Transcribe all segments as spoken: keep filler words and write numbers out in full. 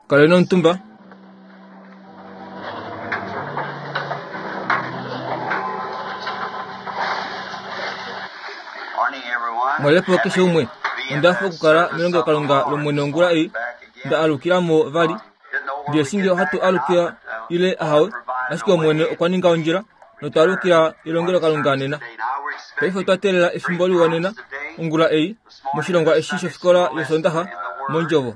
Kaleni omutumba. Morning, everyone. Mwalepo keshe umwe. Onda hafa okukala melongelokalunga lOmwene ongula ei nda alukila mo vali. Ndiye shinge ohatu alukila ile ahawe, ashike Omwene okwa ninga ondjila notwa alukila elongelokalunga nena. Paife otwa teelela efimbo liwa nena ongula ei moshilongwa eshi shofikola yOsoondaxa mondjovo.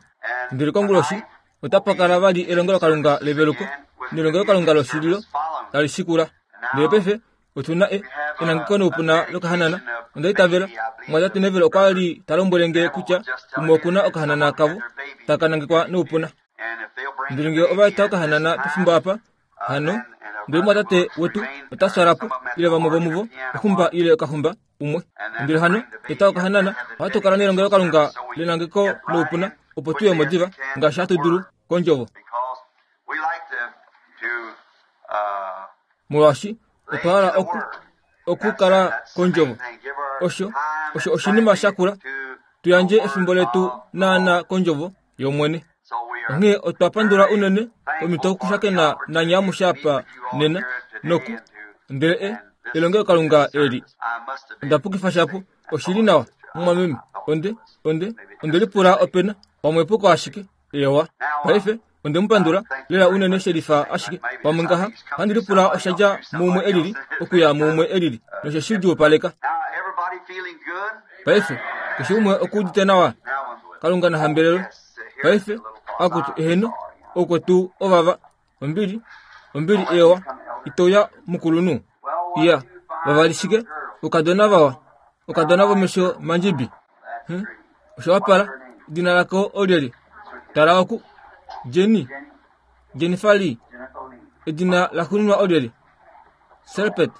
Ndele konguloshi otapa kala vali elongelokalunga leveluko nelongelokalunga loshililo tali shikula. Ndele paife otu na e- enangeko noupuna lokahanana. Onda itavela mumwatate Neville okwa li ta lombwele nge kutya umwe oku na okahanana kavo taka nangekwa noupuna. Ndele ngee ova eta okahanana pefimbo apa, hano ndele mumwatate wetu ota twala po ile vamwe vomuvo oxumba ile okaxumba umwe. Ndele hano eta okahanana, ohatu kala nelongelokalunga lenangeko noupuna opo tuye mo diva ngaashi hatu dulu kondjovo. Because we like to, to uh, Molwaashi otwa hala oku okukala kondjovo. Osho osho oshinima shakula tu yandje efimbo letu naana kondjovo yOmwene. Onghee otwa pandula unene omhito okushakena nanye amushe apa nena noku ndele e elongelokalunga eli. Onda pukifa shapo oshili nawa mumwameme onde onde onde lipula opena pamwe epuko ashike ewa. Paife onde mu pandula lela unene shelifa ashike pamwe ngaha ohandi lipula osha dja muumwe elili okuya muumwe elili noshe shi djuupaleka. Now, everybody feeling good? Paife keshe umwe okuudite nawa. Kalunga na hambelelwe. Paife akutu eheno okwetu ovava ombili ombili ewa itoya mukulunhu. Iya vavali shike okadona vawa okadona vomesho mandjibi. Hm? Osho wapala edina lako olyelye? Tala oku Jenny Jennifer Lee. Edina laxuuninwa olyelye? Serpet.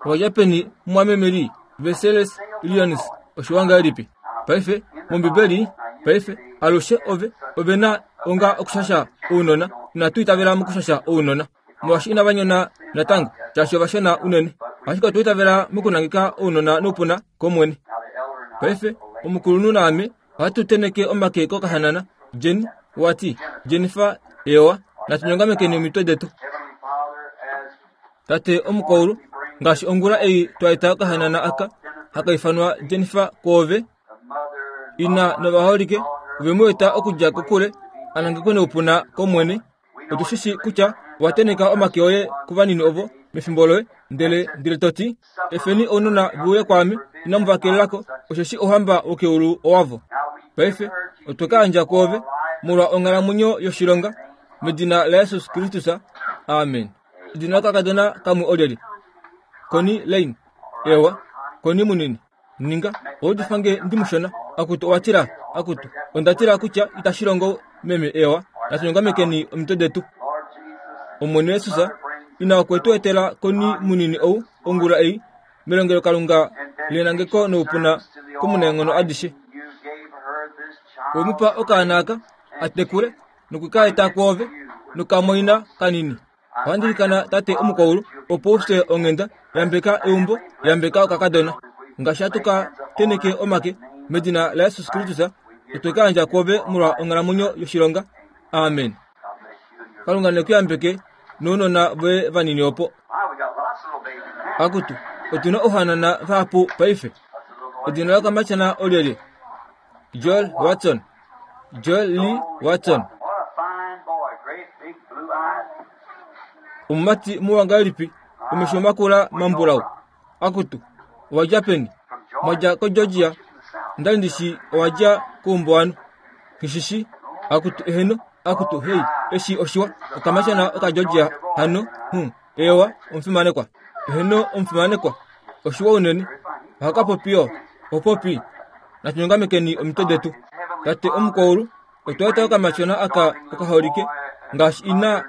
Owadja peni mumwameme Lee? Versailles Illinois. Osho wangahelipi? Paife mOmbibeli paife alushe ove ove na onga okushasha ounona. Inatu itavela mokushasha ounona molwaashi inava nyona natango shaashi ovashona unene. Ashike otwa itavela mokunangeka ounona noupuna kOmwene. Paife omukulunhu naame ohatu tenheke omake kokahanana. Jenny wati Jennifer ewa natu nyongamekeni omitwe detu. Heavenly Father, as Tate omukwaulu ngaashi ongula ei twa eta okahanana aka haka ifanwa Jennifer kwoove the mother ina novaholike ove mu eta okudja kokule a nangekwe noupuna kOmwene. Otu shi shii kutya owa tenheka omake oye kuvanini ovo mefimbo loye ndele ndele to ti efeni ounona ve uye kwaame inamu va kelelako osheshi ouhamba wokeulu owavo. Paife otwe ka yandja kwoove molwa onghalamwenyo yoshilonga medina laJesus Kristus. Amen. Edina lokakadona kamwe olyelye? Connie Lane. Ewa, Connie munini. Ninga owaudifa nge ndimushona. Akutu owa tila, akutu onda tila kutya itashi longo meme ewa. Natu nyongamekeni omitwe detu. Lord Jesus, Omwene Jesus ina okwe tu etela Connie munini ou ongula ei melongelokalunga lenangeko noupuna komunaenghono adishe. you gave her this child. Owe mu pa okaana aka a tekule noku ka eta kwoove nokamwaina kanini. Ohandi ilikana tate omukwaulu opo u fye onghenda yambeka eumbo yambeka okakadona. Ngaashi hatu ka tenheke omake medina laJesus Kristus otwe ka yandja kwoove molwa onghalamwenyo yoshilonga. Amen. Kalunga ne ku yambeke nounona voye vanini opo. My, we got lots of little babies now. Akutu otuna ouhanana vahapu paife. Edina lokamatyana olyelye? Joel Watson. Joel Lee Watson. What a fine boy. Great big blue eyes. Omumati muwa ngahelipi omesho makula mambulau. Akutu owadja peni? From Georgia. Mwadja koGeorgia. Ndali ndishi owadja koumbuwanhu. Kishishi akutu eheno akutu hei eshi oshiwa okamatyana okaGeorgia hano hm ewa omufimanekwa. Eheno omufimanekwa oshiwa unene. Ohaka popi yo opopi. Natu nyongamekeni omitwe detu. Tate omukwaulu otwa eta okamatyona aka okaholike ngaashi ina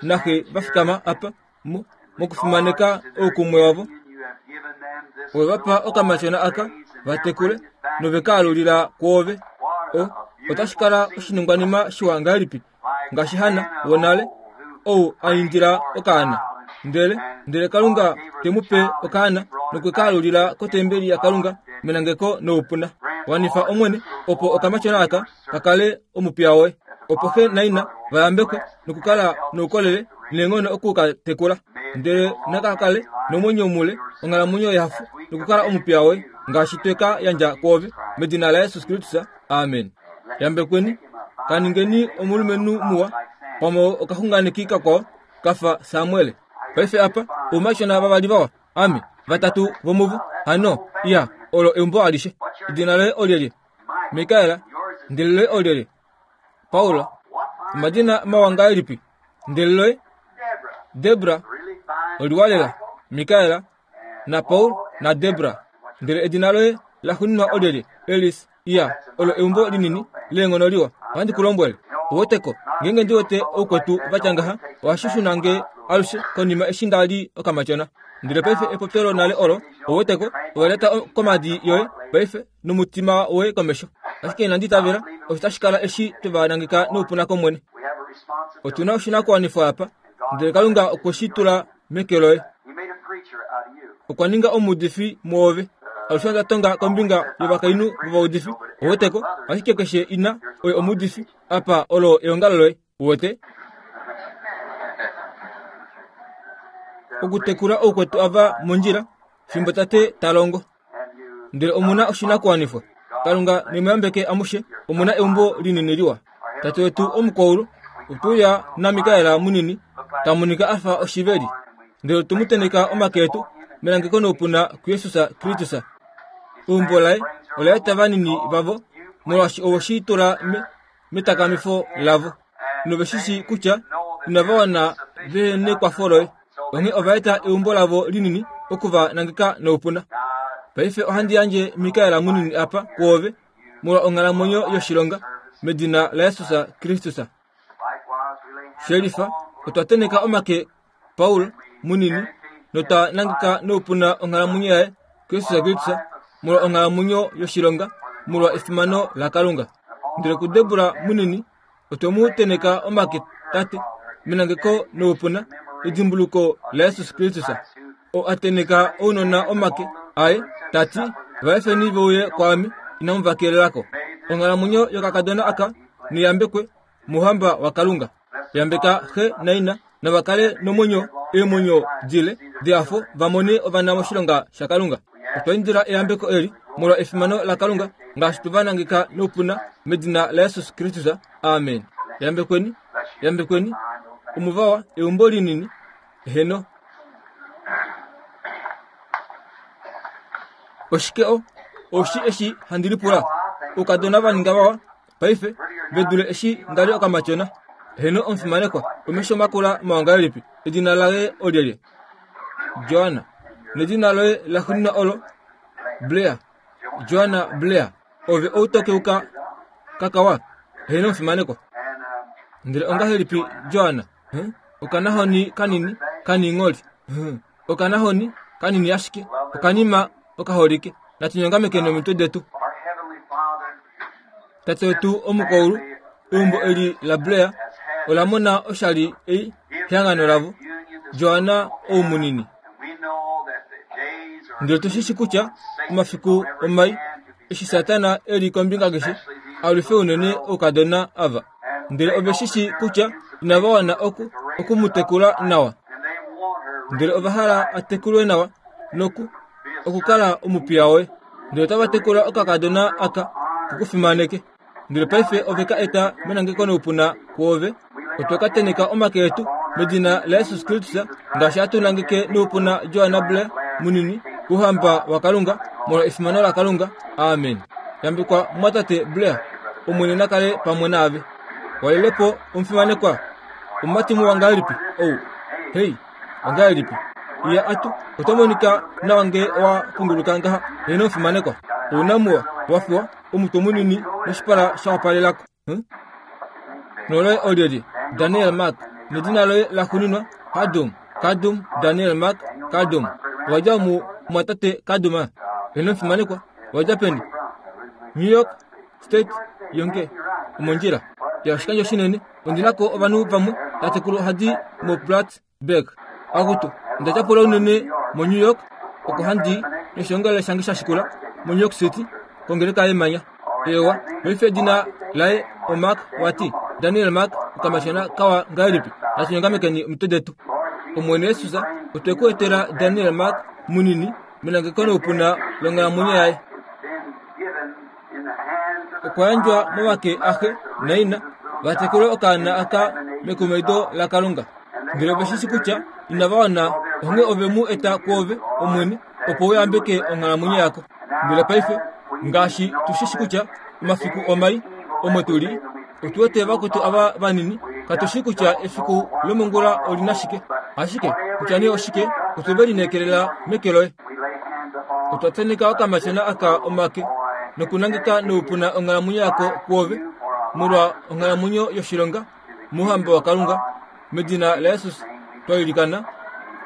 naxe va fikama apa mo mokufimaneka oukumwe wavo. You have given them this Ove va pa okamatyona aka va tekule nove ka alulila kwoove. O otashi kala oshiningwanima shiwa ngahelipi ngaashi Hanna wonale ou a indila okaana. Ndele ndele Kalunga te mu pe okaana nokwe ka alulila kotembeli yaKalunga menangeko noupuna. Wanifa Omwene opo okamatyona aka ka kale omupiya woye. Opo xe naina vayambekwe nokukala noukolele neenghono oku ka tekula. Ndele naka kale nomwenyo mule, onghalamwenyo yehafo, nokukala omupiya woye, ngaashi twe ka yandja kwoove, medina laJesus Kristus. Amen. Yambekweni, kaningeni omulumenhu muwa, pamwe okaxunganeki kakwao kafa Samuel. Paife apa, oumashona vavali vawa, ame, vatatu vomuvo, hano, iya, olo eumbo alishe. Edina loye olyelye? Mikaela. Ndele loye olyelye? Paula. Omadina mawa ngahelipi? Ndele loye? Debra. Oliwalela. Mikaela na Paul na Debra. Ndele edina loye laxuuninwa olyelye? Elis. Iya, olo eumbo linini leenghono liwa. Ohandi ku lombwele. Oweteko, ngeenge ndi wete oukwetu vatya ngaha, ohashi shuna nge alushe konima eshi nda li okamatyona. Ndele paife epopyo lonale olo, oweteko, owa lyata komadi yoye paife nomutima woye komesho. Ashike inandi itavela, osho tashi kala eshi twe va nangeka noupuna kOmwene. Otu na oshinakuwanifwa apa, ndele Kalunga okwe shi tula meke loye. Okwa ninga omuudifi mwoove. Alushe onda tonga kombinga yovakainhu vovaudifi, oweteko, ashike keshe ina oye omuudifi, apa olo eongalo loye, uwete. Okutekula oukwetu ava mondjila, fimbo tate ta longo. Ndele omuna oshinakuwanifwa. Kalunga nemuyambeke amushe, omuna eumbo linini liwa. Tate wetu omukwaulu, otuya naMikaela munini, ta monika afa oshiveli. Ndele otwe mu teneka omake etu, melangeko noupuna kuJesus Kristus. Eumbo laye ola eta vanini vavo, molwaashi owe shi tula metakamifo lavo. Nove shi shii kutya inava wana vehe nekwafo loye. Onghee ova eta eumbo lavo linini oku va nangeka noupuna. Paife ohandi yandje Mikaela munini apa kwoove, molwa onghalamwenyo yoshilonga, medina laJesus Kristus. Shelifa, otwa teneka omake Paul munini, notwa nangeka noupuna onghalamwenyo yaye kuJesus Kristus, molwa onghalamwenyo yoshilonga, molwa efimano laKalunga. Ndele kuDebora munini, otwe mu teneka omake tate, menangeko noupuna, edimbuluko laJesus Kristus. O a teneka ounona omake aye, tati, vaefeni veuye kwaame, inamu va kelelako. Onghalamwenyo yokakadona aka neyambekwe mouhamba waKalunga. Yambeka xe naina, nava kale nomwenyo eemwenyo dile dehafo va mone ovana moshilonga shaKalunga. Otwa indila eyambeko eli molwa efimano laKalunga, ngaashi twe va nangeka noupuna medina laJesus Kristus. Amen. Yambekweni, yambekweni, omuvawa eumbo linini, heno. Oshike o oshi eshi handi lipula, oukadona va ninga vawa paife ve dule eshi nda li okamatyona. Heno omufimanekwa, omesho makula mawa ngahelipi? Edina laye olyelye? Joanna. Nedina loye laxuuninwa olo Blair. Joanna Blair. Ove outokeuka kakawa. Heno omufimanekwa. Ndele ongahelipi Joanna? Okanahoni kanini kaningholi. Okanahoni kanini ashike okanima okaholike. Natunyongameke nomitwe detu. Tate wetu omukwaulu, eumbo eli la Blair ola mona oshali ei kehangano lavo, Joanna ou munini. Ndele otu shi kutya omafiku omai eshi Satana e li kombinga keshe, alwife unene oukadona ava. Ndele ove shi shii kutya inava wana oku, oku mu tekula nawa. Ndele ova hala a tekulwe nawa noku okukala omupiya woye. Ndele otava tekula okakadona aka kukufimaneke. Ndele paife ove ka eta menangeko noupuna kwoove. Otwe ka teneka omake etu medina laJesus Kristus, ngaashi hatu nangeke noupuna Joanna Blair munini kouhamba waKalunga, molwa efimano laKalunga. Amen. Yambekwa mumwatate Blair, Omwene na kale pamwe naave. Walelepo omufimanekwa, omumati muwa ngahelipi ou? Hei, ongahelipi? Iya atu, oto monika nawa nge owa punguluka ngaha. Heno omufimanekwa, ouna muwa, wafiwa, omutwe munini noshipala sha wapalelako. Noloye olyelye? Daniel Mark. Nedina loye laxuuninwa Kadum. Kadum, Daniel Mark, Kadum. Owadja omu mumwatate Kaduma. Heno omufimanekwa, owadja peni? New York State yonke omondjila. Ya oshikandjo shinene, ondinako ovanhu vamwe tatekulu ohadi moPlattsburgh. Akutu, onda tyapula unene moNew York, oko handi noshiongalele shange sha shikula moNew York City, kongeleka yemanya. Ewa, paife edina laye oMark wati, Daniel Mark okamashana kawa ngahelipi natunyongamekeni omitwe detu. Omwene Yesus otwe ku etela Daniel Mark munini melangeko noupuna longhalamwenyo yaye. Okwa yandjwa momake axe naina va tekule okaana aka mekumaido laKalunga. Ndele ove shi kutya inava wana, onghee ove mu eta kwoove, Omwene, opo u yambeke onghalamwenyo yako. Ndele paife ngaashi tu shi kutya omafiku omai omo tu li, otu wete vakwetu ava vanini, katu shi kutya efiku lomongula oli na shike, ashike kutya nee oshike, otwe ve lineekelela meke loye. Otwa tenheka okamashana aka omake nokunangeka noupuna onghalamwenyo yako kwoove molwa onghalamwenyo yoshilonga mouhamba waKalunga, medina laJesus twa ilikana,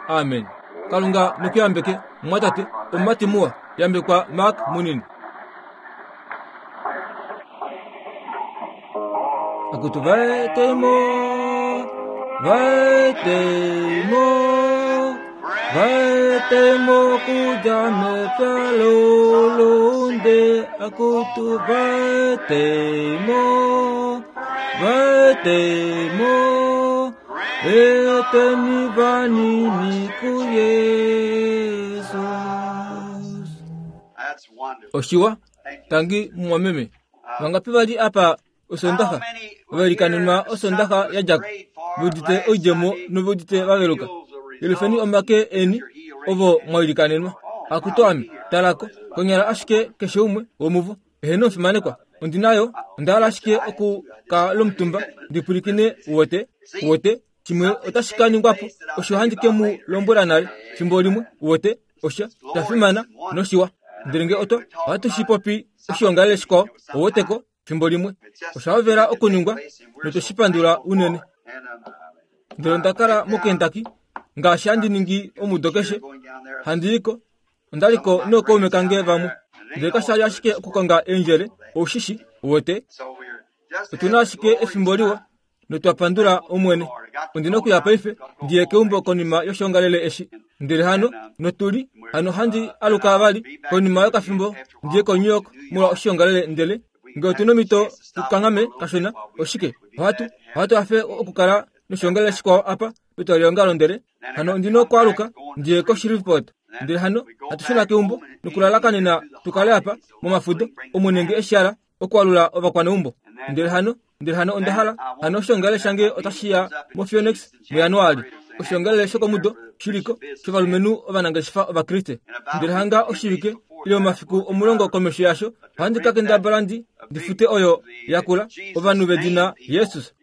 amen. Kalunga nekuyambeke mumwatate omumati muwa, yambekwa Mark munini. Akutu vaetemo, vaetemo, vaetemo kudja mepya lolonde. Akutu vaetemo, vaetemo, eteni vanini kuYesus. Oshiwa tangi mumwameme vangapi vali apa osondaxa vailikanenwa osondaxa yadjako veudite oidjemo noveudite vaveluka. Yelufeni omake eni ovo mwailikanenwa. Akutu ame talako konyala ashike keshe umwe womuvo eheno omufimanekwa ondinayo onda hala ashike oku ka lomutumba ndipwilikine uwete uwete shimwe otashi ka ningwapo osho handi ke mu lombwela nale fimbo limwe uwete osha shafimana noshiwa. Ndele nge oto ohatu shi popi oshiongalele shikwao ouweteko fimbo limwe osha hovela okuningwa notoshipandula unene. Ndele onda kala moKentucky ngaashi handi ningi omudo keshe handiiko ondaliko nookaume kange vamwe. Ndele kasha li ashike okukonga eendjele oushishi uwete. Otuna ashike efimbo liwa notwa pandula Omwene. Ondina okuya paife ndiye keumbo konima yoshiongalele eshi. Ndele hano notuli hano handi aluka vali konima yokafimbo ndiye koNew York molwa oshiongalele. Ndele nge otuna omhito tukanghame kashona oshike ohatu ohatu hafe okukala noshiongalele shikwao apa petwalihongalo. Ndele hano ondina okwaaluka ndiye koShreveport. Ndele hano hatushuna keumbo nokulalakanena tukale apa momafudo Omwene nge eshihala okwaalula ovakwaneumbo. Ndele hano ndele hano onda hala hano oshiongalele shange otashiya moPhoenix muJanuali. Oshiongalele shokomudo shiliko shovalumenhu ovanangeshefa ovakriste. Ndele hanga oshivike ile omafiku omulongo komesho yasho ohandi ka kendabala ndi ndifute oyo yakula ovanhu vedina Jesus.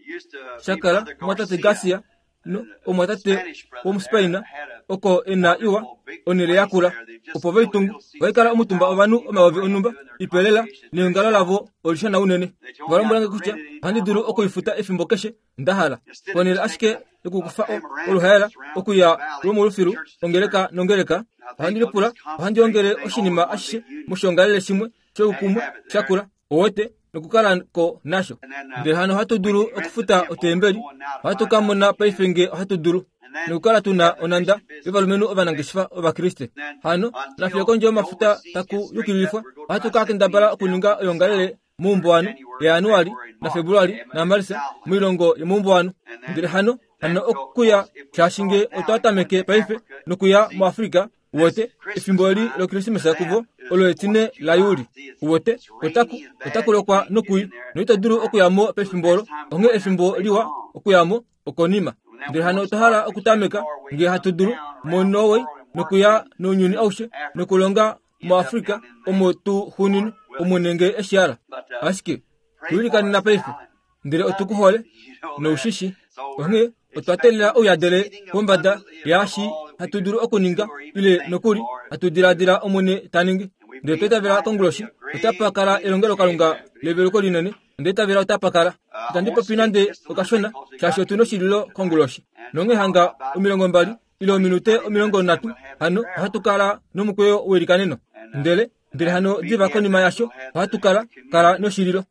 Shakala omwatate Garcia no omwatate womuSpain oko ena iwa onele yakula opo veitungu vaikala omutumba ovanhu omayovi onhumba ipelela neongalo lavo olishona unene. Valombwelange kutya ohandi dulu okuifuta efimbo keshe ndahala ponele ashike yokukufa oluhaela okuya lwomolufilu ongeleka nongeleka. Ohandi lipula ohandi ongele oshinima ashishe moshiongalele shimwe shoukumwe shakula owete nokukala ko nasho. Ndele hano ohatu dulu okufuta otembeli ohatu ka mona paife nge ohatu dulu nokukala tuna onanda yovalumenhu ovanangeshefa ovakriste. Hano nafiyo kondje yomafuta taku yukililifwa ohatu ka kendabala okuninga oyoongalele moumbuwanu yaJanuali naFebruali naMarsa moilongo yomoumbuwanu. Ndele hano hano okuya shaashi nge otwa tameke paife nokuya muAfrika uwete efimbo eli loKrismesa kuvo olo etine laJuli uwete otaku otaku lokwa nokui noito dulu okuyamo pefimbo olo onghee efimbo liwa okuyamo okonima. Ndele hano otwa hala okutameka nge hatu dulu moNorway nokuya nounyuni aushe nokulonga muAfrika omo tu xunini Omwene nge eshihala. Ashike tuilikanena paife ndele otukuhole noushishi onghee otwa teelela ouyadele pombada yaashi hatu dulu okuninga ile nokuli hatu diladila Omwene ta ningi. Ndele otwa itavela konguloshi otapa kala elongelokalunga leveluko linene. Onda itavela otapa kala. Itandi popi nande okashona shaashi otuna oshililo konguloshi nonghee hanga omilongo mbali ile ominute omilongo nhatu hano ohatu kala nomukweyo weilikaneno. Ndele ndele hano diva konima yasho ohatu kala kala noshililo.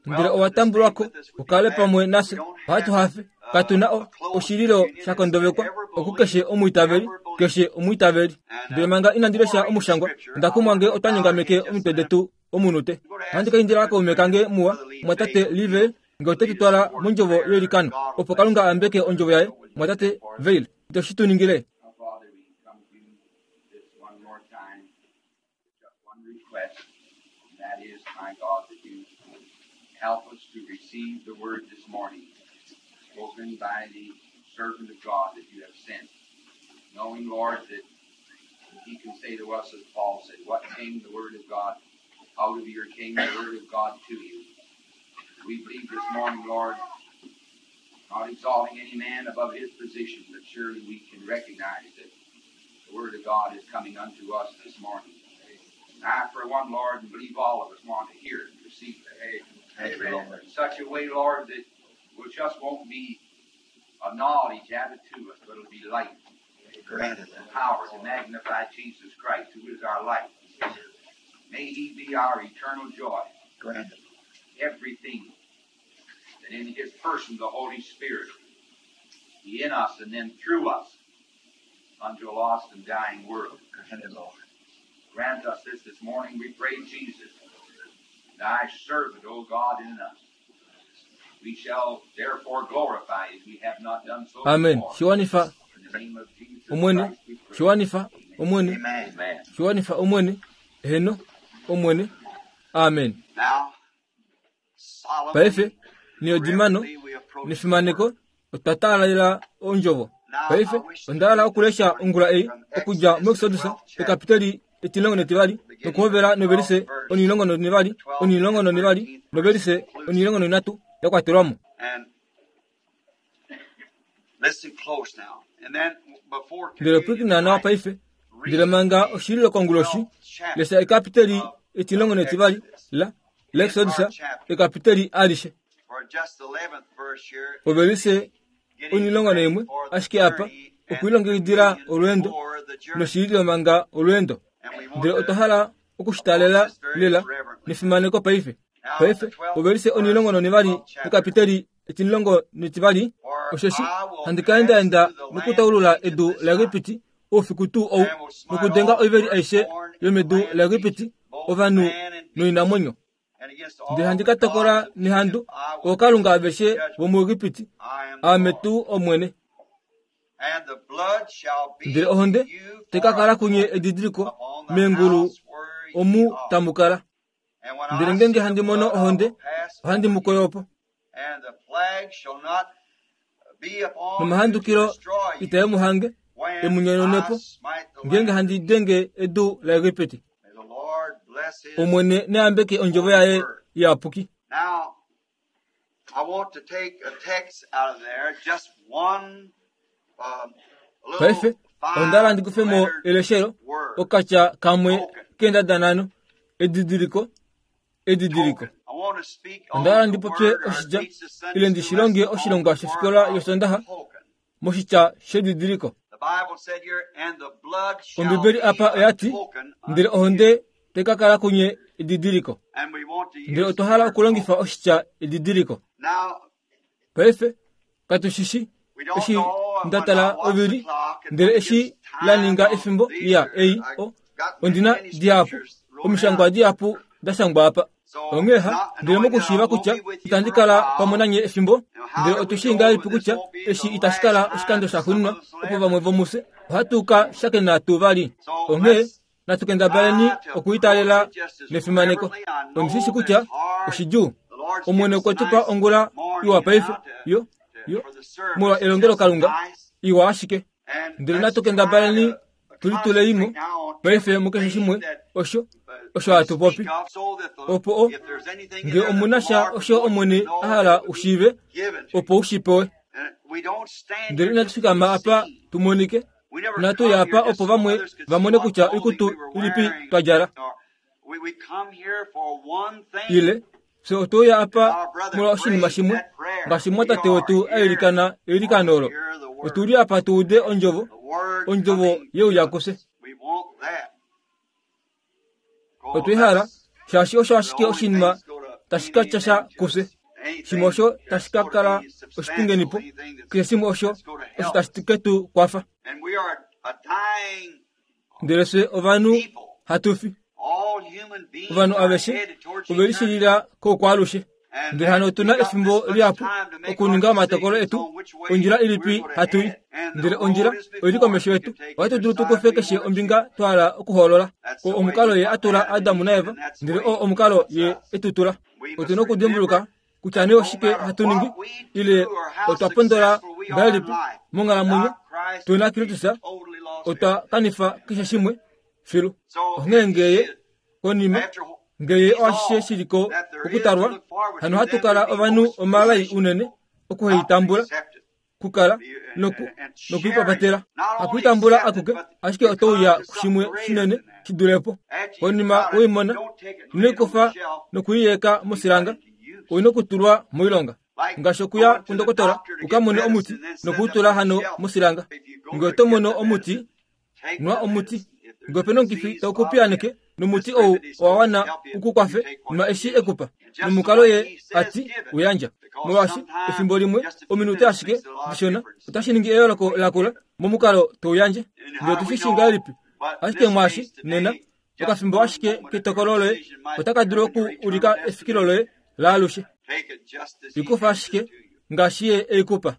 Ndele owa tambulwako ukale pamwe nafye ohatu hafe katuna o oshililo shakondovekwa okukeshe omwiitaveli keshe omwiitaveli. Ndele manga inandi lesha omushangwa onda kumwa nge otwa nyongameke omitwe detu omunute. Ohandi ka indila kaume kange muwa mwatate Livel Nge oto tu twala mondjovo yeilikano opo Kalunga a yambeke ondjovo yaye, mwatate Vail, ito shi tu ningile. Now, Father, we come to you this one more time, just one request, and that is, my God, that you help us to receive the word this morning, spoken by the servant of God that you have sent, knowing, Lord, that he can say to us, as Paul said, what came the word of God out of your came the word of God to you. We believe this morning, Lord, not exalting any man above his position, but surely we can recognize that the Word of God is coming unto us this morning. And I, for one, Lord, and believe all of us want to hear it and receive it. Amen. In such a way, Lord, that it just won't be a knowledge added to us, but it'll be light Granted. and power to magnify Jesus Christ, who is our life. May He be our eternal joy. Granted. Everything that in His person, the Holy Spirit, be in us and then through us unto a lost and dying world. Granted, Lord. Grant us this this morning, we pray, Jesus, thy servant, O God, in us. We shall therefore glorify as we have not done so Amen. before. Shiwanifa In the name of Jesus Omwene, Christ we pray. shiwanifa Omwene, Amen. Amen. shiwanifa Omwene, heno Omwene. Amen. Now, solemnly, Paife niyodimano reverently we approach the nefimaneko word. otwa taalela ondjovo. Paife onda hala okulesha ongula ei okudja muExodus ekapiteli etilongo netivali nokuhovela novelise onilongo nonivali onilongo nonivali novelise onilongo noinatu ya kwatelwamo. And listen close now. And then before Ndele communion pwilikina nawa tonight, paife ndele manga oshililo konguloshi lesha ekapiteli etilongo netivali la laExodus ekapiteli alishe for just the eleventh verse here, ovelise getting onilongo ready naimwe for the ashike apa journey and okwilongekidila communion olweendo for the journey. noshililo manga olweendo. And we want Ndele otwa to hala okushitalela lela nefimaneko paife. Paife ovelise onilongo nonivali ekapiteli etilongo netivali osheshi handi ka endaenda nokutaulula edu laEgipiti oufiku tuu ou nokudenga oiveli aishe yomedu laEgipiti ovanhu noinamwenyo. and against all Ndele handi the ka tokola gods of nehandu Egypt I will ookalunga aveshe vomuEgipiti I am the aame Lord. tuu Omwene. And the blood shall be Ndele ohonde to you tai ka for kala a kunye token edidiliko upon the meengulu house where ye omu are. tamu kala. And when I Ndele see ngenge the handi mono blood, I ohonde will pass ohandi over mu you, koyopo. and the plague shall not be upon you to Nomahandukilo destroy itae you mu hange when e mu nyononepo I smite the ngenge land. handi denge edu laEgipiti. May the Lord bless his Omwene neyambeke ondjovo yaye iyapuki. Now, I want to take a text out of there, just one um, Paife little onda hala ndi kufemo five-lettered eleshelo word. okatya kamwe Token. keendada nhano edidiliko edidiliko. Token. I want to speak on Onda hala the ndi popye word or oshitya teach the Sunday ile ndi school shilonge lesson on oshilongwa the shofikola word of yosondaha token. moshitya shedidiliko. The Bible said here, and the blood shall Ombibeli be apa a oyati token ndele unto you. ohonde tai ka kala kunye edidiliko. And we want to Ndele use otwa the hala word okulongifa token. oshitya edidiliko. Now, Paife katushi we don't eshi know when nda I tala watch the ovili clock and ndele when it eshi gets la time ninga on efimbo these ya are, ei I o got ondina many dihapu scriptures wrote omishangwa down. dihapu da shangwa apa. So, Onghee ha not ndele knowing that I mokushiiva won't kutya be with you itandi for a kala while, pamwe nanye efimbo now how ndele do we otushii know ngahelipi that this kutya won't be eshi the itashi last kala time oshikando that some shaxuuninwa of us will opo ever vamwe vomufye ohatu ka shakena tuu vali. So Onghee let's natu kendabaleni try to approach okuitalela it just as nefimaneko. reverently. I know Ondishi that kutya it's hard. oshidjuu. The Lord's Omwene given us okwe a tu pa nice ongula iwa morning paife now to, yo to, yo for the service. molwa It's elongelo just Kalunga nice. iwa ashike. And Ndele let's natu try kendabaleni to tulitulei mo concentrate now on paife mukeshe everything shimwe that osho uh, osho we hatu speak popi. of so that the, Opo o if there's anything in nge there that omuna the sha Lord would osho want you to Omwene know, a that hala it would be ushiive given to opo you. ushipewe. And we don't stand Ndele here inatu just to be fikama apa seen. tumonike We never inatu come ya here apa just opo so vamwe others could see vamone what kutya clothing oikutu we were ilipi wearing. twa djala. Or we, we come here for one thing. Ile fye otwe uya apa Our brother molwa oshinima prayed shimwe that prayer. ngaashi We mwatate are wetu a here ilikana eilikano to olo. hear the word. Otuli apa tu ude ondjovo The word ondjovo coming yeuya to kufye. us. We want that. Oh, Otwe hala that's shaashi osho the ashike only thing oshinima that's going to tashi mean ka tya sha anything to kufye. us. Shimwe osho Anything that's tashi ka going to kala be oshipingenipo substantial, anything that's, keshe shimwe osho that's going to osho help tashi us. ke tu kwafa. And we are a dying Ndele fye ovanhu people. hatu fi. All human beings Ovanhu are aveshe headed towards ove eternity. lishilila koukwaalushe. Ndele hano otuna efimbo lihapu okuninga omatokolo etu ondjila ilipi hatu i. Ndele ondjila oili komesho yetu. Ohatu dulu tukufe keshe ombinga twa hala okuhoolola. Oo omukalo ye atula Adamu naEva, ndele oo omukalo ye etutula. Otuna okudimbuluka kutya nee oshike hatu ningi ile otwa pondola ngahelipi monghalamwenyo tuna Kristus, otwa kanifa keshe shimwe filu. Onghee ngeye konima ngeye oashishe shiliko okutalwa, hano hatu kala ovanhu omalai unene okuheitambula, kukala noku nokuipapatela. Hakuitambula akuke, ashike otouya kushimwe shinene shidulepo. Konima weimona, inoikufa nokuiyeka mosilanga, oina okutulwa moilonga. Ngaashi okuya kundokotola ukamone omuti nokuutula hano mosilanga. Ngee oto mono omuti, nwa omuti. Ngee opena omukifi tau kupiyaaneke nomuti ou owa wana ukukwafe, nwa eshi ekupa. Nomukalo ye ati uyandja. Molwaashi efimbo limwe ominute ashike dishona otashi ningi eyooloko lakula momukalo touyandje. Ndele otushi shi ngahelipi, ashike mwaashi nena okafimbo ashike ketokolo loye otaka dulu oku ulika efikilo loye laalushe. Ikufa ashike ngaashi ye eikupa.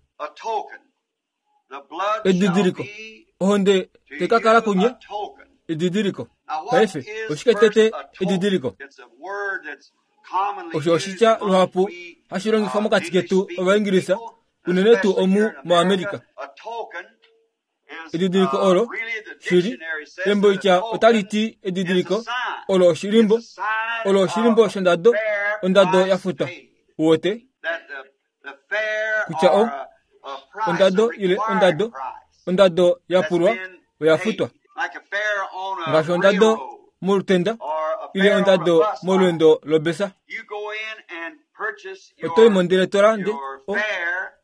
Edidiliko. Ohonde tekakala kunye edidiliko. Paife oshike tete edidiliko? Osho oshitya luhapu hashi longifwa mokati ketu Ovaingilisa, unene tuu omu moAmerica. Edidiliko olo shili emboitya otali ti edidiliko olo oshilimbo, olo oshilimbo shondado, ondado ya futwa. Uwete kutya o ondado ile ondado, ondado ya pulwa oya futwa. Ngaashi ondado molutenda ile ondado molweendo lobesa. Oto i mondele to lande o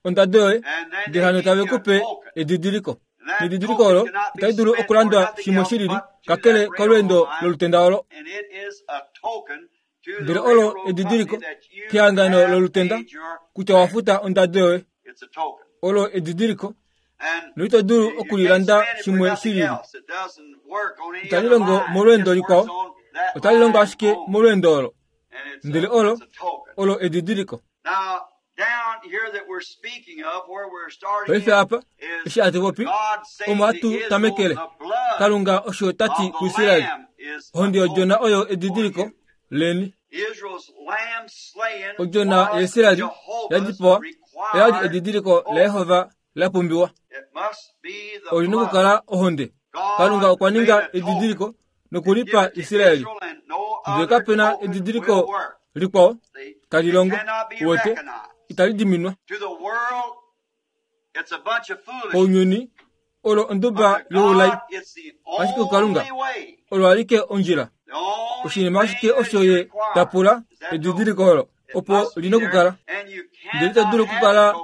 ondado yoye, ndele hano tave ku pe edidiliko. Nedidiliko olo itali dulu okulandwa shimwe shilili kakele kolweendo lolutenda olo. Ndele olo edidiliko kehangano lolutenda kutya wa futa ondado yoye. Olo edidiliko noito dulu okulilanda shimwe shilili. Itali longo molweendo likwao, otali longo ashike molweendo olo. Ndele olo olo edidiliko. Paife apa eshi hatu popi omo hatu tamekele. Kalunga osho tati kuIsraeli, ohonde yodjona oyo edidiliko leni. Odjona yaIsraeli yadipawa oyali edidiliko laJehova la pumbiwa. Olina okukala ohonde. Kalunga okwa ninga edidiliko nokulipa Israeli. Ndele kapena edidiliko likwao tali longo, uwete, itali diminwa. Ounyuni olo onduba youlai, ashike kuKalunga olo alike ondjila. Oshinima ashike osho ye tapula edidiliko olo opo lina okukala. Ndele ito dulu okukala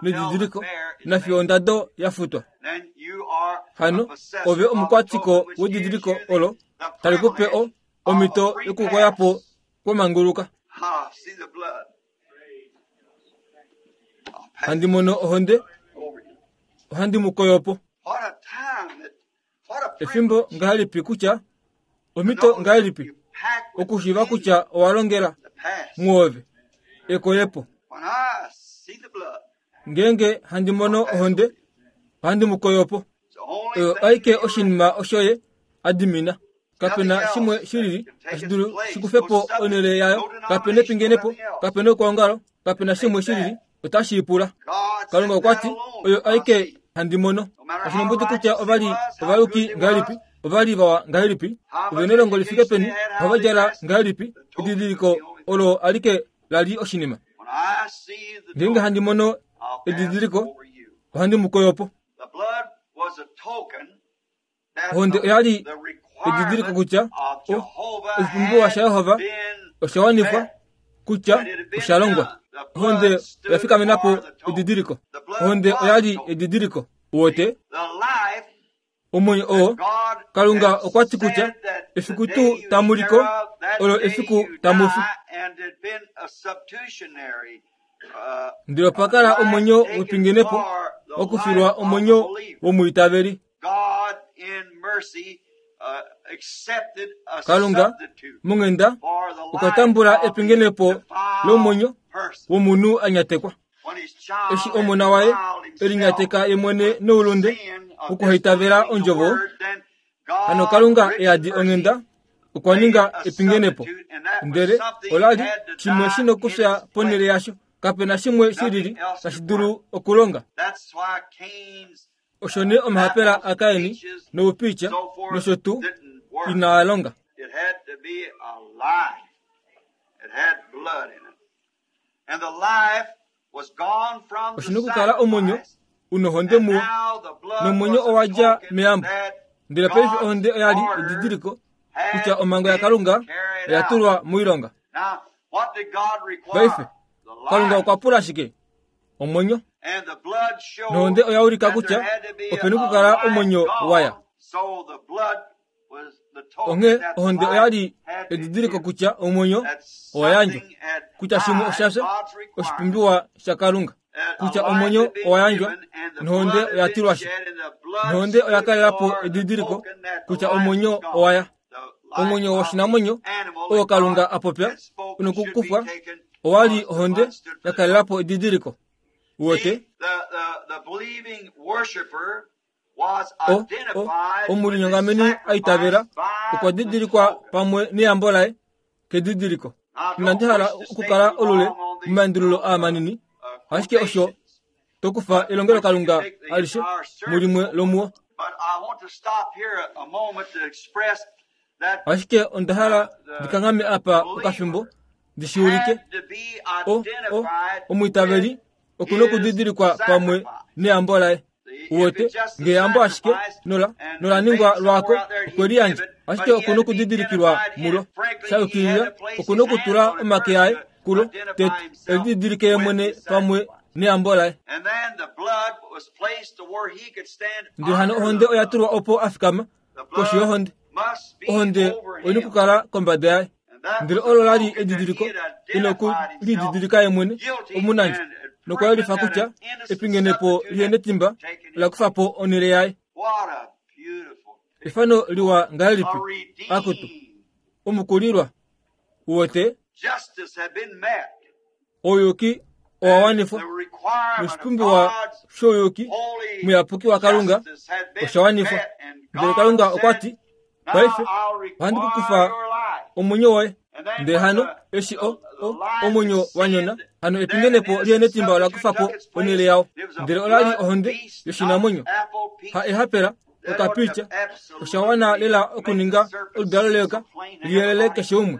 nedidiliko nafiyo ondado ya futwa. Hano ove omukwatiko wedidiliko olo tali kupe o omhito yokukoya po kwamanguluka. Handi mono ohonde, ohandi mu koyo po. Efimbo ngahelipi kutya, omhito ngahelipi okushiiva kutya owa longela muove ekoyepo. Ngeenge handi mono ohonde, ohandi mu koyo po. Oyo aike oshinima osho ye adimina. Kapena shimwe shilili tashi dulu shikufepo onhele yayo. Kapena epingenepo, kapena okwoongalo, kapena shimwe shilili otashi ipula. Kalunga okwa ti oyo aike handi mono. Kashina kutya ovali ovayuki ngahelipi, ovali vawa ngahelipi, ove nelongo lifike peni, ohava djala ngahelipi, edidiliko olo alike lali oshinima. Ngeenge handi mono edidiliko, ohandi mu koyo po. Ohonde oyali edidiliko kutya oshipumbiwa shaJehova osha wanifwa, kutya osha longwa. Ohonde oya fikamena po edidiliko. Ohonde oyali edidiliko. Uwete omwenyo oo Kalunga okwa ti kutya efiku tuu tamuliko olo efiku tamufi. Ndele opa kala omwenyo wepingenepo okufilwa omwenyo womwiitaveli. Kalunga monghenda okwa tambula epingenepo lomwenyo womunhu a nyatekwa. Eshi omona waye e linyateka ye mwene noulunde wokuhaitavela ondjovo, hano Kalunga e yadi onghenda okwa ninga epingenepo. Ndele ola li shimwe shi nokufya ponhele yasho. Kapena shimwe shilili tashi dulu okulonga. Osho nee omahapela aKaini noupitya nosho tuu inaa longa. It had to be a life. It had blood in it. And the life was gone from the Oshi nokukala omwenyo sacrifice. unohonde And muwo now the blood nomwenyo was a owa dja token meyambo. that Ndele paife God's ohonde oya li order edidiliko had kutya omhango been yaKalunga carried oya out. tulwa moilonga. Now, what did God require? Paife The Kalunga life. okwa pula shike? Omwenyo. And the blood showed Nohonde oya ulika that kutya there had to be opena a okukala life omwenyo gone. waya. So the blood was the token Onghee that the ohonde oya life li had been edidiliko given. kutya omwenyo That owa yandjwa, something had kutya shimwe died, osha fya, God's requirement. oshipumbiwa shaKalunga, That a kutya life omwenyo had been owa yandjwa given and the nohonde blood had oya been tilwa shi. shed and the blood Nohonde oya stood kalela po for the edidiliko token that the kutya life omwenyo was gone. owa ya. The life Omwenyo of woshinamwenyo the animal oo that Kalunga God a popya had spoken should be unokukufwa taken owa li was the ohonde blood stood for ya the kalela po edidiliko. Uwete See, the, the, the believing worshiper was o o identified with the omulinyongameni a itavela sacrifice by okwa the didilikwa token. pamwe neyambo laye kedidiliko. I don't Inandi hala wish to stay okukala too olule long on these momaendululo uh, aa manini, uh, ashike osho quotations, tokufa but elongelo which you can Kalunga take the alishe entire service mulimwe on. lomuwo. But I want to stop here a, a moment to express that Ashike onda hala the, the ndikanghame apa okafimbo believer ndi shi ulike had to be o o identified omwiitaveli with okuna his okudidilikwa pamwe sacrifice. neyambo laye. See, if Uwete it's just the ngeyambo ashike sacrifice nola and, nola and ningwa made lwako somewhere out there, okwe he'd give liyandja, it, but ashike he okuna had to be okudidilikilwa identified in mulo. it. Frankly, he had Shayukilila to place okuna his hands okutula on it omake first aye to kulo identify tete himself elididilike ye with mwene his pamwe sacrifice. neyambo laye. And then the blood was placed to where he could stand Ndele hano under ohonde the oya blood. tulwa opo a fikama The koshi blood yohonde. must be Ohonde over oyina him. okukala kombada yaye. And that Ndele was a olo la li token that he edidiliko had ina identified himself okulididilika ye mwene guilty omunandjo and had nokwa proven yelifa that kutya an innocent epingenepo substitute lihe had netimba taken ola his kufa place. po onhele yaye. What a beautiful picture. Efano liwa A ngahelipi? Akutu redeemed omukulilwa uwete justice had been met. ouyuki owa And wanifwa the requirement of noshipumbiwa God's shouyuki holy muyapuki waKalunga justice had been osha wanifwa. met. And Ndele God Kalunga okwa said, ti, Now paife I'll ohandi ku require kufa your life. omwenyo woye. And then Ndele when hano the, eshi the, o the o life had omwenyo wa nyona, sinned, hano then an epingenepo lihe innocent netimba ola substitute kufa po took its onhele place. yawo. It was a Ndele ola li blood ohonde beast, not yoshinamwenyo apple, ha peach. ehapela That ought to okapitya osha wana absolutely lela make the okuninga serpent oludalo seem leyoka so plain to liyelele everybody. keshe umwe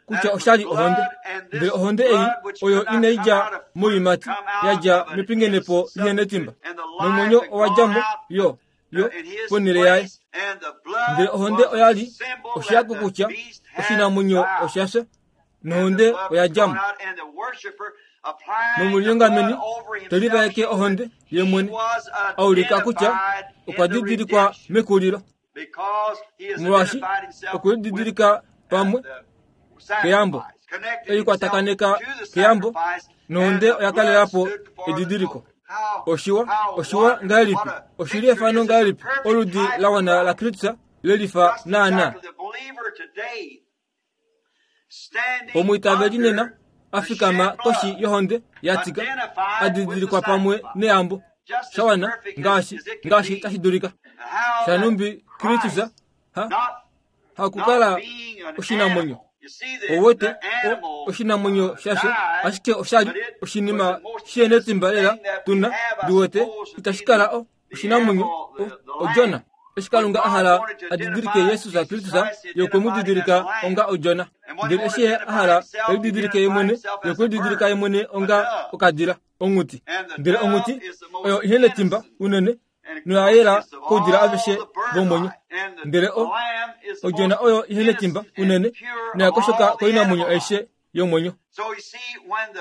kutya That was oshali ohonde. blood, and Ndele this ohonde ei blood which oyo could not inai come dja out of fruit, moiimati come out ya dja of an mepingenepo innocent lihe substitute, netimba and the life nomwenyo had owa gone dja mo out yo yo in his ponhele yaye. place, and the Ndele blood ohonde was oya the li symbol that oshiyako the kutya beast had oshinamwenyo died. osha fya And the nohonde blood oya was dja gone mo. out, and the worshiper applying the Nomulinyongameni blood over te himself livaeke showed that ohonde ye he mwene was a ulika kutya identified okwa in the didilikwa redemption mekulilo because he has molwaashi identified himself okwe with lididilika uh, pamwe the keyambo sacrifice, connected ei himself kwatakaneka to the keyambo sacrifice, and nohonde the oya blood kalela po stood for the edidiliko. token. How Oshiwa how oshiwa wonderful, ngahelipi what a oshili picture efano is. It's a ngahelipi perfect oludi type la of wana la Christ. Kristus lelifa Just naana. exactly the believer today standing Omwiitaveli nena under the afikama shed koshi blood, yohonde ya tika identified with the adidilikwa pamwe sacrifice. neyambo Just as shawana perfect as, ngaashi as it can ngaashi be. tashi dulika. And how that Shanumbi Kristus Christ, ha not hakukala not being an oshinamwenyo animal. You see, the, owete the o animal oshinamwenyo uh, shasho died, ashike oshali but it was oshinima the most shihenetimba innocent lela thing that we tuna have, I ndiwete suppose, to be itashi kala the, o the oshinamwenyo animal, o the, the odjona lamb. eshi When Kalunga a God hala wanted to a didilike identify Jesus Jesus Kristus Christ, he ye okwe mu identified him as didilika a lamb. onga odjona. And when he Ndele wanted eshi to ye a identify hala himself, he elididilike ye identified mwene himself ye as okwe a lididilika ye bird, mwene a onga dove. okadila onghuti. And the Ndele dove onghuti is the oyo most ihe netimba innocent unene and noya yela cleanest of koudila all aveshe the bird vomwenyo. life. And the, Ndele the o lamb is the odjona most oyo ihe netimba innocent and unene pure noya of koshoka all the koinamwenyo animal life. aishe yomwenyo. So you see, when the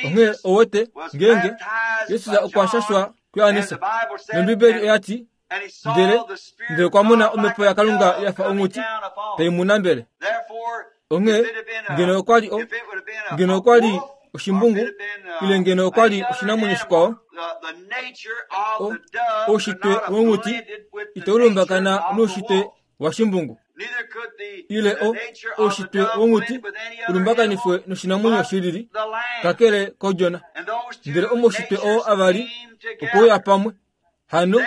Onghee Jesus owete was ngeenge baptized Jesus by okwa John, shashwa and kuYohannes the Bible said, nOmbibeli and, oya ti and he ndele saw the Spirit ndele of okwa mona God like omhepo a yaKalunga dove ya fa coming onghuti down upon tai him. mu nambele. Therefore, if Onghee it had been ngeno a, okwa li o if it would have been a, ngeno a okwa li wolf, or if oshimbungu it had been ile uh, ngeno okwa any li other oshinamwenyo animal, shikwao the, the nature of o the dove could oushitwe not have wonghuti blended with the itau nature lumbakana of the noushitwe wolf. washimbungu. Ile o oushitwe wonghuti ulumbakanifwe noshinamwenyo shilili kakele kodjona. Ndele omoushitwe oo avali okweuya pamwe hano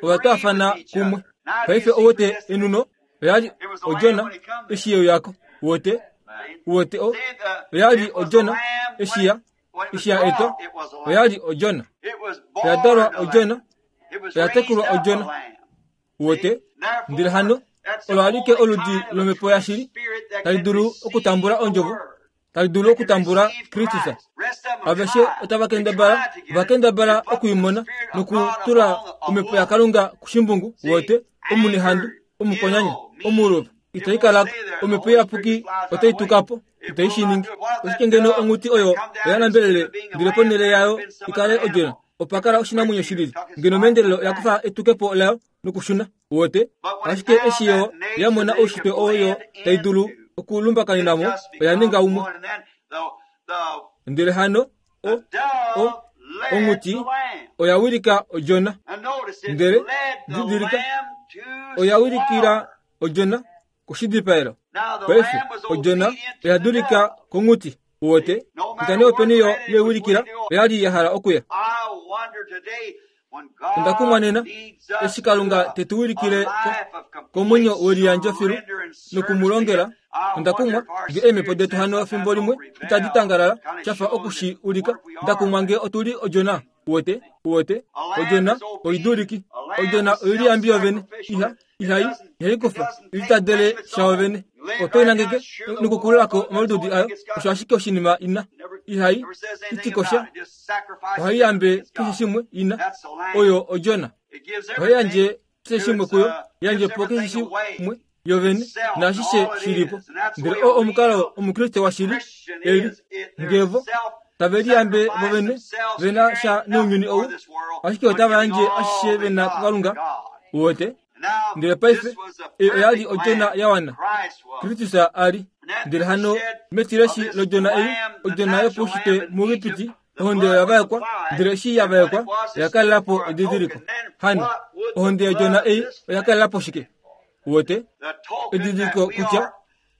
ovatwaafana kumwe. Paife ouwete enuno oyali odjona eshi yeuyako. Uwete uwete o oyali odjona eshi ya eshi ya etwa oyali odjona. Oyadalwa odjona, oyatekulwa odjona. Uwete ndele hano olo alike oludi lomhepo yashili tali dulu okutambula ondjovo, tali dulu okutambula Kristus. Aveshe otava kendabala, vakendabala okuimona nokutula omhepo yaKalunga kushimbungu. Uwete omunehandu, omukonyanya, omuluva itai kalako. Omhepo iyapuki otai tukapo, itai shiningi. Oshike ngeno onghuti oyo oya nambelele ndele ponhele yayo ikale odjona opakala oshinamwenyo shilili, ngeno meendelelo oya kufa etukepo layo nokushuna. Uwete ashike eshi yo yamona oushitwe oyo tai dulu okulumbakanenamo oya ninga umwe. Ndele hano o o onghuti oya wilika odjona. Ndele didilika oya wilikila odjona koshidipaelo. Paife odjona oya dulika konghuti. Uwete kutya nee openi yo yewilikila oyali ya hala okuya. Onda kumwa nena eshi Kalunga tetu wilikile komwenyo weliyandjo filu nokumulongela. Onda kumwa nge eemhepo detu hano fimbo limwe itadi tangalala shafa okushi ulika. Onda kumwa nge otuli odjona. Uwete uwete odjona oiduliki. Odjona oiliyambi yovene iha ihai ihaikufa ilitadele shaovene. Otoinangeke nokukululako omalududi ayo osho ashike oshinima ina ihai itikosha ohaiyambe keshe shimwe ina. Oyo odjona ohaiyandje keshe shimwe kuyo, yandje po keshe shimwe yovene naashishe shilipo. Ndele oo omukalo omukriste washili eli ngevo tave liyambe vovene vena sha nounyuni ou, ashike otava yandje ashishe vena kuKalunga. Uwete ndele paife ei oyali odjona ya wana, Kristus ali. Ndele hano metileshi lodjona ei, odjona yopaushitwe muEgipiti, ohonde oya vaekwa. Ndele eshi ya vaekwa oya kalelapo edidiliko. Hano ohonde yodjona ei oya kalelapo shike? Uwete edidiliko kutya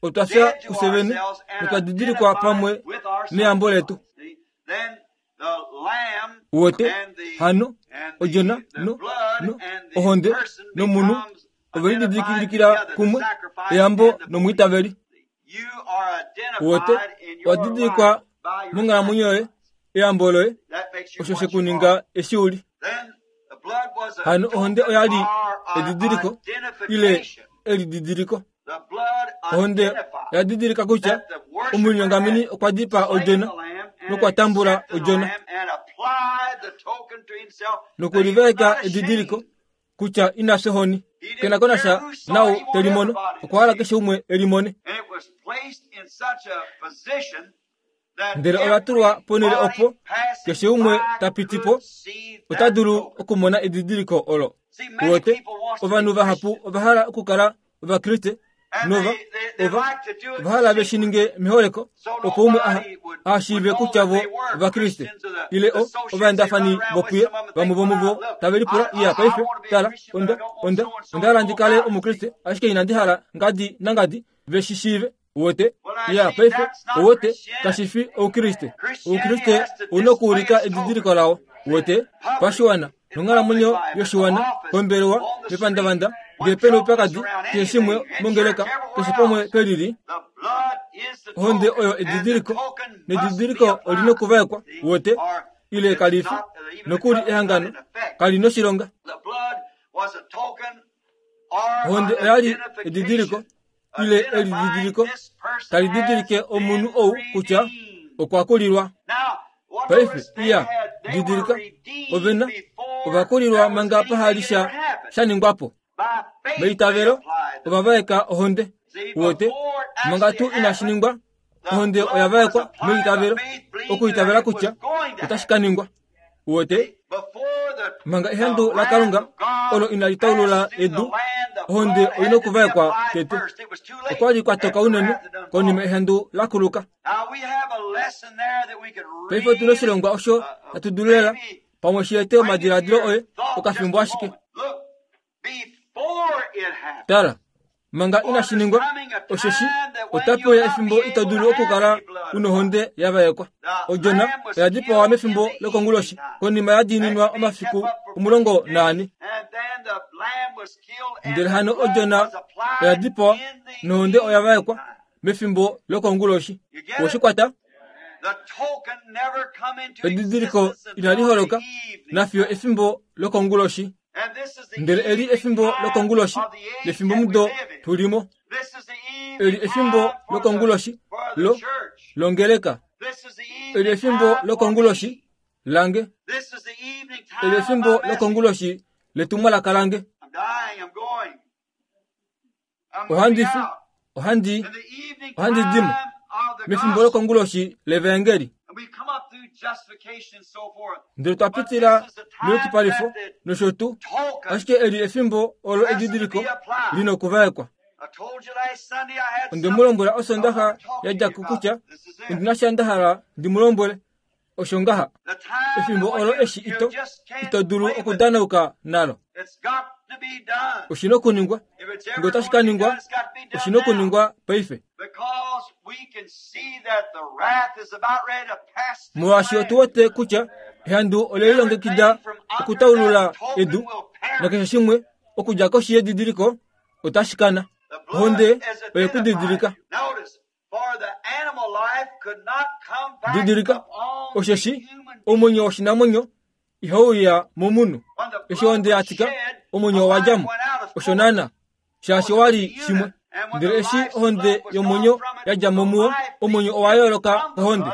otwa fya kufye vene notwa didilikwa pamwe neyambo letu. Uwete hano odjona no no ohonde nomunhu ovelididilikilikila kumwe eyambo nomwiitaveli. Uwete owa didilikwa monghalamwenyo yoye, eyambo loye osho shekuninga eshi uli. Hano ohonde oyali edidiliko ile elididiliko. Ohonde oya didilika kutya omulinyongameni okwa dipaa odjona nokwa tambula odjona nokulivaeka edidiliko kutya ina fya ohoni. Kena konasha nau telimono, okwa hala keshe umwe elimone. Ndele ola tulwa ponhele opo keshe umwe tapiti po ota dulu okumona edidiliko olo. Uwete ovanhu vahapu ova hala okukala ovakriste nova ova ova hala ve shi ninge meholeko opo umwe aha ashiive kutya vo ovakriste ile o ovaendafani vopuye. Vamwe vomuvo tave lipula iya paife tala onda onda onda hala ndi kale omukriste ashike inandi hala ngadi nangadi ve shi shiive. Uwete iya paife uwete kashifi oukriste. Oukriste ouna okuulika edidiliko lawo. Uwete pashiwana nonghalamwenyo yoshiwana pombelewa mepandavanda ngee pena oupyakadi keshe shimwe mongeleka keshe pamwe pelili. Ohonde oyo edidiliko nedidiliko olina okuvaekwa. Uwete ile kalifi nokuli ehangano kali noshilonga. Ohonde oyali edidiliko ile elididiliko tali didilike omunhu ou kutya okwa kulilwa. Paife iya didilika ovena ovakulilwa manga pahali sha shaningwapo. Meitavelo ovavaeka ohonde. Uwete manga tuu inashi ningwa ohonde oya vaekwa meitavelo okuitavela kutya otashi ka ningwa. Uwete manga ehandu laKalunga olo inali taulula edu, ohonde oina okuvaekwa tete. Okwali kwatoka unene konima ehandu lakuluka. Paife otuna oshilongwa osho hatu dulu lela pamwe shi ete omadiladilo oye okafimbo ashike. Tala Manga inashi ningwa, osheshi otape uya efimbo ito dulu okukala unohonde ya vaekwa. Odjona oya dipawa mefimbo lokonguloshi, konima ya diininwa omafiku omulongo naane. Ndele hano odjona oya dipawa nohonde oya vaekwa mefimbo lokonguloshi. Oweshi kwata? Edidiliko inali holoka nafiyo efimbo lokonguloshi. Ndele eli efimbo lokonguloshi lefimbo mudo tulimo. Eli efimbo lokonguloshi lo longeleka. Eli efimbo lokonguloshi lange. Eli efimbo lokonguloshi letumwalaka lange. Ohandi fi, ohandi, ohandi dimo mefimbo lokonguloshi levaengeli. Ndele twa pitila meyukipalifo nosho tuu, ashike eli efimbo olo edidiliko lina okuvaekwa. Onde mu lombwela Osondaxa ya dja ko kutya ondi na sha nda hala ndi mu lombwele. Osho ngaha, efimbo olo eshi ito, ito dulu okudanauka nalo. Oshi na okuningwa. Ngee otashi ka ningwa, oshi na okuningwa paife. Molwaashi otu wete kutya ehandu ole lilongekida okutaulula edu, nakeshe shimwe okudja koshi yedidiliko otashi kana. Ohonde oye ku didilika. Didilika, osheshi omwenyo woshinamwenyo ihau uya momunhu. Eshi ohonde ya tika, omwenyo owa dja mo. Osho naana, shaashi owa li shimwe. Ndele eshi ohonde yomwenyo ya dja mo muwo, omwenyo owa yooloka kohonde.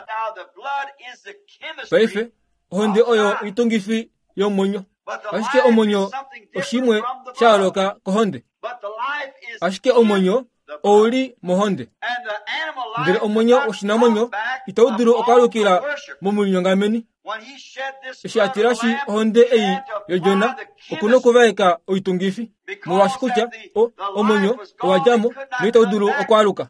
Paife, ohonde oyo oitungifi yomwenyo. Ashike omwenyo oshimwe sha yooloka kohonde. Ashike omwenyo ou li mohonde. Ndele omwenyo woshinamwenyo itau dulu okwaalukila momulinyongameni. Eshi a tilashi ohonde ei yodjona, okuna okuvaeka oitungifi, molwaashi kutya o, omwenyo owa dja mo noitau dulu okwaaluka.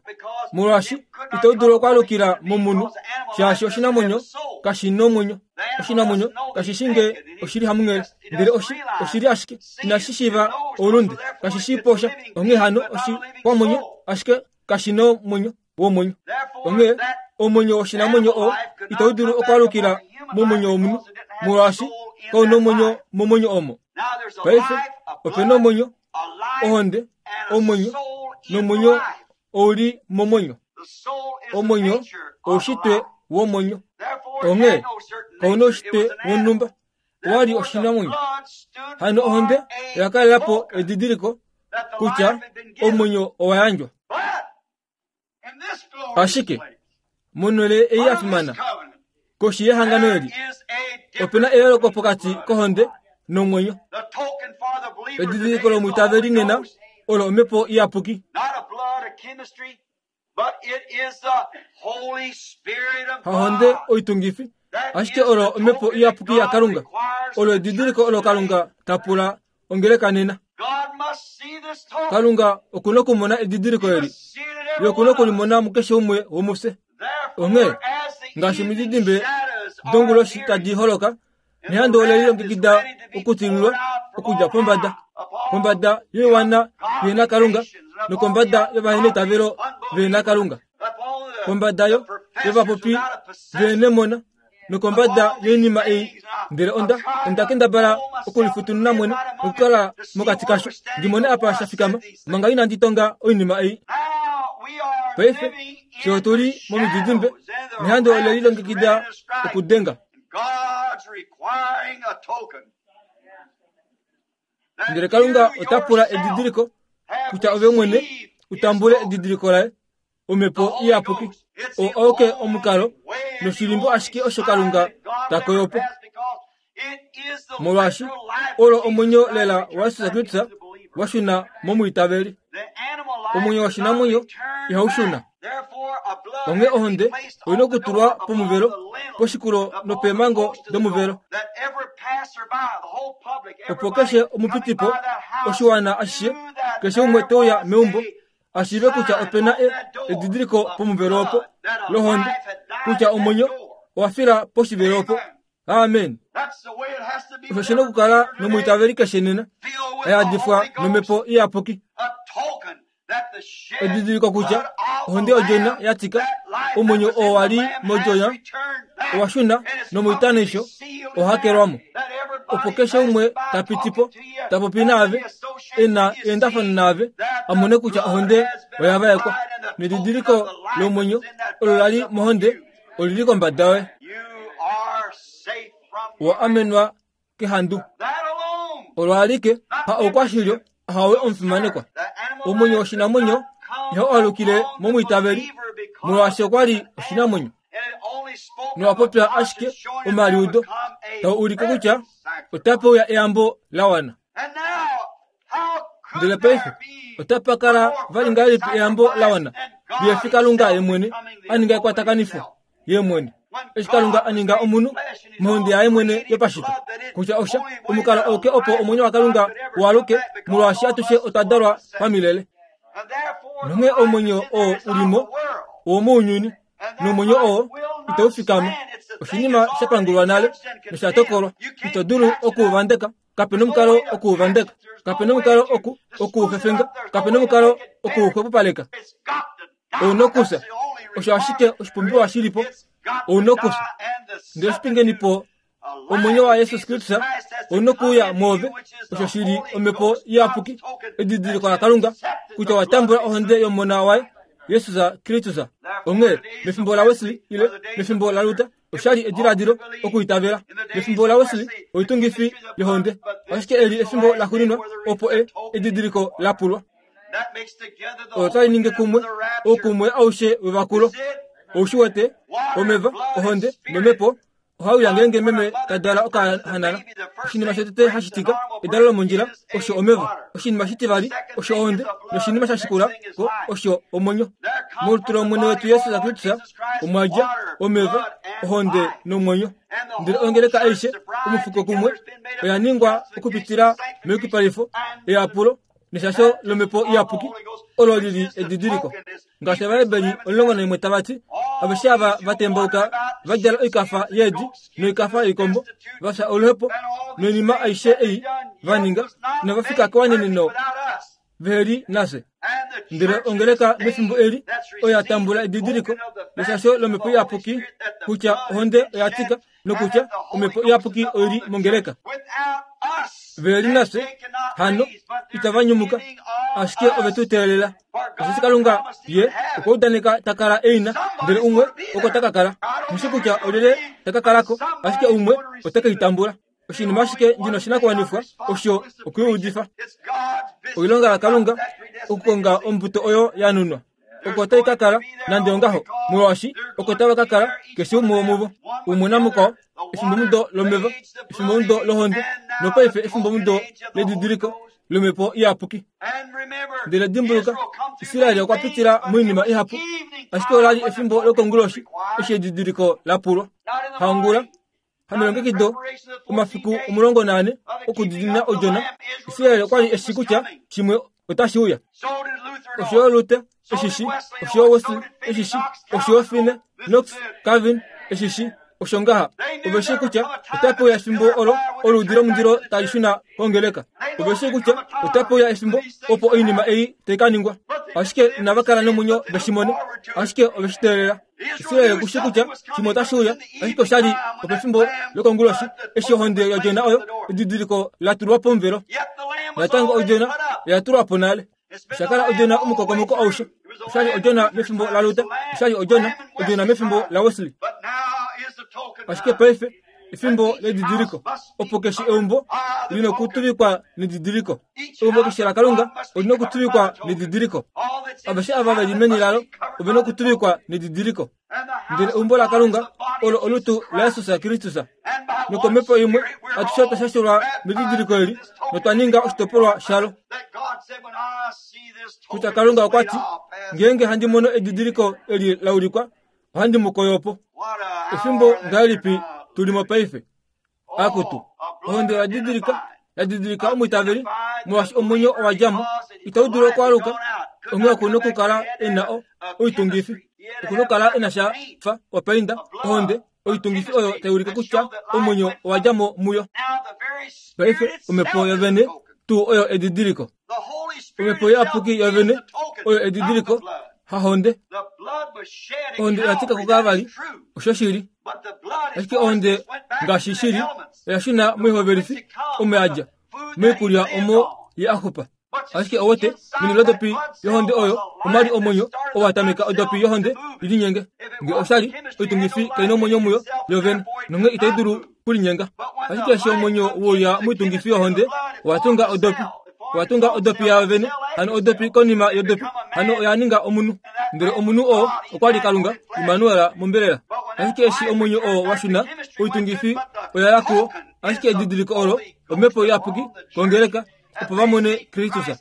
Molwaashi itau dulu okwaalukila momunhu, shaashi oshinamwenyo kashi nomwenyo. Oshinamwenyo kashi shi nge oshili hamunghele, ndele oshi, oshili ashike inashi shiiva oulunde, kashi shii posha. Onghee hano oshikwamwenyo ashike kashi nomwenyo womwenyo. Onghee omwenyo woshinamwenyo oo itau dulu okwaalukila momwenyo womunhu, molwaashi kau nomwenyo momwenyo omo. Paife ope nomwenyo, ohonde, omwenyo, nomwenyo ou li momwenyo. Omwenyo oushitwe womwenyo. Onghee kau noushitwe wonhumba, owa li oshinamwenyo. Hano ohonde oya kalela po edidiliko kutya omwenyo owa yandjwa. Ashike monhele ei ya fimana, koshi yehangano eli, ope na eyooloko pokati kohonde nomwenyo. Edidiliko lomwiitaveli nena olo omhepo iyapuki. Hahonde oitungifi, ashike olo omhepo iyapuki yaKalunga. Olo edidiliko olo Kalunga ta pula ongeleka nena. Kalunga okuna okumona edidiliko eli, ye okuna okulimona mukeshe umwe womufye. Onghee ngaashi omididimbe donguloshi tadi holoka, nehandu ole lilongekida okutililwa okudja pombada, pombada yoiwana vehena Kalunga nokombada yovaheneitavelo vehena Kalunga, kombada yo yovapopi vehenemona nokombada yoinima ei. Ndele onda, onda kendabala okulifutununa mwene nokukala mokati kasho, ndi mone apa sha fikama manga inandi tonga oinima ei. Paife fye otu li momididimbe, nehandu ole lilongekida okudenga. Ndele Kalunga ota pula edidiliko kutya ove mwene utambule edidiliko laye, omhepo iyapuki. Oo auke omukalo noshilimbo ashike osho Kalunga ta koyo po. Molwaashi olo omwenyo lela waJesus Kristus wa shuna momwiitaveli. Omwenyo woshinamwenyo ihau shuna. Onghee ohonde oina okutulwa pomuvelo, poshikulo nopeemhango domuvelo, opo keshe omupitipo, oshiwana ashishe, keshe umwe te uya meumbo, ashiive kutya ope na edidiliko pomuvelo opo lohonde, kutya omwenyo owa fila poshivelo opo. Amen. Osho shi na okukala nomwiitaveli keshe nena, a yadifwa nomhepo iyapuki. Edidiliko kutya ohonde yodjona ya tika omwenyo oo wa li modjona owa shuna nomoitanisho ohakelwamo opo keshe umwe ta piti po ta popi naave e na eendafano naave a mone kutya ohonde oya vaekwa nedidiliko lomwenyo olo la li mohonde olili kombada yoye. Owa amenwa kehandu olo alike ha oukwashilyo hawe omufimanekwa. Omwenyo woshinamwenyo ihau alukile momwiitaveli molwaashi okwa li oshinamwenyo nowa popya ashike omaliudo tau ulike kutya otapa uya eyambo la wana. Ndele paife otapa kala vali ngahelipi eyambo la wana lihefi Kalunga ye mwene a ninga ekwatakanifo ye mwene eshi Kalunga a ninga omunhu mohonde yaye mwene yopashito kutya osha omukalo auke opo omwenyo waKalunga ualuke molwaashi atushe otwa dalwa pamilele. Nonghee omwenyo oo ulimo owomounyuni nomwenyo oo itau fikama oshinima sha pangulwa nale nosha tokolwa. Ito dulu okuuvandeka, kapena omukalo okuuvandeka, kapena omukalo oku okuufefenga, kapena omukalo okuuxwepopaleka. Ouna okufya, osho ashike oshipumbiwa shilipo. Ouna okufya ndele oshipingeni po omwenyo wa Jesus Kristus ouna okuuya mwoove, osho shili omhepo iyapuki edidiliko laKalunga kutya wa tambula ohonde yomona waye Jesus Kristus. Onghee mefimbo la Wesley ile mefimbo la Luther oshali ediladilo okuitavela. Mefimbo la Wesley oitungifi yohonde, ashike eli efimbo la xuuninwa opo e edidiliko la pulwa. Olo tali ningi kumwe oukumwe aushe wevakulo. Oushi wete omeva ohonde nomhepo ohauya ngeenge meme ta dala okahanana. Oshinima shotete hashi tika edalo lomondjila osho omeva, oshinima shitivali osho ohonde, noshinima sha shikula ko osho omwenyo. Molutu lOmwene wetu Jesus Kristus omwa dja omeva, ohonde nomwenyo. Ndele ongeleka aishe omufuko kumwe oya ningwa okupitila meyukipalifo, eyapulo neshasho lomhepo iyapuki olo lili edidiliko. Ngaashi Ovaheberi omulongo naimwe tava ti, aveshe ava va tembauka va djala oikafa yeedi noikafa yoikombo, va fya oluhepo noinima aishe ei va ninga, inava fika kewaneneno veheli nafye. Ndele ongeleka mefimbo eli oya tambula edidiliko leshasho lomhepo iyapuki kutya ohonde oya tika nokutya omhepo iyapuki oili mongeleka. Veheli nafye hano itava nyumuka, ashike ove tu teelela. Osheshi Kalunga ye okwa udaneka ta kala eina, ndele umwe oko ta ka kala. Nghishi kutya olyelye ta ka kalako, ashike umwe ote ke i tambula. Oshinima ashike ndina oshinakuwanifwa osho okuiudifa. Oilonga yaKalunga okukonga ombuto oyo ya nunwa. Oko tai ka kala nande ongaho, molwaashi oko tava ka kala keshe umwe womuvo, umwe namukwao, efimbomudo lomeva, efimbomudo lohonde, nopaife efimbomudo ledidiliko lomhepo iyapuki. Ndele dimbuluka, Israel okwa pitila moinima ihapu, ashike ola li efimbo lokonguloshi eshi edidiliko la pulwa. Haongula, hamelongekido omafiku omulongo naane okudiinina odjona, Israel okwa li eshi kutya shimwe otashi uya. Osho yo Luther eshishi, osho yo Wesley eshishi, osho yo Finney, Knox, Calvin eshishi, osho ngaha ove shii kutya otapa uya efimbo olo oluudi lomundilo tali shuna kongeleka. Ove shii kutya otapa uya efimbo opo oinima ei tai ka ningwa, ashike inava kala nomwenyo veshi mone, ashike ove shi teelela. Israel okushi kutya shimwe otashi uya, ashike osha li opefimbo lokonguloshi eshi ohonde yodjona oyo edidiliko la tulwa pomuvelo. Natango odjona oya tulwa po nale. Osha kala odjona omukokomoko aushe. Osha li odjona mefimbo la Luther, osha li odjona odjona mefimbo la Wesley. Ashike paife efimbo ledidiliko opo keshe eumbo lina okutuvikwa nedidiliko. Eumbo keshe laKalunga olina okutuvikwa nedidiliko. Aveshe ava veli meni lalo ovena okutuvikwa nedidiliko. Ndele eumbo laKalunga olo olutu laJesus Kristus. Nokomhepo imwe atushe otwa shashelwa medidiliko eli notwa ninga oshitopolwa shalo. Kutya Kalunga okwa ti, ngeenge handi mono edidiliko eli la ulikwa, ohandi mu koyo po. Efimbo ngahelipi tuli mo paife? Akutu, ohonde oya didilika, ya didilika omwiitaveli, molwaashi omwenyo owa dja mo, itau dulu okwaaluka. Onghee oku na okukala e na oitungifi, oku na okukala e na sha fa opainda, ohonde, oitungifi oyo tai ulike kutya omwenyo owa dja mo muyo. Paife omhepo yovene tuu oyo edidiliko. Omhepo iyapuki yovene oyo edidiliko hahonde. Ohonde oya tika kuKalvari, oshoshili. Ashike ohonde ngaashi shili oya shuna moihovelifi omo ya dja, moikulya omo ye a xupa. Ashike owete meni lodopi yohonde oyo omwali omwenyo oo wa tameka odopi yohonde ilinyenge. Nge oshali oitungifi kaina omwenyo muyo yovene nonghee itai dulu kulinyenga. Ashike eshi omwenyo wouya moitungifi yohonde owa tunga odopi. Owa tunga odopi yayo vene, hano odopi konima yodopi, hano oya ninga omunhu. Ndele omunhu oo okwa li Kalunga, Immanuel mombelela. Ashike eshi omwenyo oo wa shuna, oitungifi oya ya kuwo. Ashike edidiliko olo, omhepo iyapuki kongeleka, opo va mone Kristus.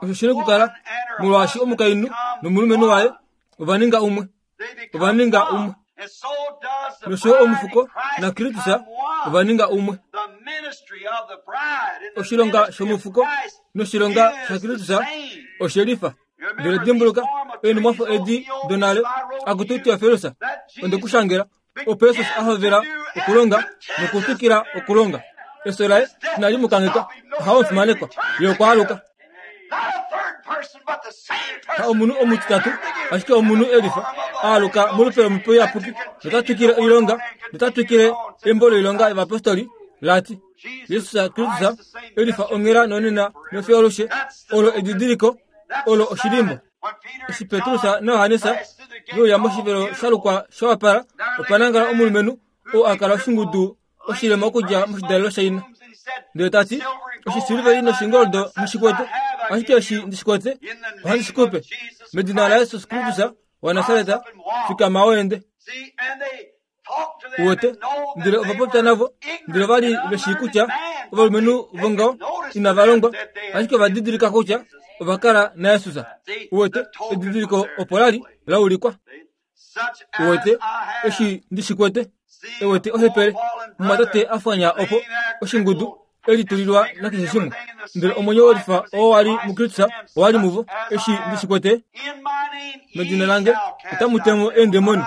Osho shina okukala, molwaashi omukainhu nomulumenhu waye ova ninga umwe. Ova ninga umwe. Nosho omufuko naKristus ova ninga umwe. Oshilonga shomufuko noshilonga shaKristus oshelifa. Ndele dimbuluka eenhumwafo edi donale, akutu Teofilus, onde ku shangela, opo Jesus a hovela okulonga nokutwikila okulonga. Efyo laye inali mu kangheka, ohaofimanekwa, ye okwa aluka. Ha omunhu omutitatu, ashike omunhu elifa, a aluka molupe lomhepo iyapuki, nota twikile oilonga, nota twikile embo loilonga yovapostoli lati Jesus Kristus elifa onghela nonena nofiyo alushe. Olo edidiliko, olo oshilimbo. Eshi Petrus naJohannes veuya moshivelo sha lukwa shawapala, opa nangala omulumenhu oo a kala oshingudu oshilema okudja moshidalelo shaina. Ndele tati, oshisiliveli noshingoldo nghishikwete, ashike eshi ndishikwete ohandi shikupe. Medina laJesus Kristus waNasaret, fikama weende. Uwete, ndele ova popya navo, ndele ova li ve shii kutya ovalumenhu vongaho inava longwa, ashike ova didilika kutya ova kala naJesus. Uwete, edidiliko opo la li la ulikwa. Uwete, eshi ndishikwete, ewete ohepele, mumwatate a fwanya opo oshingudu elitulilwa nakeshe shimwe. Ndele omwenyo welifa oo wali muKristus owali muvo. Eshi ndishikwete, medina lange otamu temo eendemoni,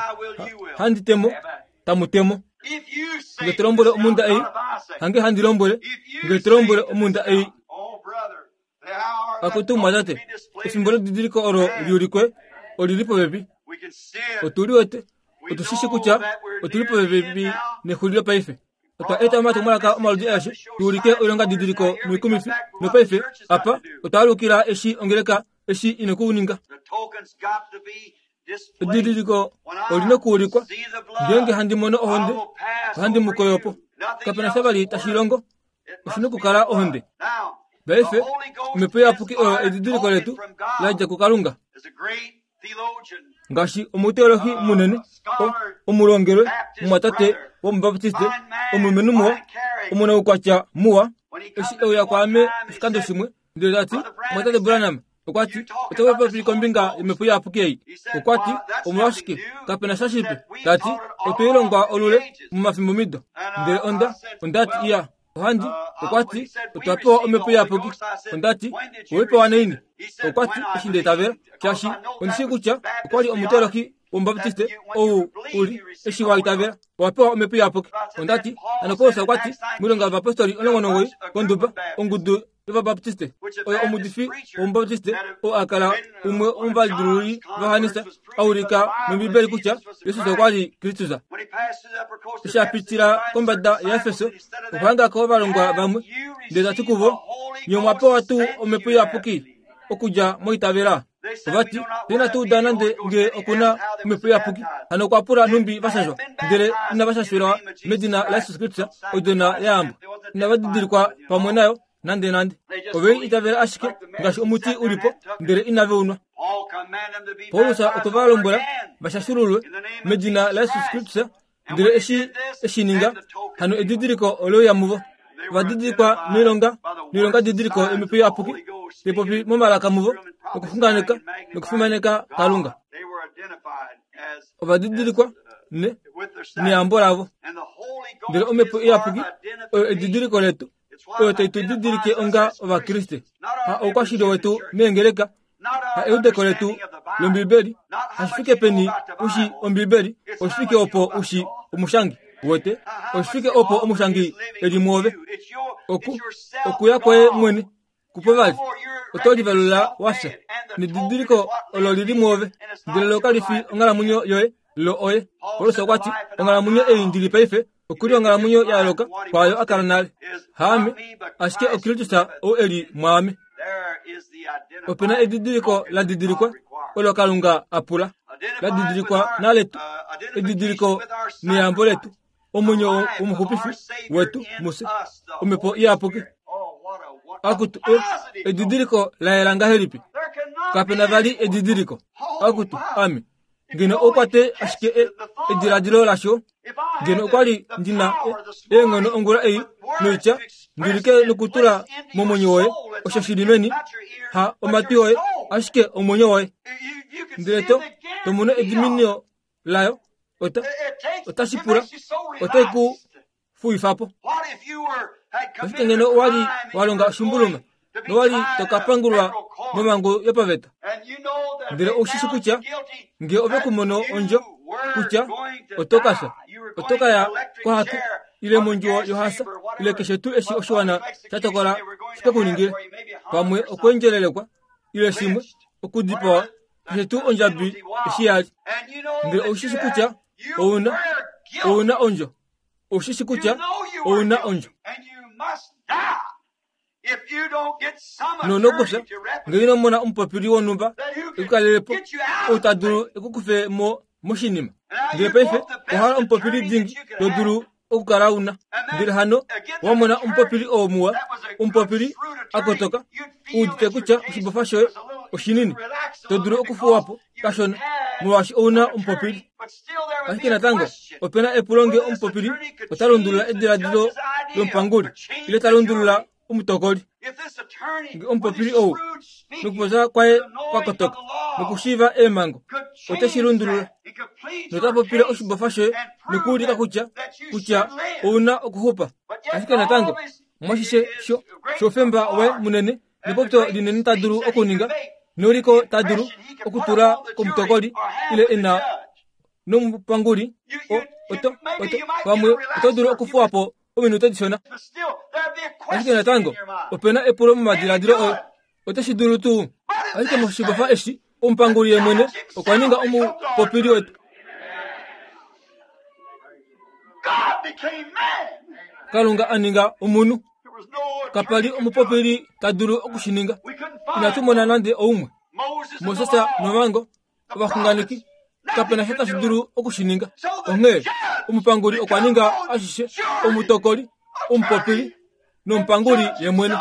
handi temo, tamu temo. Nge to lombwele omhunda ei, hange handi lombwele, nge to lombwele omhunda ei. Akutu mumwatate, efimbo ledidiliko olo liulikwe olili popepi. Otu liwete, otu shi shi kutya otuli popepi nexulilo paife. Otwa eta omatumwalaka omaludi aeshe tu ulike oilonga didiliko noikumifi, nopaife apa otwa alukila eshi ongeleka eshi ina okuninga. Edidiliko olina okuulikwa. Ngeenge handi mono ohonde, ohandi mu koyo po. Kapena sha vali tashi longo, oshina okukala ohonde. Paife, omhepo iyapuki oyo edidiliko letu la dja kuKalunga. Ngaashi omuteolohi munene, omulongelwe, mumwatate womubaptiste, omulumenhu muwa, omunaukwatya muwa, eshi euya kwaame oshikando shimwe, ndele tati, mumwatate Branham, okwa ti, oto popi kombinga yomhepo iyapuki ei. Okwa ti, omolwashike, kapena sha shipe. Tati, otwe i longwa olule momafimbomido. Ndele onda, onda ti, iya, ohandi, okwa ti, otwa pewa omhepo iyapuki. Onda ti, owe pewa naini? Okwa ti, eshi nda itavela, shaashi ondi shii kutya okwa li omuteolohi womubaptiste ou uli, eshi wa itavela, owa pewa omhepo iyapuki. Onda ti, hano Paulus okwa ti, moilonga yovapostoli omulongo nomuwoi konduba, ongudu yovabaptiste, oyo omuudifi womubaptiste oo a kala umwe womovalidilululi vaJohannes, a ulika mOmbibeli kutya Jesus okwa li Kristus. Eshi a pitila kombada yaEfeso, okwa hanga ko ovalongwa vamwe, ndele ta ti kuvo, nye omwa pewa tuu omhepo iyapuki okudja moitavela? Ova ti, fye inatu uda nande nge okuna omhepo iyapuki. Hano okwa pula nhumbi va shashwa, ndele inava shashwelwa medina laJesus Kristus, odjona yeyambo. Inava didilikwa pamwe nayo nande nande. Ove i itavela ashike ngaashi omuti ulipo, ndele inave unwa. Paulus okwe va lombwela va shashululwe medina laJesus Kristus, ndele eshi eshi ninga, hano edidiliko oleuya muvo. Ova didilikwa noilonga, noilonga didiliko yomhepo iyapuki, tepopi momalaka muvo, nokuxunganeka, nokufimaneka Kalunga. Ova didilikwa ne neyambo lavo. Ndele omhepo iyapuki oyo edidiliko letu, oyo tai tu didilike onga Ovakriste. Ha oukwashili wetu meengeleka, ha eudeko letu lOmbibeli, hashifike peni ushi Ombibeli, oshifike opo ushi omushangi wete, oshifike opo omushangi eli muove. Oku, okuya kwoye mwene, Kupo vali oto livalula wafya nedidiliko olo lili mwoove ndele lo kali fi onghalamwenyo yoye lo oye. Paulus okwa ti onghalamwenyo ei ndili paife okuli onghalamwenyo ya yooloka kwaayo a kala nale. Haame ashike oKristus ou eli mwaame. Opena edidiliko la didilikwa olo Kalunga a pula la didilikwa naletu edidiliko neyambo letu omwenyo womuxupifi wetu muse omhepo iyapuki. Akutu edidiliko la yela ngahelipi? Kapena vali edidiliko. Akutu ame ngeno okwate ashike ediladilo lasho ngeno okwali ndina eenghono ongula ei noitya ndulike nokutula momwenyo woye osho shili meni ha omatwi oye ashike omwenyo woye ndele to tomono ediminio layo ota otashi pula otai ku fuifapo. Ashike ngeno owali walonga oshimbuluma nowali tokapangulwa momhangu yopaveta ndele oushishi kutya nge ove kumono ondjo kutya oto kafya oto kaya kohake ile mondjuwo yohasa ile keshe tuu eshi oshiwana sha tokola shikekuningile pamwe okweendjelelekwa ile shimwe okudipawa keshe tuu ondjabi eshi yali ndele oushishi kutya ouna ouna ondjo oushishi kutya ouna ondjo nonokufya ngee ino mona omupopili wonhumba ekukalelepo ou ta dulu ekukufe mo moshinima ndele paife owahala omupopili dingi to dulu okukala una ndele hano wamona omupopili oo muwa omupopili akotoka uudite kutya oshibofa shoye oshinini to dulu okufuwapo kashona molwaashi ouna omupopili. Ashike natango opena epulo nge omupopili ota lundulula ediladilo lomupanguli ile ta lundulula omutokoli. Nge omupopili ou nokupopya kwaye kwakotoka nokushiiva eemhango oteshi lundulula nota popile oshibofa shoye nokuulika kutya kutya ouna okuxupa. Ashike natango mwashishe sho shoufemba waye munene nepopyo linene ta dulu okuninga neuliko ta dulu okutula komutokoli ile ena nomupanguli oto oto pamwe oto dulu okufuwapo ominute dishona. Ashike natango opena epulo momadiladilo oye oteshi dulu tuu? Ashike moshibofa eshi omupanguli ye mwene okwa ninga omupopili wetu. Kalunga a ninga omunhu. Kapali omupopili ta dulu okushininga. Inatu mona nande oumwe. Moses nomhango ovaxunganeki kapena sha tashi dulu okushininga. Onghee omupanguli okwa ninga ashishe omutokoli omupopili nomupanguli ye mwene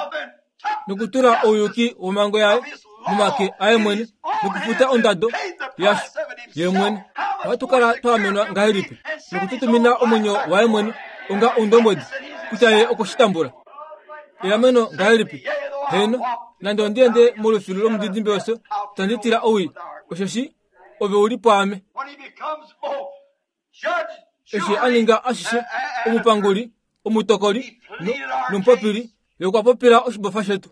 nokutula ouyuki womhango yaye momake aye mwene nokufuta ondado yasho ye mwene. Ohatu kala twa amenwa ngahelipi nokututumina omwenyo waye mwene onga oundombwedi kutya ye okweshitambula. Eameno ngahelipi? Heno, nande ondiende molufilu lomudidimbe wefyo, itandi tila owii, osheshi ove uli pwaame. Eshi a ninga ashishe omupanguli omutokoli nomupopili ye okwa popila oshibofa shetu.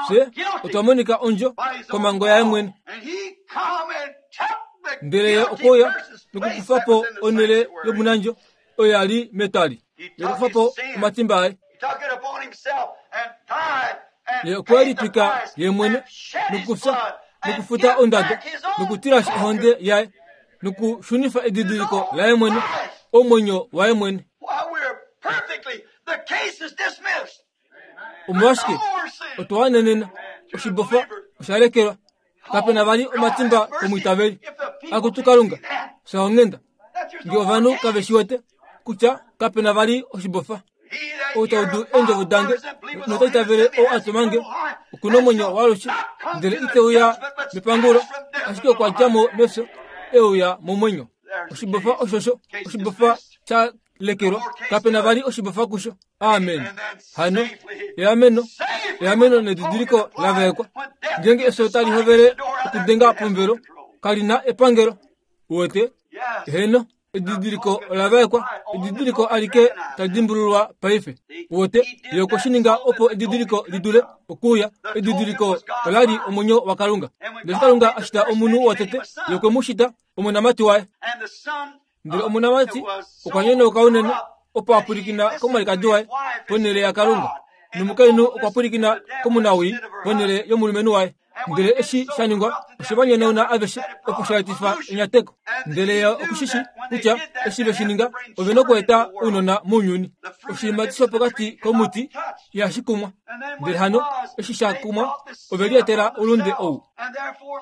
Fye otwa monika ondjo komhango yaye mwene. Ndele ye okwa nokukufa po onhele yomunandjo oyo ya li metwali. Ye okwa kufa po omatimba aye. Ye okwe litwika ye mwene nokufya nokufuta ondado nokutilashi ohonde yaye nokushunifa edidiliko laye mwene omwenyo waye mwene. Omolwashike otwa wanenena oshibofa oshalekelwa kapena vali omatimba komwiitaveli. Akutu Kalunga fya onghenda nge ovanhu kave shi wete kutya kapena vali oshibofa. Ou ta udu eendjovo dange nota itavele ou a tuma nge okuna omwenyo waalushe ndele ite uya mepangulo ashike okwa dja mo mefyo e uya momwenyo. Oshibofa oshosho oshibofa sha lekelwa kapena vali oshibofa kusho. Amen. Hano eameno eameno nedidiliko la vaekwa. Ngeenge efyo tali hovele okudenga pomuvelo kalina epangelo. Uwete? Heno, edidiliko ola vaekwa. Edidiliko alike tali dimbululwa paife. Uwete? Ye okwe shi ninga opo edidiliko lidule okuuya. Edidiliko olali omwenyo waKalunga. Ndele Kalunga a shita omunhu wotete, ye okwe mu shita omonamati waye. Ndele omonamati okwa nyonauka unene opo a pwilikina komwalikadi waye ponhele yaKalunga. Nomukainhu okwa pwilikina komunawii ponhele yomulumenhu waye. Ndele eshi sha ningwa oshe va nyonauna aveshe opo sha etifa enyateko. Ndele ye okushishi kutya eshi ve shi ninga ove na okweeta ounona mounyuni. Oshiimati shopokati komuti ihashi kumwa. Ndele hano eshi sha kumwa ove lietela oulunde ou.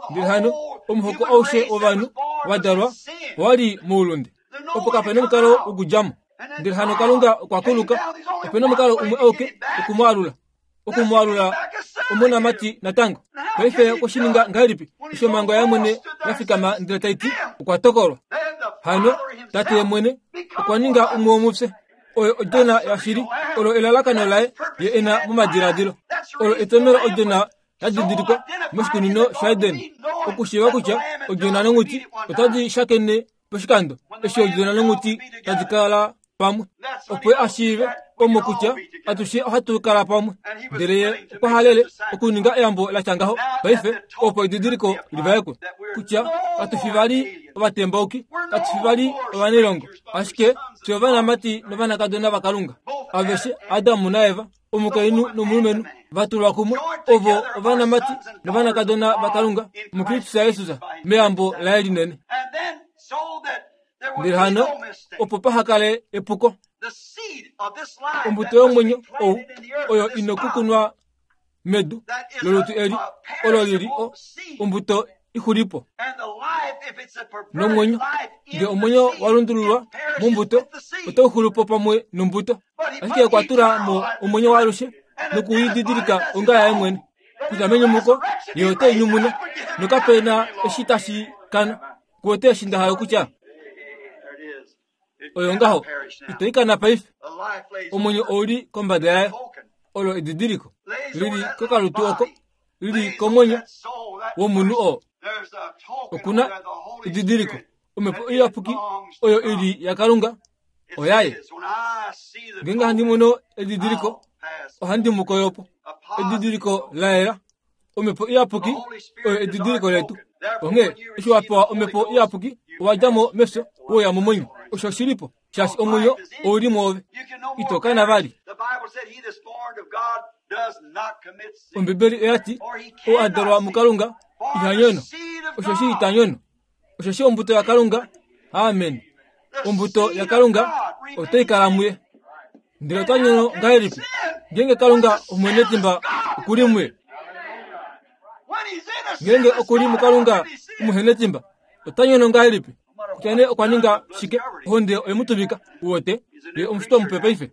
Ndele hano omuhoko aushe wovanhu wa dalwa owa li moulunde. Opo kape na omukalo wokudja mo. Ndele hano Kalunga okwa kuluka. Ope na omukalo umwe auke okumwaalula. Okumwaalula omonamati natango. Paife okwe shi ninga ngahelipi? Eshi omhango yaye mwene ya fikama ndele tai ti okwa tokolwa. Hano tate mwene okwa ninga umwe womufye. Oyo odjona yashili, olo elalakano laye ye e na momadiladilo. Olo etomelo odjona ya didilikwa moshikunino shaEden. Okushiiva kutya odjona nonghuti otadi shakene poshikando eshi odjona nonghuti tadi kala pamwe. Opo a shiive omo kutya atushe ohatu kala pamwe. Ndele ye okwa halele okuninga eyambo la tya ngaho paife opo edidiliko livaekwe kutya katu fi vali ovatembauki, katu fi vali ovanailongo, ashike fye ovanamati novanakadona vaKalunga. Aveshe Adamu naEva, omukainhu nomulumenhu va tulwa kumwe, ovo ovanamati novanakadona vaKalunga muKristus Jesus meyambo laye linene. Ndele hano opo paha kale epuko, ombuto yomwenyo ou oyo ina okukunwa medu lolutu eli olo lili o ombuto ixulipo. Nomwenyo nge omwenyo wa lundululwa mombuto otau xulupo pamwe nombuto. Ashike okwa tula mo omwenyo waalushe nokuididilika onga yaye mwene kutya menyumuko ye ote nyumuna nokape na eshi tashi kana. Kuwete eshi nda hala kutya oyo ngaho ito ikana paife. Omwenyo ouli kombada yayo, olo edidiliko lili kokalutu oko lili komwenyo womunhu oo. Okuna edidiliko omhepo iyapuki oyo ili yaKalunga oyaye. Ngeenge handi mono edidiliko ohandi mu koyopo. Edidiliko la yela omhepo iyapuki oyo edidiliko letu. Onghee eshi wa pewa omhepo iyapuki owa dja mo mefyo woya momwenyo. Osho shilipo shaashi omwenyo ouli mwoove, ito kana vali. Ombibeli oya ti ou a dalwa muKalunga iha nyono. Osho shi ita nyono. Osho shi ombuto yaKalunga. Amen. Ombuto yaKalunga otai kala muye. Ndele ota nyono ngahelipi ngeenge Kalunga omwenetimba okuli muye? Ngeenge okuli muKalunga omuhenetimba ota nyono ngahelipi? Kutya nee okwa ninga shike, ohonde oye mu tuvika. Uwete ye omushitwa mupe paife.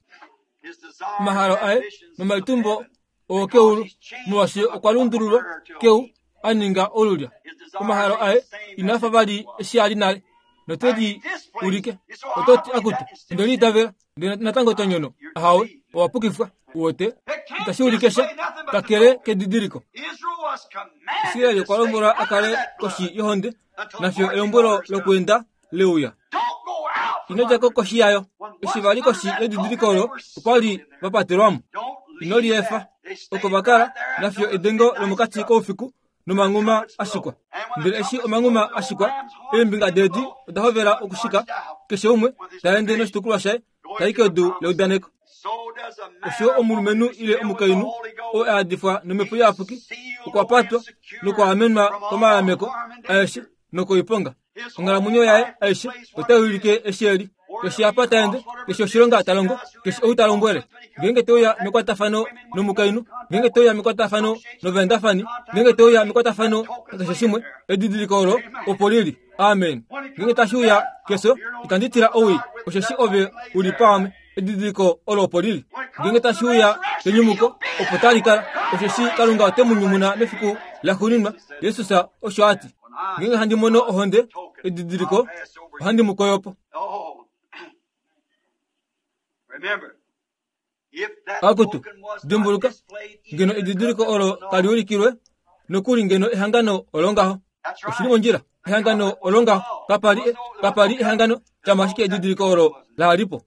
Omahalo aye nomalitumbo ookeulu molwaashi okwa lundululwa keu a ninga olulya. Omahalo aye inaa fa vali eshi a li nale note li ulike. Oto ti akutu onde liitavela ndele natango to nyono. Ahawe, owa pukifwa. Uwete itashi ulike sha kakele kedidiliko. Israeli okwa lombwelwa a kale koshi yohonde nafiyo elombwelo lokweenda leuya. Ino dja ko koshi yayo. Eshi va li koshi yedidiliko olo okwa li va patelwa mo. Ino liefa. Oko va kala nafiyo edengo lomokati koufiku nomanghuma a shikwa. Ndele eshi omanghuma a shikwa, eembinga deedi oda hovela okushika, keshe umwe ta ende noshitukulwa shaye tai kedu leudaneko. Osho omulumenhu ile omukainhu oo a adifwa nomhepo iyapuki okwa patwa nokwa amenwa komalameko aeshe nokoiponga. Onghalamwenyo yaye aishe otai ulike eshi eli. Keshe apa ta ende, keshe oshilonga ta longo, keshe ou ta lombwele. Ngeenge te uya mekwatafano nomukainhu, ngeenge te uya mekwatafano novaendafani, ngeenge te uya mekwatafano nakeshe shimwe, edidiliko olo opo lili. Amen. Ngeenge tashi uya kefyo, itandi tila owii, osheshi ove u li paame. Edidiliko olo opo lili. Ngeenge tashi uya kenyumuko, opo tali kala, osheshi Kalunga ote mu nyumuna mefiku laxuuninwa. Jesus osho a ti. Ngeenge handi mono ohonde, edidiliko, ohandi mu koyopo. Akutu, dimbuluka, ngeno edidiliko olo tali ulikilwe, nokuli ngeno ehangano olo ngaho. Oshili mondjila, ehangano olo ngaho. Kapali, kapali ehangano, shama ashike edidiliko olo la lipo.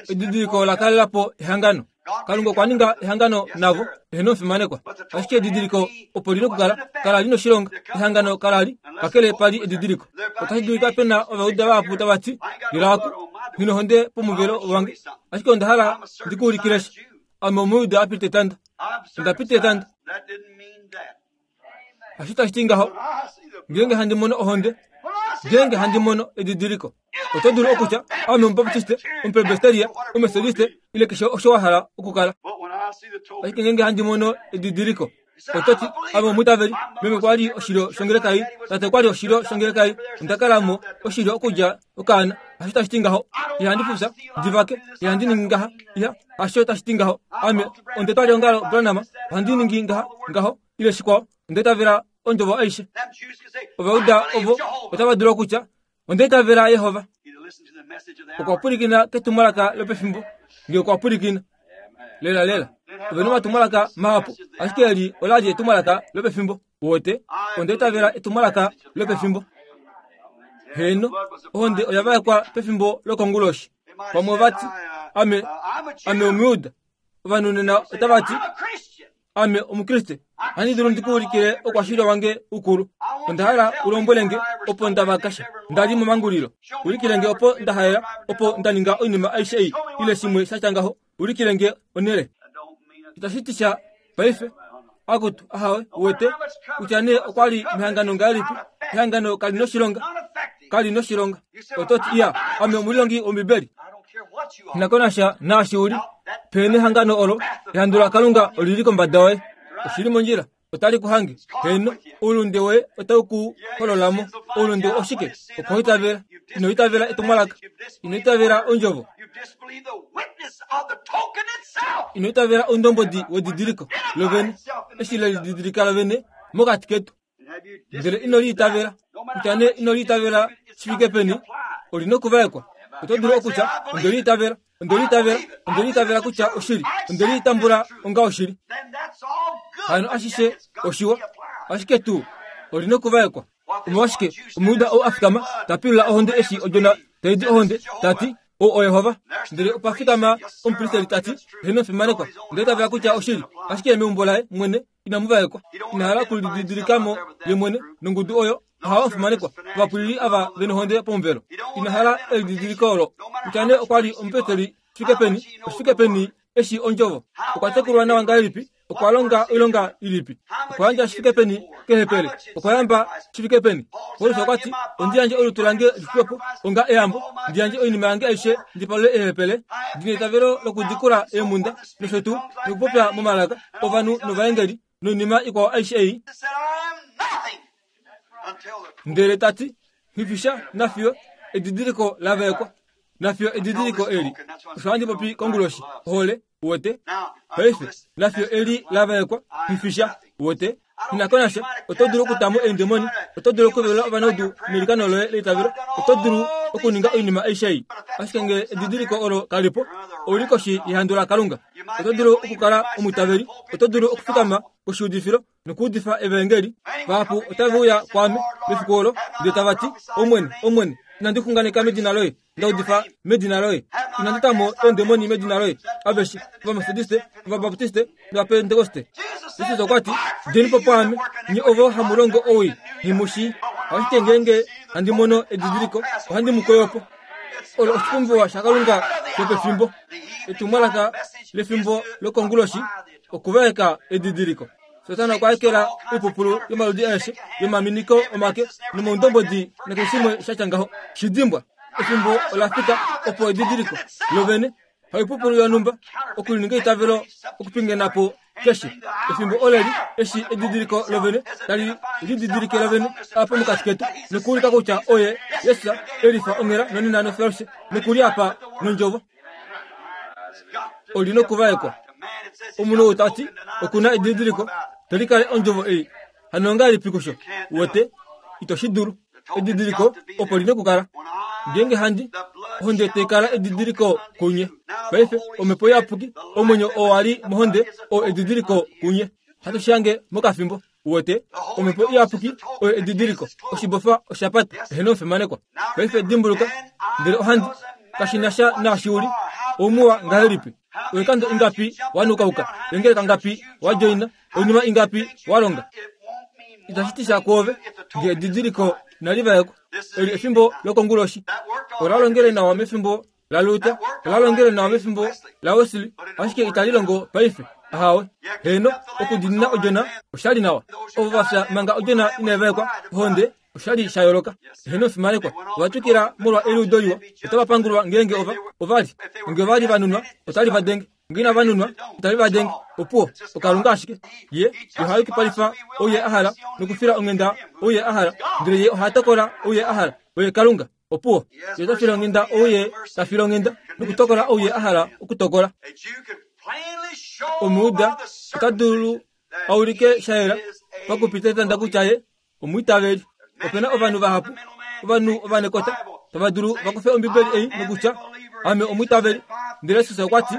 Edidiliko la kalela po ehangano. Kalunga okwa ninga ehangano navo, eheno omufimanekwa. Ashike edidiliko opo lina okukala, kala lina oshilonga. Ehangano kala li, kakele pali edidiliko. Otashi dulika pe na Ovajuda vahapu tava ti, Lila aku, nghi nohonde pomuvelo wange. Ashike onda hala ndi ku ulikile sha. Ame Omuyuda a pita etanda. Onda pita etanda. Hasho tashi ti ngaho. Ngeenge handi mono ohonde, ngeenge handi mono edidiliko. Oto dulu okutya ame Omubaptiste, Omupresbyteria, Omethodiste, ile keshe osho wa hala okukala. Ashike ngeenge handi mono edidiliko, oto ti ame omwiitaveli, meme okwa li oshilyo shongeleka ei, tate okwa li oshilyo shongeleka ei, onda kala mo oshilyo okudja okaana. Hasho tashi ti ngaho. Ihandi fufya, ndi vake, ihandi ningi ngaha, iha, hasho tashi ti ngaho. Ame onde twali ongalo Branham, ohandi ningi ngaha, ngaho, ile shikwao, onda itavela ondjovo aishe. Ovauda ovo otava dulu okutya onda itavela Yehova. Okwa pwilikina ketumwalaka lopefimbo, nge okwa pwilikina. Lela lela. Ove nomatumwalaka mahapu, ashike eli ola li etumwalaka lopefimbo. Wote, onda itavela etumwalaka lopefimbo. Heno, ohonde oya vaekwa pefimbo lokonguloshi. Pamwe vati, ame, ame Omuyuda. Ovanhu nena otava ti, ame Omukriste. Ohandi dulu ndikuulikile oukwashili wange ukulu. Onda hala ulombwele nge opo nda vakasha. Nda li momangulilo. Ulikile nge opo nda haela, opo nda ninga oinima aishe ei, ile shimwe sha tya ngaho. Ulikile nge onhele. Itashi ti sha paife. Akutu, ahawe, uwete, kutya nee okwa li mehangano ngahelipi, ehangano kali noshilonga, kali noshilonga. Oto ti, iya, ame omulilongi wOmbibeli. Nakonasha naashi uli, pene ehangano olo, ehandu laKalunga olili kombada yoye. Oshili mondjila, otali ku hange. Heno, oulunde woye otau ku hololamo. Oulunde oshike? Okwoitavela. Ino itavela etumwalaka. Ino itavela ondjovo. Ino itavela oundombodi wedidiliko lovene, eshi lelididilika lovene mokati ketu. Ndele ino liitavela. Kutya nee ino liitavela shi fike peni, oli nokuvaekwa. Oto dulu okutya, onde liitavela, onde liitavela, onde liitavela kutya oshili, onde liitambula onga oshili. Hano ashishe oshiwa, ashike tuu oli nokuvaekwa. Omolwashike Omuyuda ou a fikama ta pilula ohonde eshi odjona tai di ohonde, ta ti, ou oYehova. Ndele opa fikama omupristeli ta ti, heno fimanekwa, onde itavela kutya oshili, ashike meumbo laye mwene inamu vaekwa. Ina hala okulididilikamo ye mwene nongudu oyo ohava fimanekwa, ovapulili ava venohonde pomuvelo. Ina hala elididiliko olo. Kutya nee okwa li omupristeli fike peni, oshifike peni eshi ondjovo. Okwa tekulwa nawa ngahelipi? Okwa longa oilonga ilipi? Okwa yandja shifike peni kehepele? Okwa yamba shifike peni? Paulus okwa ti, ondi yandje olutu lange lixwepo onga eyambo, ndi yandje oinima yange aishe ndi palule ehepele, ndi neitavelo lokudikula eemhunda nosho tuu nokupopya momalaka ovanhu novaengeli noinima ikwao aishe ei. Ndele ta ti, hifisha nafiyo edidiliko la vaekwa, nafiyo edidiliko eli. Osho handi popi konguloshi, ohole, uwete. Paife, nafiyo eli la vaekwa, hifisha, uwete. Inakonasha, oto dulu okutamo eendemoni, oto dulu okuvelula ovanaudu nelikano loye leitavelo, oto dulu okuninga oinima aishe ei. Ashike nge edidiliko olo kalipo, ouli koshi yehandu laKalunga. Oto dulu okukala omwiitaveli, oto dulu okufikama koshiudifilo nokuudifa evaengeli. Vahapu otave uya kwaame mefiku olo, ndele tava ti, Omwene, Omwene, inandi xunganeka medina loye, nda udifa medina loye, inandi tamo eendemoni medina loye. Aveshe Ovamethodiste, Ovabaptiste nOvapentekoste. Jesus okwa ti, djeni po pwaame, nye ovo hamu longo owii, nghi Ashike ngeenge handi mono edidiliko, ohandi mu koyo po. Olo oshipumbiwa shaKalunga shopefimbo. Etumwalaka lefimbo lokonguloshi, okuvaeka edidiliko. Satana okwa ekela oipupulu yomaludi aeshe, yomaminiko omake, nomaundombodi nakeshe shimwe sha tya ngaho. Shidimbwa, efimbo ola fika opo edidiliko lovene, haipupulu yonhumba, okulininga eitavelo okupingena po keshe. Efimbo oleli eshi edidiliko lovene tali lididilike lovene apa mokati ketu, nokuulika kutya oye Jesus elifa onghela nonena nofeloshe, nokuli apa nondjovo. Oli nokuvaekwa. Omunhu ou ta ti okuna edidiliko, te likale ondjovo ei. Hano ongahelipi kusho? Uwete, ito shi dulu. Edidiliko opo li nokukala. Ngeenge handi ohonde tai kala edidiliko kunye. Paife omhepo iyapuki, omwenyo oo wa li mohonde oo edidiliko kunye. Hatu shi hange mokafimbo. Uwete, omhepo iyapuki oyo edidiliko. Oshibofa osha pata, eheno omufimanekwa. Paife dimbuluka, ndele ohandi kashi na sha naashi uli, oumuwa ngahelipi? Oikando ingapi wanukauka? Engeleka ngapi wajoina? Oinima ingapi walonga? Itashi ti sha kwoove nge edidiliko inali vaekwa. Eli efimbo lokonguloshi. Ola longele nawa mefimbo laLuther ola longele nawa mefimbo laWesley, ashike itali longo paife. Ahawe, heno, okudiinina odjona oshali nawa. Ovo va fya manga odjona inai vaekwa ohonde oshali sha yooloka. Heno fimanekwa, ova twikila molwa eliudo liwa. Otava pangulwa ngeenge ova ovali nge ovali va nunwa otali va denge, nge inava nunwa otali va denge. Opuwo okalunga ashike ye oha yukipalifa ou ye a hala nokufila onghenda ou ye a hala, ndele ye oha tokola ou ye a hala. Oye Kalunga. Opuwo ye ota file onghenda ou ye ta file onghenda nokutokola ou ye a hala okutokola. Omuuda ota dulu a ulike sha yela pakupita etanda kutya ye omwiitaveli. Opena ovanhu vahapu, ovanhu ovanekota tava dulu va kufe Ombibeli ei nokutya ame omwiitaveli, ndele Jesus okwa ti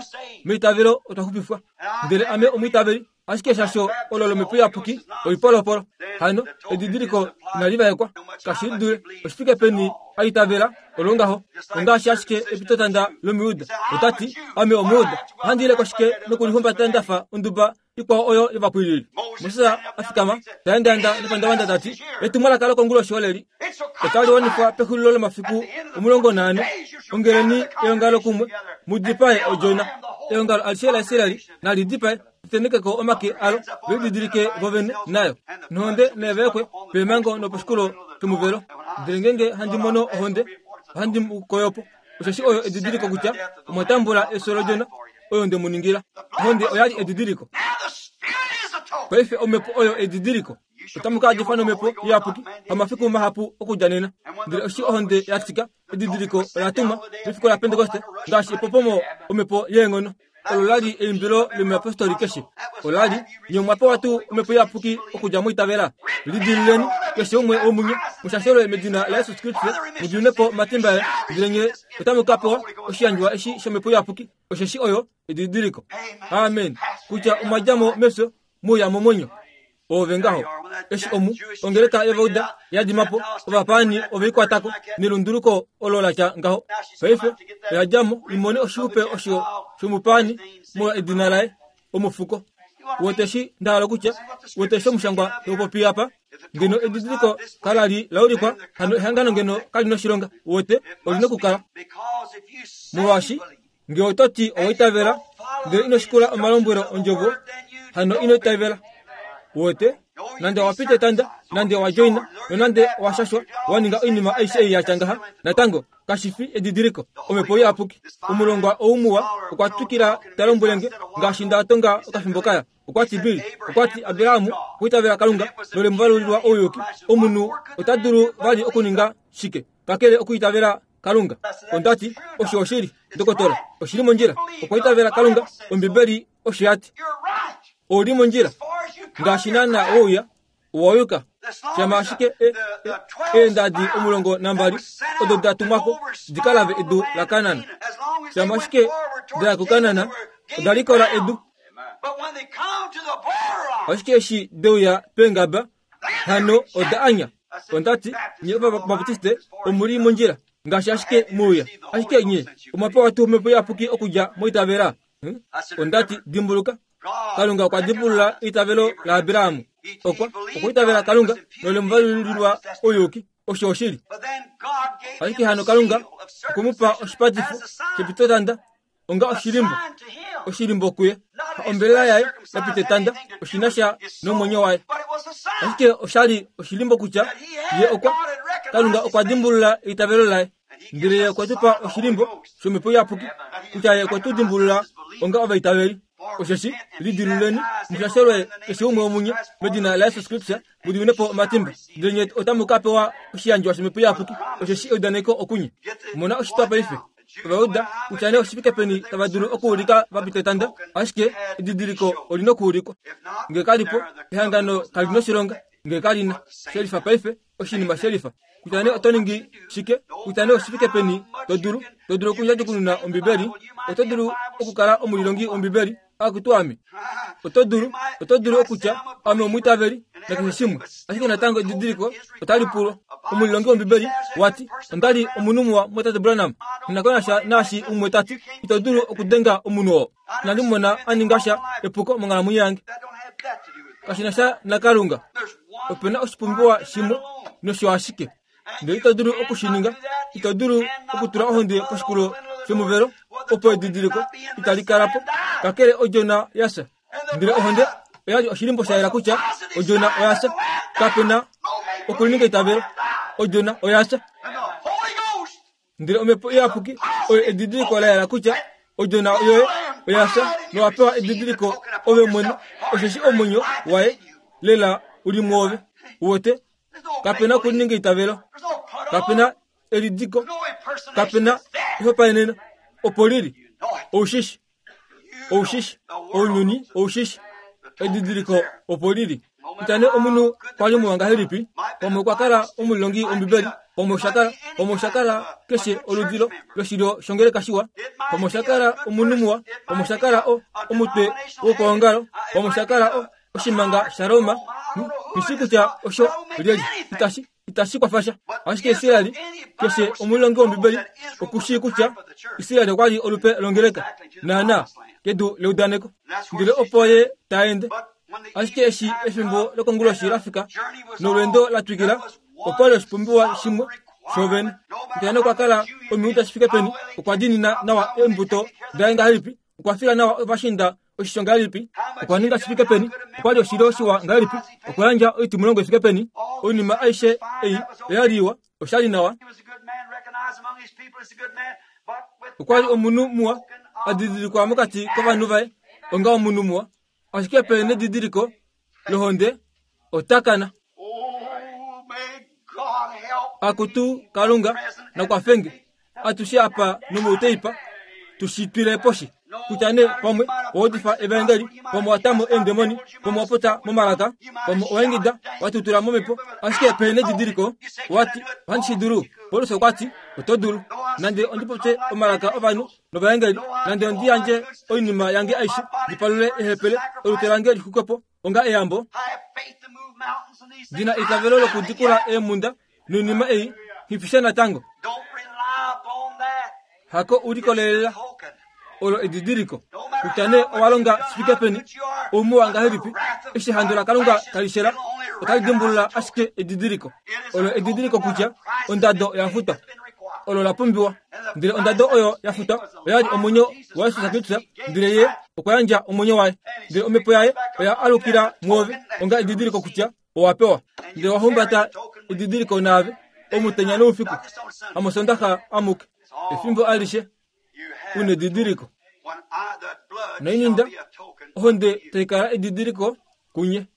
meitavelo otwa xupifwa, ndele ame omwiitaveli, ashike shasho olo lomhepo iyapuki oipolopolo. Hano edidiliko inali vaekwa, kashi dule oshifike peni a itavela olo ngaho. Ongaashi ashike epitotanda lomujuda, ota ti ame omujuda, ohandi ile koshike nokulihumbata ndafa onduba ikwao oyo yovapwilili. Moses a fikama ta endaenda nepandavanda ta ti etumwalaka lokonguloshi oleli otali wanifwa pexulilo lomafiku omulongo naane. Ongeleni eongalo kumwe mu dipae odjona. Eongalo alishe laIsraeli nali dipae, litenekeko omake alo, ve lididilike vovene nayo. Nohonde naivaekwe peemhango noposhikulo shomuvelo. Ndele ngeenge handi mono ohonde, ohandi mu koyo po, osheshi oyo edidiliko kutya omwa tambula efyo lodjona oyo nde mu ningila. Ohonde oyali edidiliko. Paife omhepo oyo edidiliko. Otamu ka adifwa nomhepo iyapuki pamafiku mahapu okudja nena. Ndele eshi ohonde ya tika, edidiliko ola tumwa mefiku laPentekoste ngaashi epopomo omhepo yeenghono. Olo lali eimbilo lomuyapostoli keshe. Olali nye omwa pewa tuu omhepo iyapuki okudja moitavela. Lidiluleni keshe umwe womunye mushashelwe medina laJesus Kristus, mu diminwe po omatimba aye, ndele nye otamu ka pewa oshiyandjwa eshi shomhepo iyapuki, osheshi oyo edidiliko. Amen. Kutya omwa dja mo mefyo muuya momwenyo. Ove ngaho eshi omu ongeleka yovauda ya dima po, ovapaani oveikwatako nelunduluko olo la tya ngaho. Paife oya dja mo imone oshiupe osho shomupaani molwa edina laye omufuko. Woteshi nda hala kutya woteshi omushangwa taupopi apa ngeno edidiliko kalali laulikwa, hano ehangano ngeno kali noshilonga. Wote olina okukala molwaashi nge oto ti owaitavela ndele ino shikula omalombwelo ondjovo, hano ino itavela. Wote nande owapita etanda, nande owa joina, nonande owashashwa, waninga oinima aishe ei yatya ngaha, natango kashi fi edidiliko. Omhepo iyapuki. Omulongwa ou muwa okwa twikila ta lombwele nge ngaashi nda tonga okafimbo kaya. Okwa ti Bill, okwa ti Abrahamu okwiitavela Kalunga nole muvalulilwa ouyuki. Omunhu ota dulu vali okuninga shike kakele okwiitavela Kalunga? Onda ti osho oshili, dokotola, oshili mondjila. Okwa itavela Kalunga, Ombibeli osho ya ti. Ouli mondjila ngaashi naana wouya owayuka. Shama ashike eendadi omulongo nambali odo da tumwako di ka lave edu laKanaan. Shama ashike da ya kuKanaan, oda likola edu. Ashike eshi deuya peengaba, hano oda anya. Onda ti nye Ovabaptiste omuli mondjila ngaashi ashike muuya, ashike nye omwa pewa tuu omhepo iyapuki okudja moitavela. Onda ti dimbuluka, Kalunga okwa dimbulula eitavelo laAbraham. Okwa okwa itavela Kalunga nole muvalulilwa ouyuki. Osho oshili. Ashike hano Kalunga okwe mu pa oshipatifo shepitotanda onga oshilimbo, oshilimbo kuye. Ombelela yaye yapita etanda oshina sha nomwenyo waye. Ashike oshali oshilimbo kutya ye okwa Kalunga okwa dimbulula eitavelo laye. Ndele ye okwe tu pa oshilimbo shomhepo iyapuki kutya ye okwe tu dimbulula onga ovaitaveli. Osheshi lidiluleni mushashelwe keshe umwe womunye medina laJesus Kristus, mu diminwe po omatimba, ndele nye otamu ka pewa oshiyandjwa shomhepo iyapuki, osheshi eudaneko okunye. Mona oshitwa paife. Ovauda kutya nee oshifike peni tava dulu okuulika va pita etanda, ashike edidiliko olina okuulikwa. Nge kalipo, ehangano kali noshilonga. Nge kalina shelifa paife, oshinima shelifa. Kutya nee oto ningi shike, kutya nee oshifike peni to dulu, to dulu okundjadjukununa Ombibeli, oto dulu okukala omulilongi wOmbibeli, akutu ame. Oto dulu, oto dulu okutya ame omwiitaveli nakeshe shimwe, ashike natango edidiliko otali pulwa. Omulilongi wOmbibeli wati ondali omunhu muwa motate Branham, nakonasha naashi umwe tati ito dulu okudenga omunhu oo. Inandi mona a ninga sha epuko monghalamwenyo yange. Kashi na sha naKalunga. Opena oshipumbiwa shimwe nosho ashike. Ndele ito dulu okushininga, ito dulu okutula ohonde poshikulo shomuvelo opo edidiliko itali kala po kakele odjona yasha. Ndele ohonde oyali oshilimbo sha yela kutya odjona oyasha. Kapena okulininga eitavelo, odjona oyasha. Ndele omhepo iyapuki oyo edidiliko la yela kutya odjona yoye oyasha, nowapewa edidiliko ove mwene, osheshi omwenyo waye lela uli mwoove. Uwete, kapena okulininga eitavelo, kapena elidiko, kapena ehopaeneno, opo lili oushishi, oushishi, ounyuni oushishi, edidiliko opo lili. Kutya omunhu kwali muwa ngahelipi, pamwe okwa kala omulongi wombibeli, pamwe osha kala, pamwe osha kala keshe oludilo loshilyo shongeleka shiwa, pamwe osha kala omunhu muwa, pamwe osha kala omutwe wokwoongalo, pamwe osha kala oshimanga shaRoma, ishi kutya osho lyeli, itashi itashi kwafasha. Ashike Israeli, keshe omulongi wombibeli okushii kutya Israeli okwali olupe longeleka naana kedu leudaneko, ndele opo ye taende. Ashike eshi efimbo lokonguloshi lafika nolweendo la twikila, okwali oshipumbiwa shimwe shovene. Kutya okwa kala omiuda shifike peni, okwa dinina nawa eembuto daye ngahelipi, okwa fila nawa ovashinda oshisho ngahelipi, okwa ninga shifike peni, okwali oshilyo shiwa ngahelipi, okwa yandja oitimulongo ifike peni, oinima aishe ei oyali iwa, oshali nawa. Okwali omunhu muwa adidilikwa mokati kovanhu vaye onga omunhu muwa, ashike pe nedidiliko lohonde otakana. Akutu Kalunga nakwafenge atushe apa nomouteipa tushitwile poshi. Kutya ne pamwe owodifa evaengeli, pamwe watamo eendemoni, pamwe wapota momalaka, pamwe owaingida watutula momhepo, ashike pe nedidiliko wati ohandi shi dulu. Paulus okwati oto dulu, nande ondipopye omalaka ovanhu novaengeli, nande ondi yandje oinima yange aishe ndipalule ehepele, olutu lange lixukepo onga eyambo, ndina eitavelo lokudikula eemhunda noinima ei nghifisha natango. Hako ulikolelela olo edidiliko. Kutya ne owalonga shifike peni, oumuwa ngahelipi, eshi ehandu laKalunga talishela, otali dimbulula ashike edidiliko. Olo edidiliko kutya ondado oya futwa, olo la pumbiwa. Ndele ondado oyo ya futwa oyali omwenyo waJesus Kristus, ndele ye okwa yandja omwenyo waye, ndele omhepo yaye oya alukila mwoove onga edidiliko kutya owapewa. Ndele wahumbata edidiliko naave omutenya noufiku, hamosondaxa amuke, efimbo alishe unedidiliko. Noininda ohonde taikala edidiliko kunye.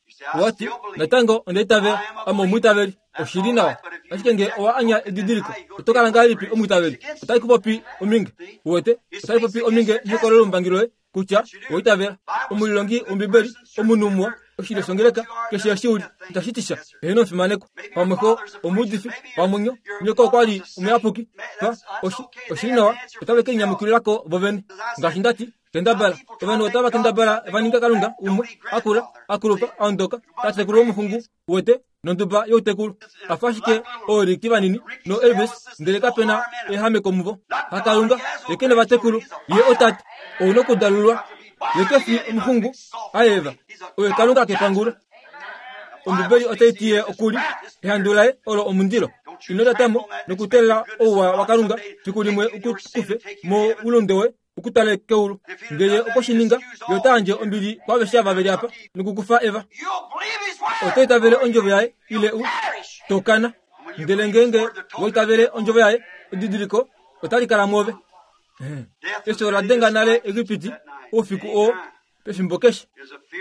Wati natango ondeitavela, ame omwiitaveli, oshili nawa. Ashike nge owa anya edidiliko, oto kala ngahelipi omwiitaveli? Otali kupopi ominge, uwete, otali popi ominge nehokololo lombangi loye kutya owaitavela. Omulilongi wombibeli, omunhu muwa, oshilyo shongeleka, keshe eshi uli, itashi ti sha. Eheno omufimanekwa, pamwe xo omuudifi, pamwe nyo nyoko okwali omuyapuki, pa oshili nawa, otave ke linyamukililako vovene. Ngaashi ndati, kendabala ovanhu otava kendabala va ninga Kalunga umwe akula, akulupa, aondoka, tatekulu womuxungu, uwete, nonduba youtekulu, afa ashike ooriki vanini no Elvis, ndele kapena ehameko muvo. HaKalunga ye kene vatekulu, ye otate, ouna okudalulwa, ye kefi omuxungu aeva, oye Kalunga kepangulo. Ombibeli otai ti ye okuli ehandu laye olo omundilo. Ino tatamo nokutelela ouwa waKalunga fiku limwe ukukufe moulunde woye ukutale keulu. Ngele okoshininga, ye ota yandje ombili kwaaveshe ava veli apa nokukufa eva. Oto itavele ondjovo yaye ile u tokana. Ndele ngeenge waitavele ondjovo yaye, edidiliko otali kala mwoove. Efyo ola denga nale Egipiti oufiku oo pefimbo keshe.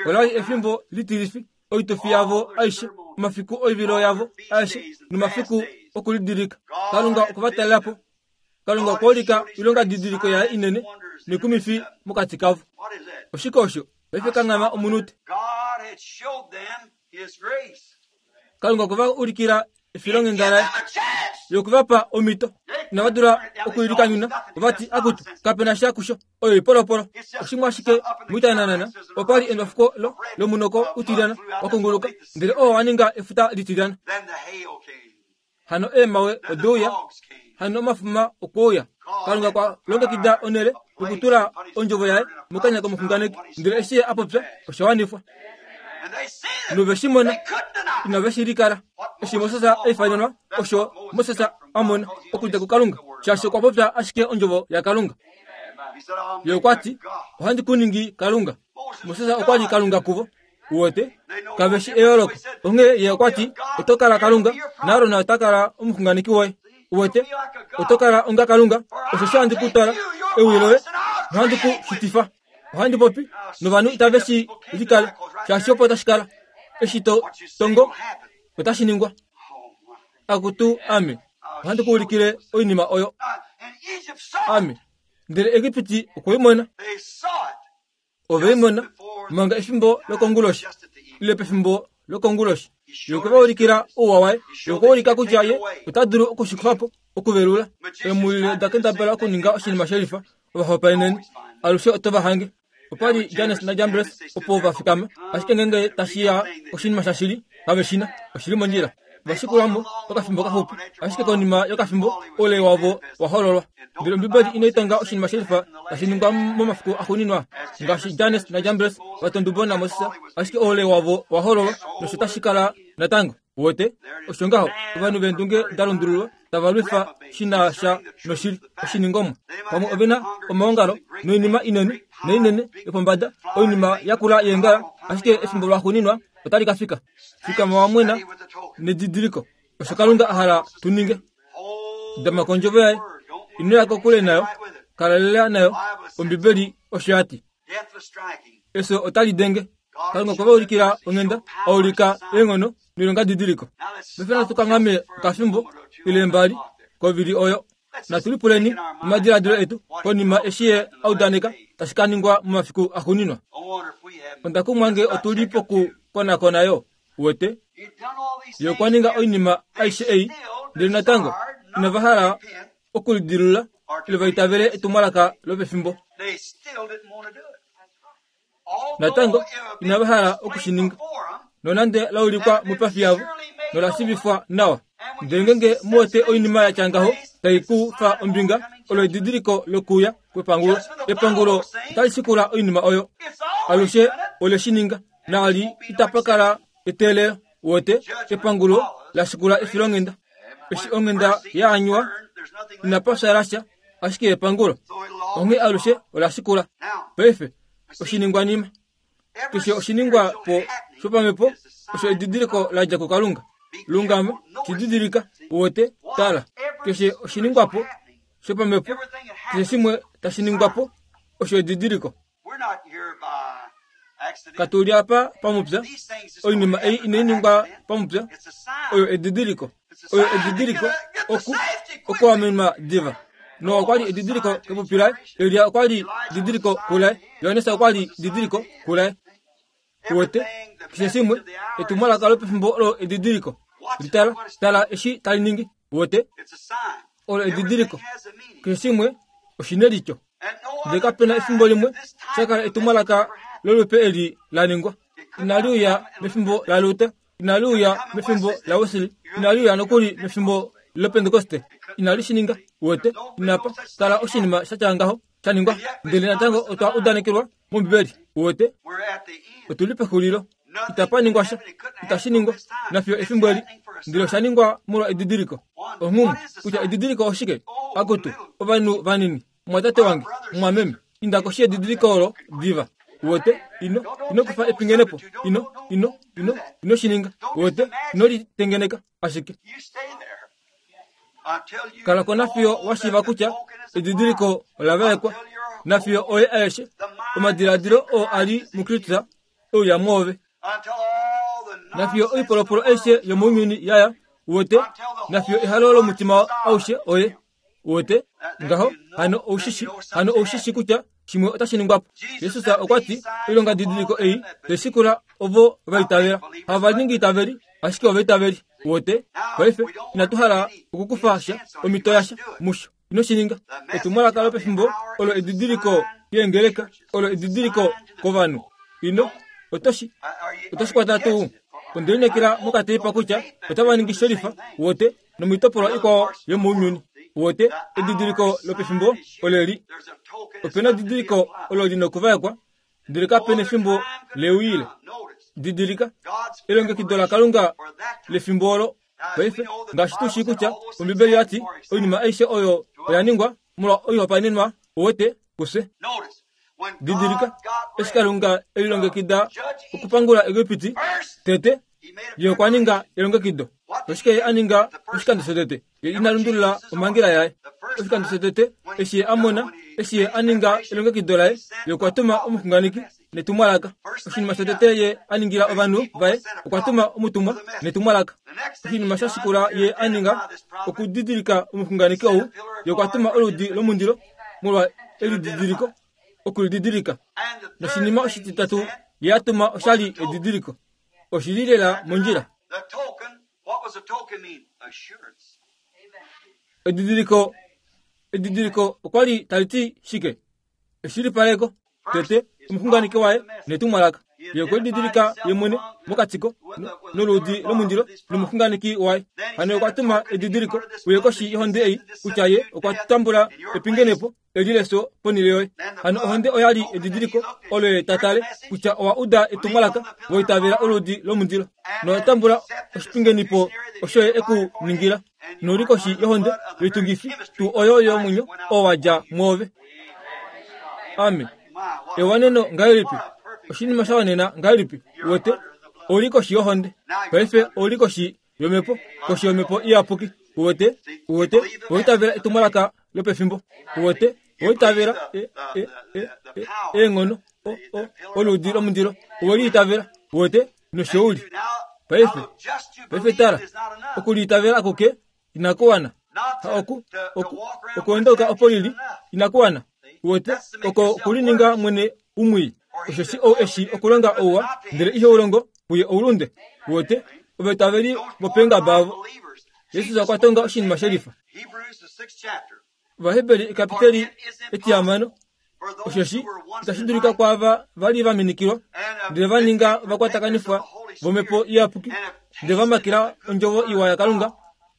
Olali efimbo litilifi, oitufi yavo aishe, omafiku oivilo yavo aishe nomafiku okulidilika. Kalunga okwa talela po. Kalunga okwa ulika oilonga didiliko yaye inene nekumifi mokati kavo. Oshike osho? Paife kanghama omunute. Kalunga okwa ulikila efilonghenda laye yokuvapa omhito. Inava dula okuilikanyuna, ovati akutu kapena sha kusho, oyo ipolopolo. Oshimwe ashike muitananana opali endwafuko lomunoko utilyana wakunguluka, ndele oo waninga efuta litilyana. Hano eemawe odeuya, hano omafuma okwouya. Kalunga kwa longekida onele okutula ondjovo yaye mokanya komuxunganeki, ndele eshi ye apopya osha wanifwa. Noveshimona inaveshilikala. Eshi Moses aifanenwa osho Moses amona okudja kuKalunga, shaashi okwa popya ashike ondjovo yaKalunga. Ye okwa ti, ohandi ku ningi Kalunga. Moses okwa li Kalunga kuvo. Uwete kaveshi eyooloko. Onghee ye okwa ti, oto kala Kalunga, naAron ota kala omuxunganeki woye. Uwete, oto kala onga Kalunga, osho handi ku twala ewi loye nohandi ku shitifa. Ohandi popi novanhu itave shi likale, shaashi opo tashi kala. Eshi to tongo otashi ningwa. Akutu ame, ohandi ku ulikile oinima oyo. Ame, ndele Egipiti okwe i mona. Ove i mona manga efimbo lokonguloshi, ile pefimbo lokonguloshi. Ye okwe va ulikila ouwa waye. Ye okwa ulika kutya ye ota dulu okushikufa po, okuvelula. Eemulile da kendabala okuninga oshinima shelifa, ovahopaeneni alushe oto va hange. Opa li Jannes naJambres opo va fikama, ashike ngeenge tashi ya oshinima shashili, kave shina, oshili mondjila. Vashikulwamo okafimbo kaxupi, ashike konima yokafimbo oule wavo wa hololwa. Ndele Ombibeli inai tonga oshinima shelifa tashi ningwa momafiku axuuninwa, ngaashi Jannes naJambres va tondubo naMoses, ashike oule wavo wa hololwa nosho tashi kala natango. Uwete, osho ngaho ovanhu veendunge da lundululwa tava lwifa shi na sha noshili oshiningomwa. Pamwe ove na omaongalo noinima inene noinene yopombada, oinima yakula yeengala, ashike efimbo laxuuninwa otali ka fika. Fikama wa mwena nedidiliko, osho Kalunga a hala tu ninge. Dama kondjovo yaye, ino ya kokule nayo, kalalela nayo. Ombibeli osho ya ti. Efyo otali denge. Kalunga okwa ulikila onghenda, a ulika eenghono noilonga didiliko. Paife natu kanghame okafimbo ile mbali kovili oyo. Natu lipuleni omadiladilo etu konima eshi ye a udaneka tashi ka ningwa momafiku axuuninwa. Onda kumwa nge otu li pokukonakona yo. Uwete, ye okwa ninga oinima aishe ei, ndele natango inava hala okulidilula ile va itavele etumwalaka lopefimbo. Natango inava hala okushininga, nonande la ulikwa moipafi yavo nola shiivifwa nawa. Ndele ngeenge muwete oinima ya tya ngaho tai ku fa ombinga, olo edidiliko lokuya kwepangulo. Epangulo otali shikula oinima oyo. Alushe ole shi ninga, naali itapa kala eteelelo. Uwete, epangulo la shikula efilonghenda. Eshi onghenda ya anywa, inapa shala sha, ashike epangulo. Onghee alushe ola shikula. Paife oshiningwanima keshe oshiningwa po shopamhepo osho edidiliko la dja kuKalunga. Lungama, shididilika, uwete, tala. Keshe oshiningwapo shopamhepo, keshe shimwe tashi ningwapo osho edidiliko. Katu li apa pamupya, oinima ei inai ningwa pamupya, oyo edidiliko. Oyo edidiliko oku okuamenwa diva. Noa okwa li edidiliko kepupi laye, Elia okwa li edidiliko kulaye, Johannes okwa li edidiliko kulaye. Uwete, keshe shimwe etumwalaka lopefimbo olo edidiliko. Litala, tala eshi tali ningi. Uwete, olo edidiliko. Keshe shimwe oshinelityo. Ndele kapena efimbo limwe shakala etumwalaka lolupe eli la ningwa. Inali uya mefimbo laLuther, inali uya mefimbo laWesley, inali uya nokuli mefimbo loPentekoste. Inali shi ninga. Uwete, inapa kala oshinima sha tya ngaho sha ningwa, ndele natango otwa udanekelwa mOmbibeli. Uwete, otu li pexulilo. Itapa ningwa sha, itashi ningwa nafiyo efimbo eli, ndele osha ningwa molwa edidiliko. Onghumwe kutya edidiliko oshike? Akutu, ovanhu vanini, mwatate wange, mwameme, inda koshi yedidiliko olo diva. Uwete, ino ino kufa epingenepo, ino ino ino ino shininga. Uwete, ino litengeneka ashike. Kala ko nafiyo wa shiiva kutya edidiliko ola vaekwa, nafiyo oye aeshe omadiladilo oo a li muKristus euya mwoove, nafiyo oipolopolo aishe yomounyuni yaya. Uwete, nafiyo ehalo lomutima aushe oye. Uwete, ngaho hano oushishi, hano oushishi kutya shimwe otashi ningwapo. Jesus okwa ti, oilonga didiliko ei teshikula ovo va itavela. Hava ningi itaveli, ashike ova itaveli. Uwete, paife inatu hala okukufa sha omito yasha musho. Ino shi ninga. Etumwalaka lopefimbo olo edidiliko yeengeleka, olo edidiliko kovanhu. Ino otoshi otoshi kwata tuu. Onde lineekela mokateipa kutya otava ningi shelifa. Uwete, nomoitopolwa ikwao yomounyuni. Uwete, edidiliko lopefimbo oleli. Opena edidiliko olo lina okuvaekwa, ndele kapena efimbo leuyile. Didilika elongekido laKalunga lefimbo olo. Paife ngaashi tu shii kutya Ombibeli yati oinima aishe oyo oya ningwa molwa oihopaenenwa uwete kufye. Didilika eshi Kalunga elilongekida okupangula Egipiti tete, ye okwa ninga elongekido. Oshike ye a ninga oshikando shotete? Ye ina lundulula omhangela yaye. Oshikando shotete eshi ye a mona, eshi ye a ninga elongekido laye, ye okwa tuma omuxunganeki netumwalaka. Oshinima shotete ye a ningila ovanhu vaye, okwa tuma omutumwa netumwalaka. Oshinima sha shikula ye a ninga okudidilika omuxunganeki ou, ye okwa tuma oludi lomundilo molwa elididiliko, okulididilika. Noshinima oshititatu ye a tuma oshali edidiliko. Oshili lela mondjila. Edidiliko, edidiliko okwa li tali ti shike? Eshilipaleko. Tete omuxunganeki waye netumwalaka. Ye okwe lididilika ye mwene mokatiko noludi lomundilo nomuxunganeki waye. Hano okwa tuma edidiliko uye koshi yohonde ei kutya ye okwa tambula epingenepo eli lefyo ponhele yoye. Hano ohonde oya li edidiliko olo ye tatale kutya owa uda etumwalaka, wa itavela oludi lomundilo nowa tambula oshipingenipo osho ye eku ningila. Nouli koshi yohonde yoitungifi tuu oyo yomwenyo oo wa dja mwoove. Amen. Ewaneno ngahelipi? Oshinima sha wanena ngahelipi? Uwete, ouli koshi yohonde. Paife ouli koshi yomhepo, koshi yomhepo iyapuki. Uwete, uwete, owaitavela etumwalaka lopefimbo. Uwete, owaitavela e e e e eenghono o o oludi lomundilo. Oweliitavela. Uwete, nosho uli. Paife, paife tala, okuliitavela akuke inakuwana. Ha oku oku okuendauka opo lili inakuwana. Uwete, oko kulininga mwene umwii. Osheshi ou eshi okulonga ouwa ndele ihe ulongo, puye oulunde. Uwete, ovaitaveli vopengaba avo. Jesus okwa tonga oshinima shelifa. Ovaheberi ekapiteli etihamano. Osheshi itashi dulika kwaava va li va minikilwa ndele va ninga ovakwatakanifwa vomhepo iyapuki ndele va makila ondjovo iwa yaKalunga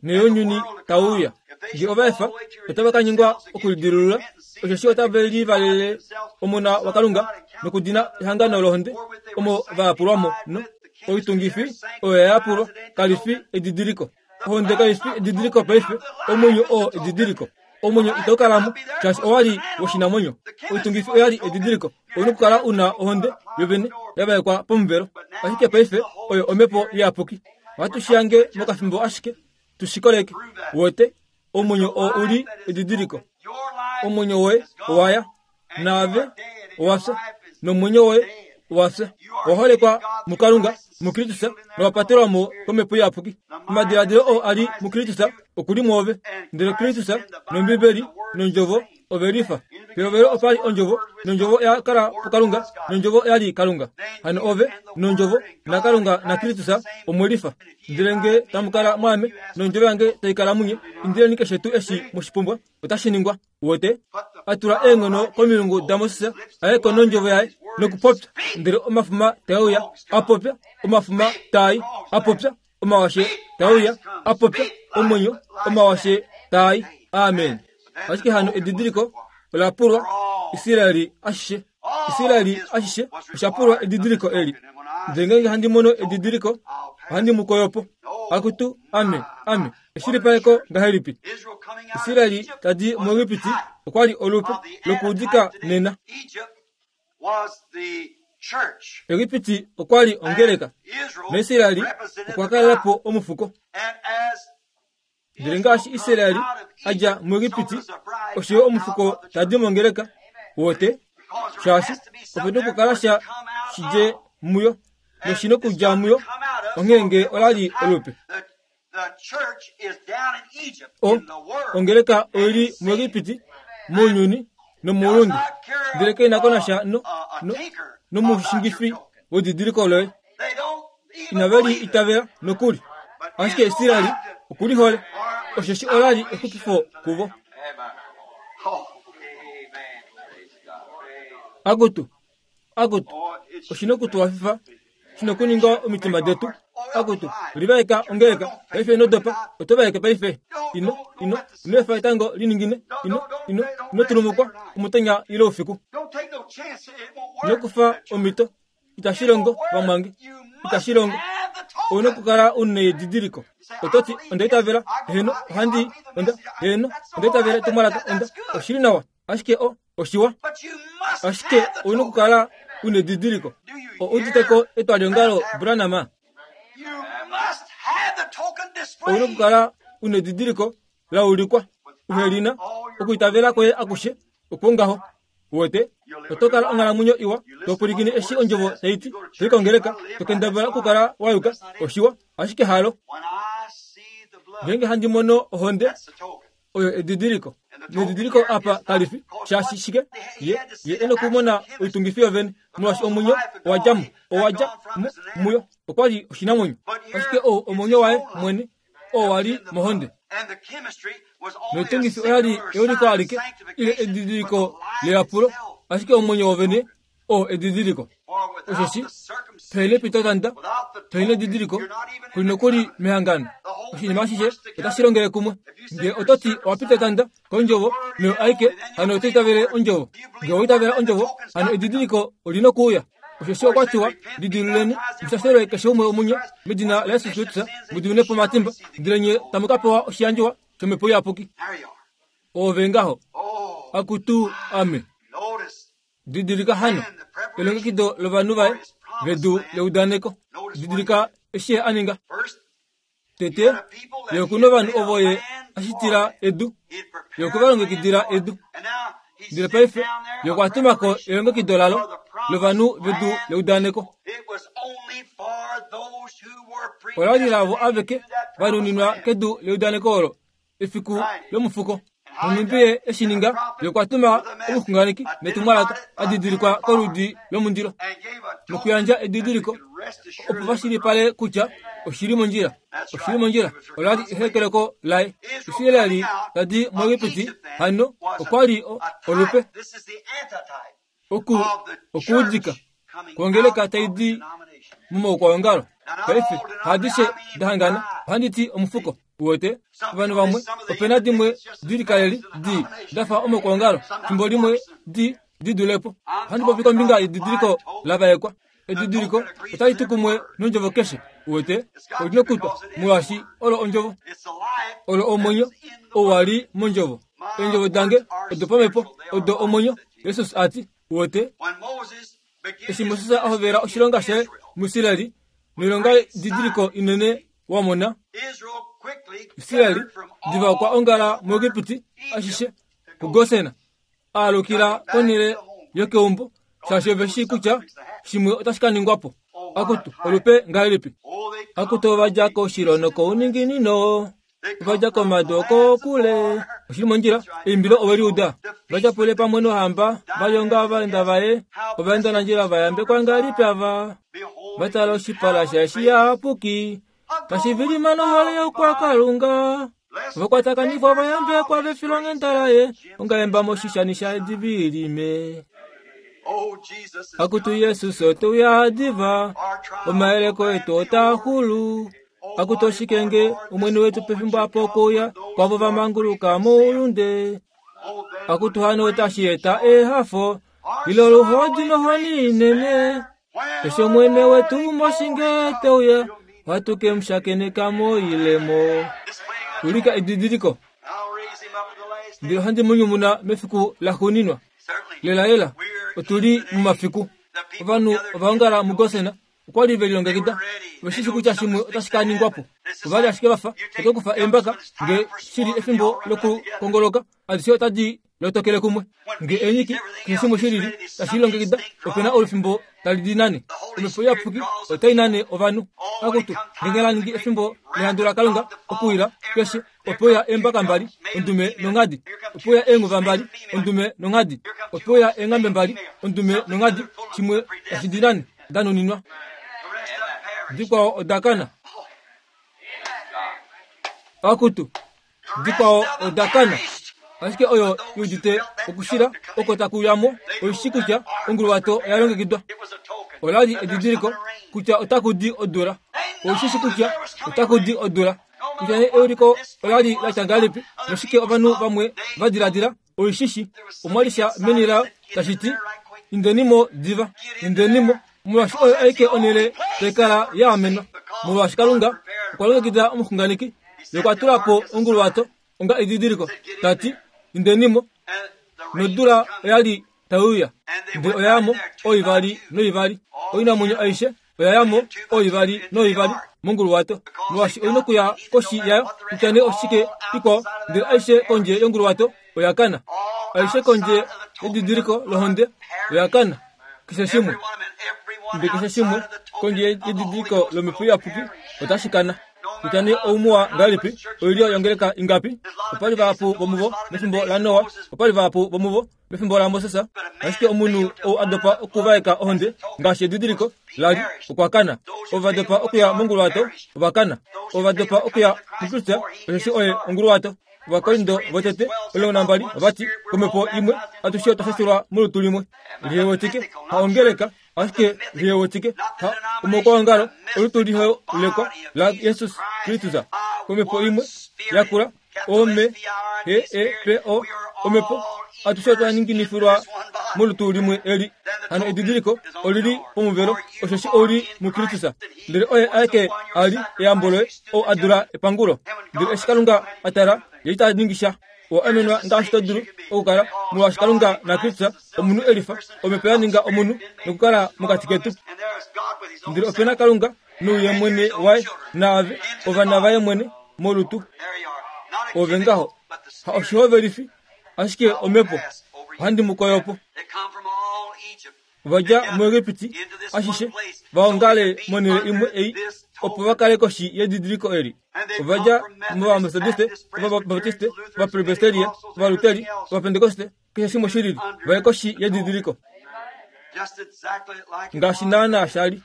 neyounyuni tau uya. Nge ova efa, otava ka nyengwa okulidilulula, osheshi otave livalele Omona waKalunga nokudina ehangano lohonde omo va yapulwa mo. No oitungifi oyo ya yapulwa kali fi edidiliko. Ohonde kai fi edidiliko paife, omwenyo oo edidiliko. Omwenyo itau kalamo shaashi owa li woshinamwenyo. Oitungifi oya li edidiliko. Ouna okukala una ohonde yovene ya vaekwa pomuvelo. Ashike paife oyo omhepo iyapuki. Ohatu shi hange mokafimbo ashike tu shi koleke. Uwete, omwenyo oo u li edidiliko. Omwenyo woye owa ya, naave owa fya, nomwenyo woye owa fya. Owa holekwa muKalunga, muKristus, nowa patelwa mo komhepo iyapuki. Omadiladilo oo a li muKristus oku li mwoove, ndele Kristus nOmbibeli nondjovo ove lifa. Pehovelo opa li ondjovo, nondjovo oya kala puKalunga, nondjovo oya li Kalunga. Hano ove nondjovo naKalunga naKristus omwe lifa. Ndele nge tamu kala mwaame, nondjovo yange tai kala munye, indileni keshe tuu eshi mweshipumbwa, otashi ningwa. Uwete, a tula eenghono komilungu daMoses a ye ko nondjovo yaye nokupopya, ndele omafuma tae uya a popya, omafuma taai a popya, omawashe tae uya a popya, omwenyo omawashe taai. Amen. Ashike hano edidiliko ola pulwa Israeli ashishe. Israeli ashishe osha pulwa edidiliko eli. Ndele ngeenge handi mono edidiliko, ohandi mu koyo po. Akutu, ame, ame. Eshilipaleko ngahelipi? Israeli tadi muEgipiti okwa li olupe lokuudika nena. Egipiti okwa li ongeleka, naIsraeli okwa kalela po omufuko. Ndele ngaashi Israeli a dja muEgipiti, osho yo omufuko tadi mongeleka. Uwete, shaashi ope nokukala sha shidje muyo, noshi nokudja muyo, onghee nge ola li olupe. O ongeleka oi li muEgipiti, mounyuni nomoulunde, ndele kai na ko nasha no, no, nomushingifi wedidiliko loye. Inave li itavela nokuli. Ashike Israeli oku li hole, osheshi ola li exupifo kuvo. Akutu, akutu, oshi nokutuhafifa, shi nokuninga omitima detu. Akutu, livaeka ongeleka paife ino dopa, oto vaeke paife. Ino, ino, ino efa etango liningine, ino, ino, ino tulumukwa omutenya ile oufiku. Ino kufa omhito, Itashi longo vamwange, itashi longo. Ouna okukala una edidiliko. Ototi onda itavela, heno, ohandi, onda, heno, onda itavela etumwalaka, onda, oshili nawa, ashike o, oshiwa. Ashike ouna okukala una edidiliko. O uditeko etwaliongalo Branham. Ouna okukala una edidiliko la ulikwa. Uhelina, okuitavela kwoye akushe, okwongaho. Uwete, oto kala onghalamwenyo iwa, to pwilikine eshi ondjovo tai ti, to i kongeleka, to kendabala okukala wa yuka, oshiwa, ashike halo. Ngeenge handi mono ohonde, oyo edidiliko. Nedidiliko apa kalifi, shaashi shike? Ye, ye ena okumona oitungifi yovene, molwaashi omwenyo owa dja mo, owa dja mo muyo, okwa li oshinamwenyo. Ashike ou omwenyo waye mwene, oo wa li mohonde. Noitungifi oya li euliko alike, ile edidiliko leyapulo, ashike omwenyo wovene oo edidiliko. Osheshi, pehele pitotanda, pehele edidiliko, kuli nokuli mehangano. Oshinima ashishe otashi longele kumwe. Nge ototi owa pitotanda kondjovo noyo aike, hano oto itavele ondjovo. Nge owa itavela ondjovo, hano edidiliko olina okuuya. Osheshi okwa tiwa, lidiluleni, mushashelwe keshe umwe womunye medina laYesu Kristus, mu diminwe po omatimba, ndele nye tamu ka pewa oshiyandjiwa shOmhepo Iyapuki. Ove ngaho. Akutu ame. Didilika hano elongekido lovanhu vaye vedu leudaneko. Didilika eshi ye a ninga. Tete, ye okuna ovanhu ovo ye a shitila edu, ye okwe va longekidila edu. Ndele paife, ye okwa tuma ko elongekido lalo lovanhu vedu leudaneko. Ola li lavo aveke va nuninwa kedu leudaneko olo efiku lomufuko. Nonhumbi ye eshi ninga, ye okwa tuma omuxunganeki netumwalaka a didilikwa koludi lomundilo, nokuyandja edidiliko opo va shilipale kutya oshili mondjila. Oshili mondjila. Ola li ehekeleko laye. Israeli tadi muEgipiti hano okwa li olupe oku okuudika kwongeleka tai di momaukwaongalo. Paife hadishe dahangana, ohandi ti omufuko. Uwete, ovanhu vamwe opena dimwe dilikaleli di dafa omaukwaongalo, fimbo limwe di di dulepo. Ohandi popi kombinga yedidiliko lavaekwa. Edidiliko otali tu kumwe nondjovo keshe. Uwete, olina okutwa molwaashi olo ondjovo, olo omwenyo ou wa li mondjovo. Eendjovo dange odo pamhepo, odo omwenyo, Jesus a ti. Uwete, eshi Moses a hovela oshilonga shaye muIsraeli, noilonga didiliko inene wa mona, Israeli diva okwa ongala muEgipiti ashishe kuGosen, a alukila konhele yokeumbo, shaashi ove shii kutya shimwe otashi ka ningwa po. Akutu olupe ngahelipi? Akutu ova dja koushilo nokouninginino, ova dja komadu okokule. Oshili mondjila, eimbilo ove li uda. Va tyapule pamwe nohamba, va lyonga ovaenda vaye, ovaendanandjila va yambekwa ngahelipi ava. Va tala oshipala shaye shiyapuki, tashi vilima nohole yokwakalunga. Vakwatakanifwa va yambekwa vefilonghenda laye, ongaemba moshishani shaye divilime. Akutu Jesus oteuya diva, omayeleko etu otaa xulu. Akutu oshikenge omwene wetu pefimbo apo okuuya kwavo va manguluka moulunde. Akutu hano otashi eta ehafo ile oluhodi nohoni inene. Eshi omwene wetu moshinge teuya, ohatu ke mu shakeneka moilemo. Ulika edidiliko. Ndele ohandi mu nyumuna mefiku laxuuninwa. Lelalela, otu li momafiku. Ovanhu ova ongala muGosen, okwa li ve lilongekida. Ove shi shii kutya shimwe otashi ka ningwa po. Ova li ashike va fa oto kufa eembaka, nge shili efimbo lokukongoloka, adishe otadi lotokele kumwe. Nge eenyiki, keshe shimwe shilili tashi lilongekida, ope na olufimbo tali di nane. Omhepo Iyapuki otai nane ovanhu. Akutu, ngeenge la ningi efimbo lehandu laKalunga okuwila keshe, ope uya eembaka mbali, ondume nonghadi. Ope uya eenghuva mbali, ondume nonghadi. Ope uya eenghambe mbali, ondume nonghadi, shimwe tashi di nane, da nuninwa. Dikwao oda kana. Akutu, dikwao oda kana. Ashike oyo i udite okushila oko taku uya mo, oi shii kutya onguluwato oya longekidwa. Ola li edidiliko kutya otaku di odula. Oi shi shii kutya otaku di odula. Kutya nee euliko ola li la tya ngahelipi, noshike ovanhu vamwe va diladila, oi shi shii. Omwa li sha meni layo tashi ti, Indeni mo diva, indeni mo, Molwaashi oyo aike onhele tai kala ya amenwa. Molwaashi Kalunga okwa longekida omuxunganeki, ye okwa tula po onguluwato onga edidiliko, ta ti, indenimo. Nodula oya li tai uya, ndele oya yamo oivali noivali. Oinamwenyo aishe oya yamo oivali noivali monguluwato, molwaashi oina okuya koshi yayo kutya nee oshike ikwao, ndele aishe kondje yonguluwato oya kana. Aishe kondje yedidiliko lohonde oya kana. Keshe shimwe, ndele keshe shimwe kondje yedidiliko lomhepo iyapuki otashi kana. Kutya nee oumuwa ngahelipi, oilyo yongeleka ingapi, opa li vahapu vomuvo mefimbo laNoa, opa li vahapu vomuvo mefimbo laMoses, ashike omunhu ou a dopa okuvaeka ohonde ngaashi edidiliko la li okwa kana. Ovo va dopa okuya monguluwato ova kana. Ovo va dopa okuya muKristus, osheshi oye onguluwato. Ovakorinto votete omulongo nambali ovati, komhepo imwe atushe otwa shashulwa molutu limwe. Lihewetike haongeleka, ashike lihewetike ha omokwaongalo olutu liholekwa la Jesus Kristus. Komhepo imwe yakula O M H E P O omhepo atushe otwa ninginifilwa molutu limwe eli. Hano edidiliko olili pomuvelo, osheshi ouli muKristus. Ndele oye aeke a li eyambo loye, ou a dula epangulo. Ndele eshi Kalunga a tala, ye ita ningi sha. Owa amenwa ngaashi to dulu okukala, molwaashi Kalunga naKristus omunhu elifa, omhepo ya ninga omunhu nokukala mokati ketu. Ndele ope na Kalunga nouye mwene waye naave ovana vaye mwene molutu. Ove ngaho ha oshihovelifi, ashike omhepo ohandi mu koyo po. Ova dja muEgipiti ashishe va ongale monhele imwe ei opo va kale koshi yedidiliko eli. Ova dja mOvametodiste, Ovabaptiste, Ovapresbiteria, Ovaluteri, Ovapentekoste, keshe shimwe shi lili, va ye koshi yedidiliko. Ngaashi naanaa sha li.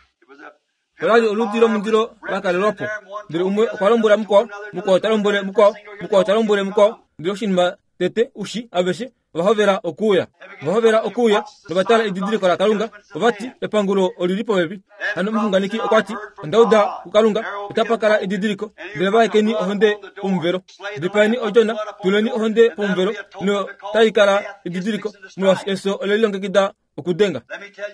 Ola li oludi lomundilo la kalelwa po. Ndele umwe okwa lombwela mukwao, mukwao ta lombwele mukwao, mukwao ta lombwele mukwao, ndele oshinima tete ushi aveshe ova hovela okuuya. Ova hovela okuuya nova tala edidiliko laKalunga, ova ti epangulo olili popepi. Hano omuxunganeki okwa ti, onda uda kuKalunga, otapa kala edidiliko, ndele vaekeni ohonde pomuvelo. Dipaeni odjona, tuleni ohonde pomuvelo, notai kala edidiliko, molwaashi efyo ole lilongekida okudenga.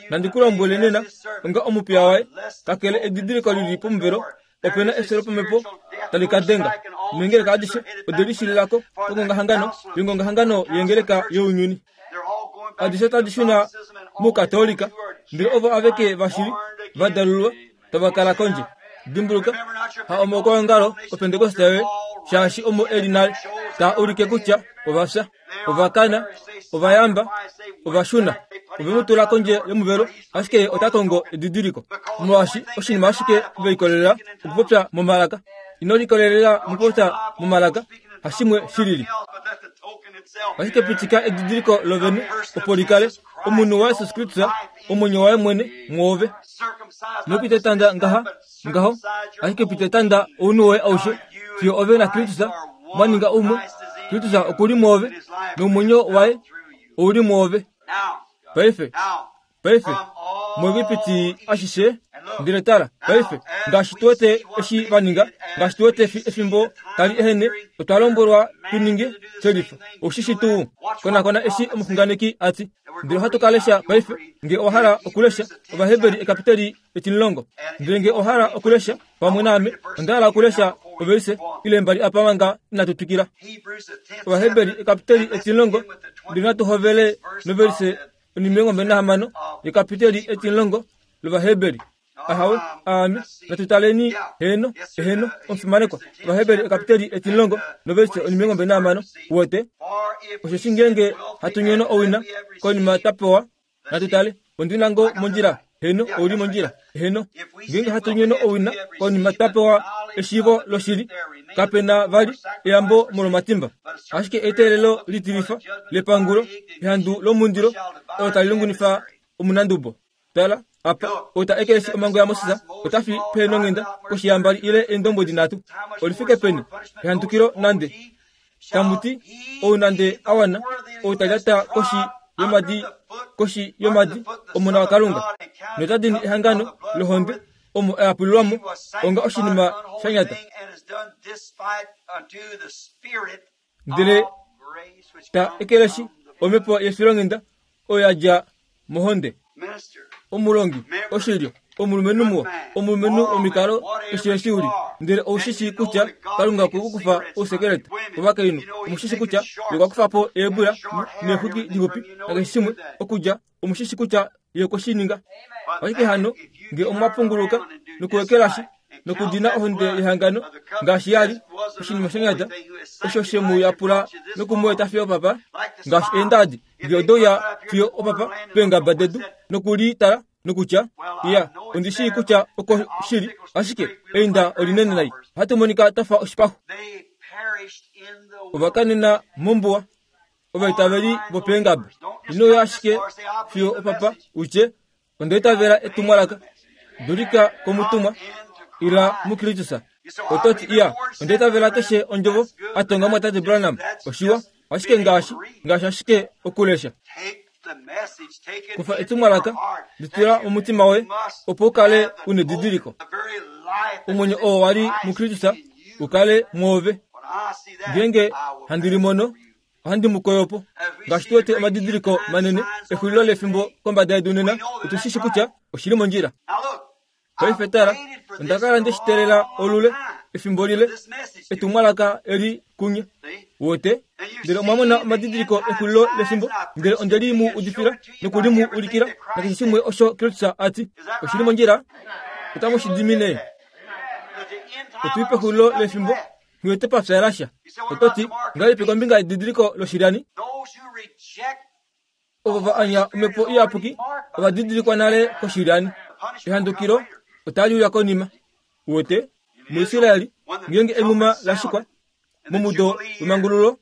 Nandi ku lombwele nena, onga omupiya waye, kakele edidiliko lili pomuvelo, ope na efyo lopamhepo tali ka denga. Neengeleka adishe ode lishililako kongongahangano yongongahangano yengeleka younyuni. Adishe otadi shuna mukatolika, ndele ovo aveke vashili va dalulwa tava kala kondje. Dimbuluka, ha omokwaongalo opentekoste yoye, shaashi omo eli nale, taa ulike kutya ova fya, ova kana, ova yamba, ova shuna. Ove mu tula kondje yomuvelo, ashike ota kongo edidiliko. Molwaashi oshinima ashike ve likolelela okupopya momalaka. Ino likolelela mokupopya momalaka, hashimwe shi lili. Ashike pitika edidiliko lovene opo li kale omunhu waJesus Kristus, omwenyo waye mwene mwoove. Ino pita etanda ngaha ngaho, ashike pita etanda ounhu woye aushe fiyo ove naKristus mwa ninga umwe. Kristus okuli mwoove nomwenyo waye ouli mwoove. Paife, paife, muEgipiti ashishe, ndele tala, paife, ngaashi tu wete eshi va ninga, ngaashi tu wete efimbo tali ehene, otwa lombwelwa tu ninge shelifa. Oshishi tuu, konakona eshi omuxunganeki a ti. Ndele ohatu ka lesha paife, nge owa hala okulesha Ovaheberi ekapiteli etimulongo. Ndele nge owa hala okulesha pamwe naame, onda hala okulesha ovelise ile mbali apa manga inatu twikila. Ovaheberi ekapiteli etimulongo, ndele natu hovele novelise onimilongo mbali nahamano yekapiteli etimulongo lOvaheberi. Ahawe, aame, natu taleni heno, heno, omufimanekwa. Ovaheberi ekapiteli etimulongo novelise onimilongo mbali nahamano. Uwete? Osheshi ngeenge hatu nyono owina, konima twa pewa, natu tale, ondina ngoo mondjila, heno, ouli mondjila, heno. Ngeenge hatu nyono owina, konima twa pewa eshiivo loshili, kape na vali eyambo molwomatimba. Ashike eteelelo litilifa lepangulo, ehandu lomundilo, olo tali lungunifa omunandubo. Tala, apa, ota ekeleshi omhango yaMoses, ota fi peenonghenda koshiyambali ile eendombwedi nhatu. Olifike peni ehandukilo nande tamuti ou nande a wana, ou ta lyata koshi yomadi koshi yomadi omona waKalunga, nota dini ehangano lohonde omo a yapulilwamo onga oshinima sha nyata. Ndele ta ekeleshi omhepo yefilonghenda oyo ya dja mohonde. Omulongi, oshilyo, omulumenhu muwa, omulumenhu womikalo, eshi eshi uli. Ndele oushishi kutya Kalunga okwe ku kufa ousekeleta. Ovakainhu, omushishi kutya ye okwa kufa po eebula neexwiki dixupi nakeshe shimwe okudja, omushishi kutya ye okwe shi ninga. Ashike hano nge omwa punguluka nokuekelashi nokudina ohonde yehangano ngaashi yali oshinima shonyata osho she mu yapula noku mu eta fiyo opapa, ngaashi eendadi nge odouya fiyo opapa peengaba dedu nokulitala nokutya iya ondi shii kutya oko shili, ashike einda olinene nai, ohatu monika twafa oshipaxu. Ovakanena mombuwa ovaitaveli vopeengaba. Ino ya ashike fiyo opapa utye onda itavela etumwalaka, dulika komutumwa, ila muKristus. Ototi iya onda itavela keshe ondjovo a tonga mwatate Branham, oshiwa, ashike ngaashi ngaashi ashike okulesha. Kufa etumwalaka, litula momutima woye opo u kale una edidiliko. Omwenyo oo wali muKristus u kale mwoove. Ngeenge handi limono, ohandi mu koyo po. Ngaashi tu wete omadidiliko manene exulilo lefimbo kombada yedu nena, otu shi shi kutya oshili mondjila. Paife tala, onda kala nde shi teelela olule, efimbo lile, etumwalaka eli kunye. Wote, ndele omwa mona omadidiliko exulilo lefimbo, ndele onde li mu udifila noku li mu ulikila nakeshe shimwe osho Kristus a ti. Oshili mondjila, otamu shi dimine. Otuli pexulilo lefimbo, nghiwete pa lasha. Ototi, ngahelipi kombinga yedidiliko loshilyani? Ovo va anya omhepo iyapuki ova didilikwa nale koshilyani. Ehandukilo otali uya konima. Wote, muIsraeli, ngeenge enghuma la shikwa momudo wemangululo,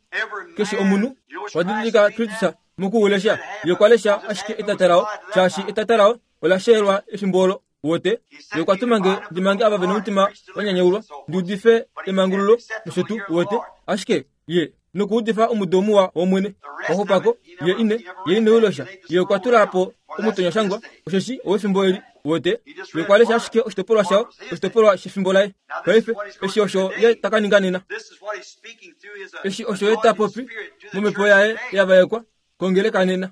keshe omunhu okwa didilika Kristus mokuulesha. Ye okwa lesha ashike etata lao, shaashi etata lao ola sheyelwa efimbo olo. Wote, ye okwa tuma nge ndi mange ava vena omutima wa nyanyaulwa, ndi udife emangululo nosho tuu. Wote, ashike ye nokuudifa omudo muwa wOmwene. Waxupako ye ine ye ine ulesha. Ye okwa tula po omutonyashangwa, osheshi owefimbo eli. Wote, ye okwa lesha ashike oshitopolwa shao, oshitopolwa shefimbo laye. Paife eshi osho ye taka ninga nena. Eshi osho ye ta popi momhepo yaye ya vaekwa kongeleka nena.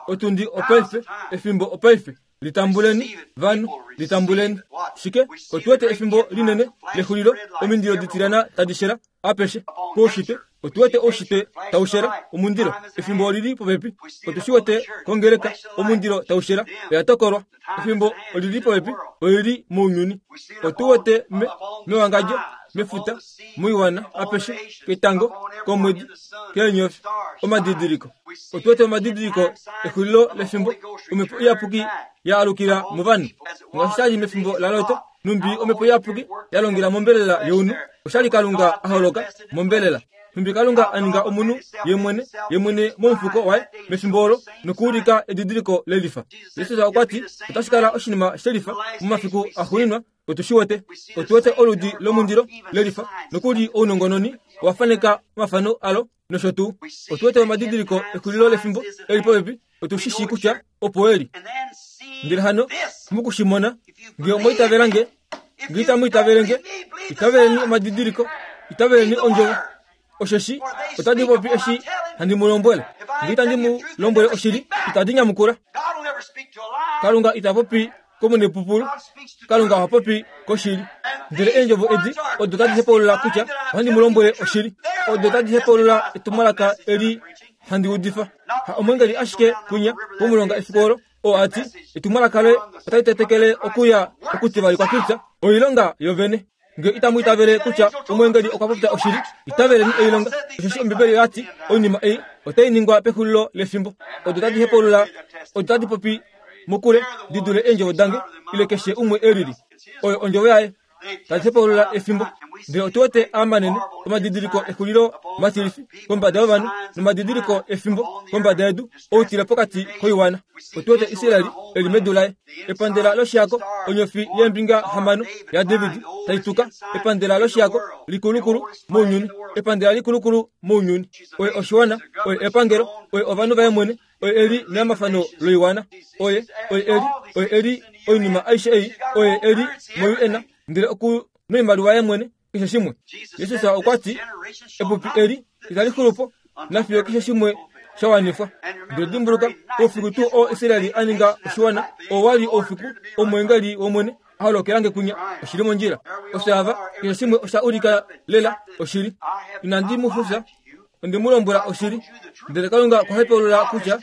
Otundi opaife, efimbo opaife. Litambuleni vanhu, litambuleni. Shike, otu wete efimbo linene lexulilo, omindilo ditilana tadi shela apeshe koushitwe. Otu wete oushitwe tau shela omundilo, efimbo olili popepi. Otu shi wete kongeleka omundilo tau shela, oya tokolwa. Efimbo olili popepi, olili mounyuni. Otu wete me mewangadjo, mefuta, moiwana apeshe, ketango, komwedi, keenyofi, omadidiliko. Otu wete omadidiliko exulilo lefimbo, omhepo iyapuki ya alukila movanhu. Ngaashi shali mefimbo laLot, numbi omhepo iyapuki ya longela mombelela younhu, oshali Kalunga a holoka mombelela. Numbi Kalunga a ninga omunhu ye mwene, ye mwene momufuko waye mefimbo olo nokuulika edidiliko lelifa. Jesus okwa ti otashi kala oshinima shelifa momafiku axuuninwa. Otu shi wete, otu wete oludi lomundilo lelifa, nokuli ounongononi owa faneka omafano alo nosho tuu. Otu wete omadidiliko exulilo lefimbo eli popepi, otu shi shii kutya opo eli. Ndele hano mokushimona, nge omwa itavela nge, nge itamu itavele nge, itaveleni omadidiliko, itaveleni ondjovo. Osheshi otadi popi eshi handi mu lombwele. Nge itandi mu lombwele oshili, itadi nyamukula. Kalunga ita popi komunepupulu, Kalunga oha popi koshili. Ndele eendjovo edi odo tadi hepaulula kutya ohandi mu lombwele oshili, odo tadi hepaulula etumwalaka eli handi udifa. Ha omwengeli ashike kunya pomulonga efiku olo, oo ati etumwalaka loye otali tetekele okuya okutivali kwaKristus, oilonga yovene. Nge itamu itavele kutya omwengeli okwa popya oshili, itaveleni oilonga, osheshi Ombibeli oya ti oinima ei otai ningwa pexulilo lefimbo. Odo tadi hepaulula, odo tadi popi mokule di dule eendjovo dange ile keshe umwe elili. Oyo ondjovo yaye tadi hepaulula efimbo. Ndele otu wete amanene omadidiliko exulilo matilifi kombada yovanhu nomadidiliko efimbo kombada yedu, outile pokati koiwana. Otu wete Israeli eli medu laye, epandela loshihako, onyofi yeembinga hamano yaDavid tai tuka, epandela loshihako likulukulu mounyuni, epandela likulukulu mounyuni. Oye oshiwana, oye epangelo, oye ovanhu vaye mwene, oye eli neamafano loiwana, oye oye eli, oye eli oinima aishe ei, oye eli moU N, ndele oku noimaliwa yaye mwene, keshe shimwe. Jesus okwa ti epupi eli itali xulu po nafiyo keshe shimwe shawanifwa. Ndele dimbuluka oufiku tuu oo Israeli a ninga oshiwana, oo wali oufiku omweengeli wOmwene a holokelange kunya. Oshili mondjila. Osho ava keshe shimwe osha ulika lela oshili. Inandi mu fufya, onde mu lombwela oshili. Ndele Kalunga okwa hepaulula kutya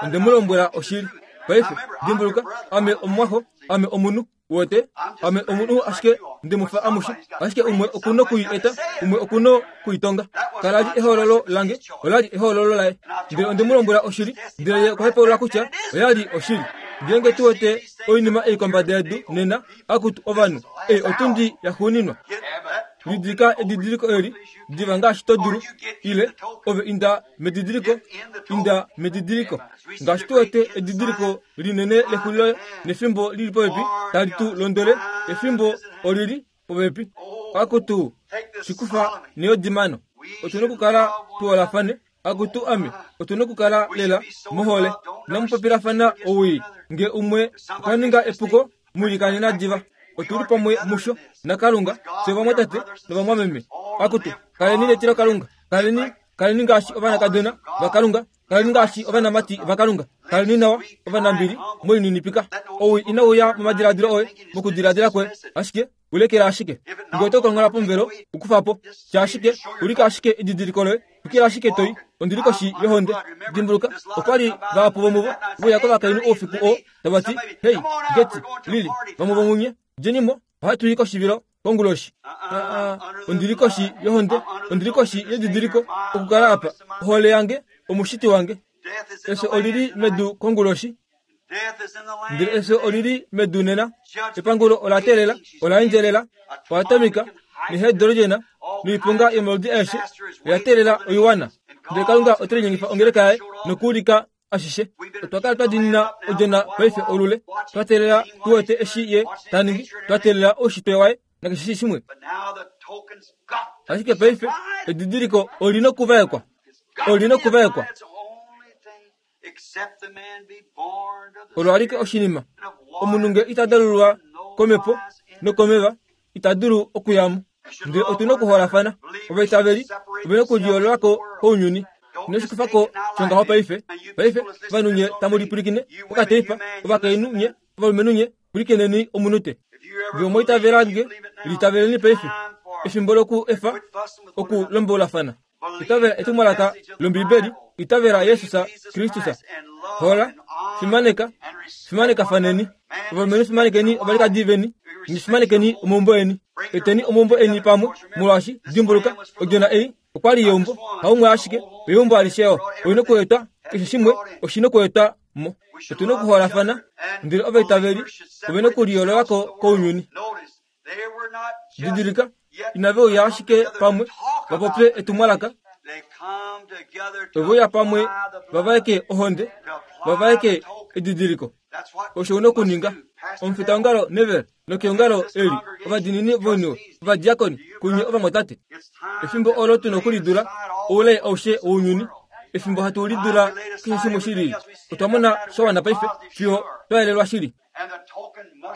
onde mu lombwela oshili. Paife dimbuluka, ame omumwaxo, ame omunhu wote, ame omunhu ashike ndi mu fa amushe, ashike umwe okuna kui eta, umwe okuna kuitonga. Kala li ehololo lange, ola li ehololo laye. Ndele onde mu lombwela oshili, ndele ye okwa hepaulula kutya oya li oshili. Ngeenge tu wete oinima ei kombada yedu nena, akutu ovanhu, ei otundi ya xuuninwa. Lidilika edidiliko eli, diva ngaashi to dulu, ile ove inda medidiliko, inda medidiliko. Ngaashi tu wete edidiliko linene lexulilo nefimbo lili popepi, tali tu londwele, efimbo olili popepi. Akutu shikufa neodimano. Otuna okukala tuholafane, akutu ame, otuna okukala lela mohole. Namupopilafana owii, nge umwe okwa ninga epuko, mulikanena diva. Otuli pamwe musho naKalunga, fye vamwatate novamwameme. Akutu kaleni netilo Kalunga, kaleni kaleni ngaashi ovanakadona vaKalunga, kaleni ngaashi ovanamati vaKalunga, kaleni nawa ovanambili, mwiininipika. Owii inauya momadiladilo oye, mokudiladila kwoye, ashike ulekela ashike. Nge oto kongola pomuvelo, ukufa po. Tya ashike, ulika ashike edidiliko loye, twikila ashike toi, ondili koshi yohonde. Dimbuluka, okwa li vahapu vomuvo veuya kovakainhu oufiku oo, tava ti, Hei, Geti, Lili, vamwe vomunye, djenimo, ohatu i koshivilo konguloshi. Aa, ondili koshi yohonde, ondili koshi yedidiliko, okukala apa, ohole yange, omushiti wange. Efyo olili medu konguloshi, ndele efyo olili medu nena. Epangulo ola teelela, ola endjelela, oatomika, nehidrogena, noiponga yomaludi aeshe, oya teelela oiwana. Ndele Kalunga ote linyengifa ongeleka yaye nokuulika ashishe. Otwa kala twa diinina odjona paife olule, twa teelela tu wete eshi ye ta ningi, twa teelela oushitwe waye nakeshe shimwe. Ashike paife edidiliko olina okuvaekwa, olina okuvaekwa. Olo alike oshinima, omunhu nge ita dalulwa komhepo nokomeva, ita dulu okuyamo. Ndele otuna okuholafana, ovaitaveli ovena okuliyoololako kounyuni. Inoshikufako shongaho paife. Paife ovanhu nye tamu lipwilikine okateipa, ovakainhu nye, ovalumenhu nye, pwilikineni omunute. Nge omwa itavela nge, litaveleni paife. Efimbo loku efa okulombolafana. Itavela etumwalaka lOmbibeli, itavela Jesus Kristus. Hola, fimaneka, fimanekafaneni. Ovalumenhu fimanekeni ovalikadi veni, fimanekeni omaumbo eni. Eteni omaumbo eni pamwe, molwaashi dimbuluka, odjona ei okwa li yeumbo, haumwe ashike, eumbo alishe oina okuetwa, keshe shimwe oshina okuetwa mo. Otuna okuholafana, ndele ovaitaveli ovena okuliyoololako kounyuni. Didilika, inave uya ashike pamwe vapopye etumwalaka, ove uya pamwe vavaeke ohonde, vavaeke edidiliko. Osho una okuninga. Omufitaongalo Nevel nokeongalo eli, ovadiinini voiniwe, ovadiakoni, kunye ovamwatate. Efimbo olo tuna okulidula oulai aushe wounyuni, efimbo hatu lidula keshe shimwe shilili. Otwa mona sha wana paife fiyo twa yelelwa shili.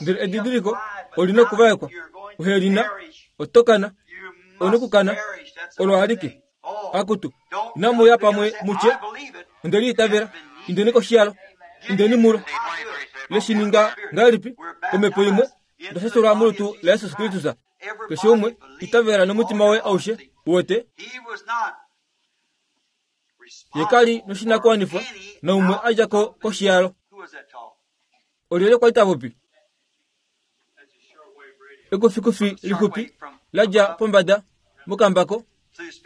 Ndele edidiliko olina okuvaekwa, uhelina, otokana, onokukana, olo alike. Akutu, inamu ya pamwe mutye, onde liitavela, indeni koshiyalo, indeni mulo. Leshininga ngahelipi komhepo imwe, ndashashulwa molutu laJesus Kristus. Keshe umwe itavela nomutima waye aushe, uwete. Ye kali noshinakuwanifwa naumwe a dja ko koshiyalo. Olyelye kwa li ta popi? Ekufikufi lixupi la dja pombada mokambako,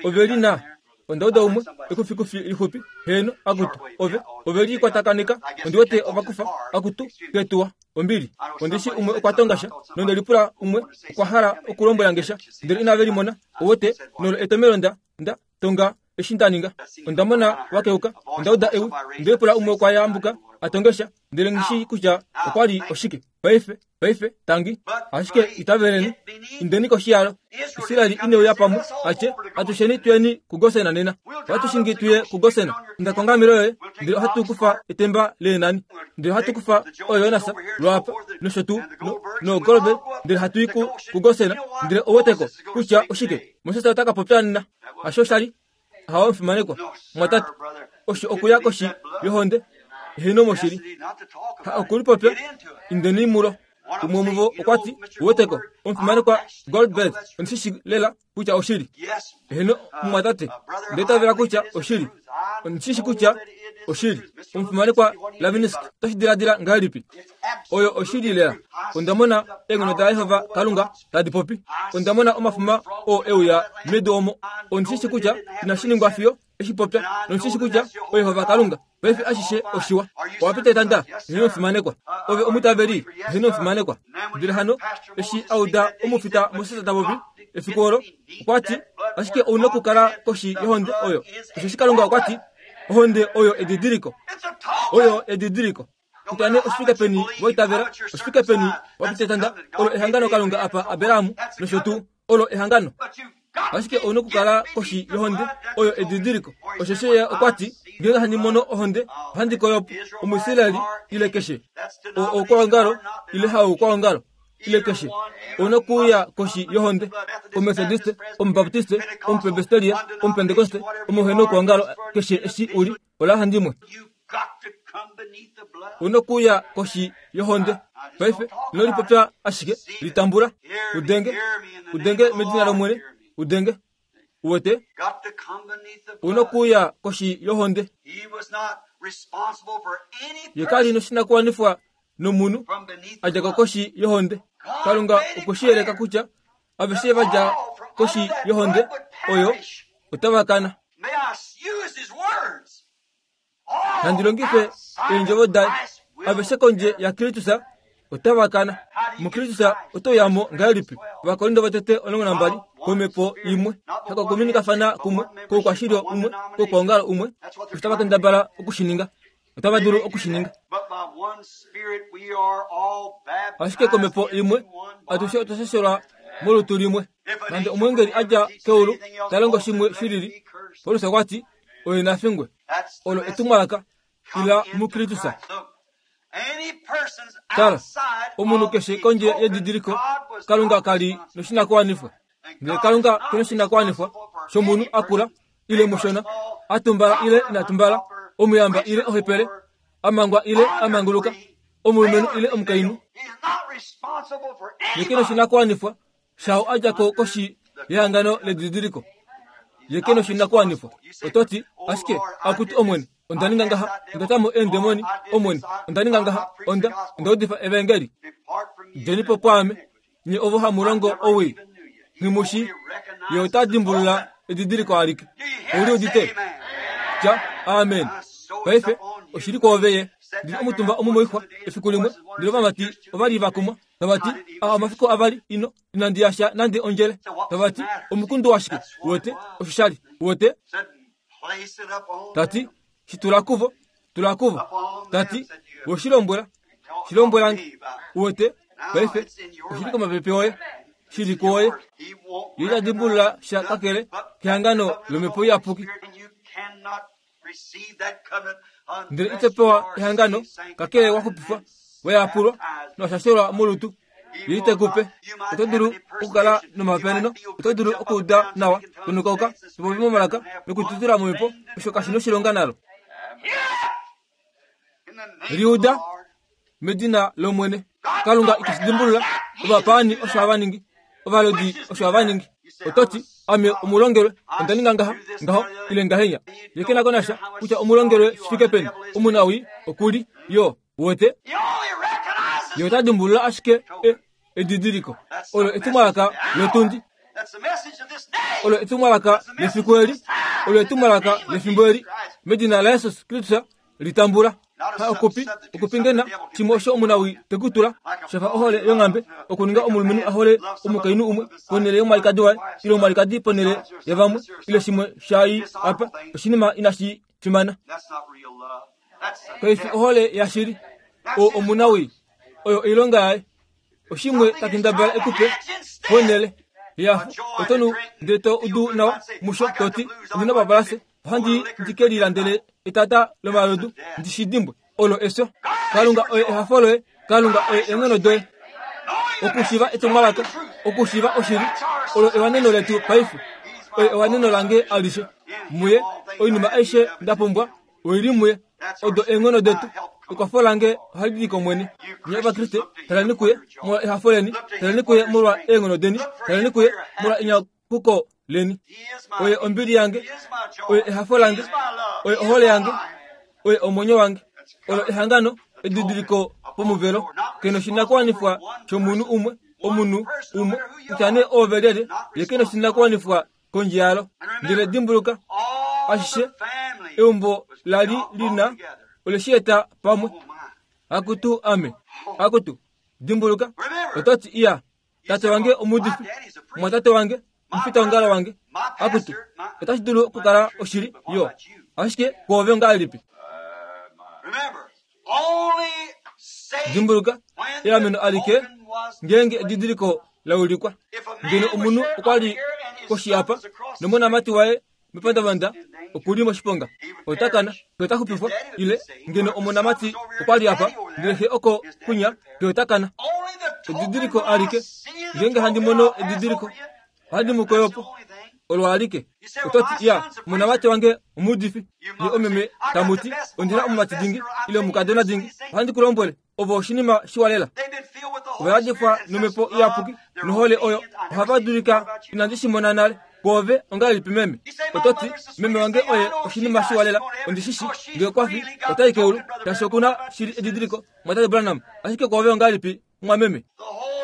ove li na. Onda uda umwe ekufikufi lixupi, heeno, akutu, ove, ove li kwatakaneka, ondi wete ovakufa, akutu, ketuwa, ombili. Ondishi umwe okwa tonga sha, nonde lipula umwe okwa hala okulombwela nge sha, ndele inave limona, owote, nolo etomelo nda, nda tonga eshi nda ninga. Onda mona wakeuka, onda uda ewi, nde lipula umwe okwa yambuka, a tonge sha, ndele ngishi kutya okwa li oshike. Paife, paife, tangi, ashike itaveleni, indeni koshiyalo. Israeli ineuya pamwe, atye, atusheni tuyeni kuGosena nena. Ohatushingi tuye kuGosena. Inda kongamelo yoye, ndele ohatu kufa etemba leenani. Ndele ohatu kufa oYonasa, lwaapa, nosho tuu, no, no Golbe, ndele hatu i ku, kuGosena, ndele oweteko kutya oshike. Moses ota ka popya nena. Hasho sha li? Hawa omufimanekwa, mwatate. Osho okuya koshi yohonde eheno moshili ha okulipopya indeni mulo. Umwe womuvo okwa ti, uweteko omufimanekwa Goldberg ondishishi lela kutya oshili. Eheno mumwatate, ndeitavela kutya oshili, ondishishi kutya oshili. Omufimanekwa Lavinsk otoshi diladila ngahelipi? Oyo oshili lela. Onda mona eenghono daJehova Kalunga tadi popi. Onda mona omafuma oo euya medu omo. Ondishishi kutya inashi ningwa fiyo eshi popya, nondishishi kutya oYehova Kalunga. Paife ashishe oshiwa. Owapita etanda, eheno omufimanekwa. Ove omutaveli, eheno omufimanekwa. Ndele hano eshi auda omufita Moses ta popi efiku olo, okwa ti, ashike ouna okukala koshi yohonde oyo. Osheshi Kalunga okwa ti, ohonde oyo edidiliko. Oyo edidiliko. Kutya nee oshifike peni waitavela, oshifike peni wapita etanda, olo ehangano Kalunga apa Abraham nosho tuu, olo ehangano. Ashike ouna okukala koshi yohonde oyo edidiliko. Osheshi ye okwa ti, ngeenge handi mono ohonde, ohandi koyo Omuisraeli ile keshe oukwaongalo ile haukwaongalo ile keshe ouna okuuya koshi yohonde. Omethodiste, Omubaptiste, Omupresbyteria, Omupentekoste, omuhenoukwangalo keshe eshi uli, ola handimwe. Ouna okuuya koshi yohonde. Paife ino lipopya ashike, litambula, udenge, udenge medina lOmwene, udenge. Uwete, ouna okuuya koshi yohonde. Ye kali noshinakuwanifwa nomunhu a dja ko koshi yohonde. Kalunga okwe shi yeleka kutya aveshe va dja koshi yohonde oyo otava kana. Nandi longife eendjovo daye, aveshe kondje yaKristus otava kana. MuKristus oto yamo ngahelipi? Ovakorinto votete omulongo nambali, komhepo imwe, hakokuminikafana kumwe, koukwashilyo umwe, koukwaongalo umwe. Osho tava kendabala okushininga, otava dulu okushininga. Ashike komhepo imwe atushe otwa shashelwa molutu limwe. Nande omweengeli a dja keulu ta longo shimwe shilili, Paulus okwa ti, oye na fingwe. Olo etumwalaka ila muKristus. Tala, omunhu keshe kondje yedidiliko, Kalunga kali noshinakuwanifwa. Ndele Kalunga ke noshinakuwanifwa shomunhu akula ile mushona, a tumbala ile ina tumbala, omuyamba ile ohepele, amangwa ile amanguluka, omulumenhu ile omukainhu. Ye ke noshinakuwanifwa shao a dja ko koshi yehangano ledidiliko. Ye ke noshinakuwanifwa. Oto ti, ashike akutu Omwene, onda ninga ngaha, onda ta mo eendemoni, Omwene, onda ninga ngaha, onda, onda udifa evangeli. Djeni po pwaame, nye ovo hamu longo owii, nghimushi, ye ota dimbulula edidiliko alike. Ouli udite? Tya, amen. Paife, oshili kwoove ye. Ndili omutumba omu moixwa efiku limwe, ndele ovamati ovali va kumwa, tava ti, a omafiku avali ino, inandi yasha nande ondjele. Tava ti, omukundu washike? Uwete, osho shali. Uwete? Tati, shitula kuvo, tula kuvo. Tati, woshilombwela, shilombwelange. Uwete, paife, oshili komapepe oye, shili kwoye. Ye ita dimbulula sha kakele kehangano lomhepo iyapuki. Ndele ito pewa ehangano kakele wa xupifwa, wa yapulwa nowashashelwa molutu. Ye ite kupe. Oto dulu okukala nomapeneno, oto dulu okuuda nawa, tonukauka, topopi momalaka nokututula momhepo, osho kashi noshilonga nalo. Liuda medina lOmwene. Kalunga iteshi dimbulula. Ovapaani osho hava ningi, ovalodi osho hava ningi. Oto ti, ame omulongelwe, onda ninga ngaha, ngaho, ile ngahenya. Ye ke na ko nasha kutya omulongelwe shi fike peni, omunawii okuli yo, uwete. Ye ota dimbulula ashike e, edidiliko. Olo etumwalaka lotundi. Olo etumwalaka lefiku eli. Olo etumwalaka lefimbo eli. Medina laJesus Kristus litambula. Ha okupi, okupingena shimwe osho omunawii tekutula, shafa ohole yonghambe, okuninga omulumenhu ahole omukainhu umwe ponhele yomwalikadi waye, ile omwalikadi ponhele yavamwe, ile shimwe shai apa, oshinima inashi fimana. Kaifi ohole yashili. O omunawii, oyo oilonga yaye. Oshimwe takendabala ekupe ponhele yafu, oto nu ndele to udu nawa musho, to ti, ondina babalase, ohandi ndike lilandele etata lomalodu, ndi shi dimbwe. Olo efyo. Kalunga oye ehafo loye, Kalunga oye eenghono doye. Okushiva etumwalaka, okushiva oshili, olo ewaneno letu paife. Oye ewaneno lange alishe. Muye oinima aishe nda pumbwa Oili muye odo eenghono detu. Ekwafo lange ohali di kOmwene. Nye Ovakriste, taleni kuye molwa ehafo leni, taleni kuye molwa eenghono deni, taleni kuye molwa enyakuko leni. Oye ombili yange, oye ehafo lange, oye ohole yange, oye omwenyo wange. Olo ehangano edidiliko pomuvelo. Kena oshinakuwanifwa shomunhu umwe, omunhu umwe, kutya nee oove lyelye, ye kena oshinakuwanifwa kondje yalo. Ndele dimbuluka, ashishe eumbo lali lina ole shi eta pamwe. Akutu ame, akutu dimbuluka, ototi iya tate wange omuudifi, mwatate wange omufitaongalo wange. Akutu otashi dulu okukala oshili yo, ashike kwoove ongahelipi? Dimbuluka, eameno alike ngeenge edidiliko laulikwa. Ngeno omunhu okwa li koshi apa nomonamati waye mepandavanda okuli moshiponga, ota kana, xe ota xupifwa. Ile ngeno omonamati okwa li apa ndele xe oko kunya, xe ota kana. Edidiliko alike ngeenge handi mono edidiliko, ohandi mu koyopo. Olo alike. Ototi iya omonamati wange omuudifi, ye omeme tamuti ondina omumati dingi ile omukadona dingi. Ohandi ku lombwele, ovo oshinima shiwa lela. Ova yadifwa nomhepo iyapuki nohole oyo ohava dulika. Inandi shi mona nale. Kwoove ongahelipi meme? Ototi meme wange oye oshinima shiwa lela. Ondishishi ngee okwa fi otai keulu, shaashi okuna shili edidiliko mwatate Branham. Ashike kwoove ongahelipi mwameme?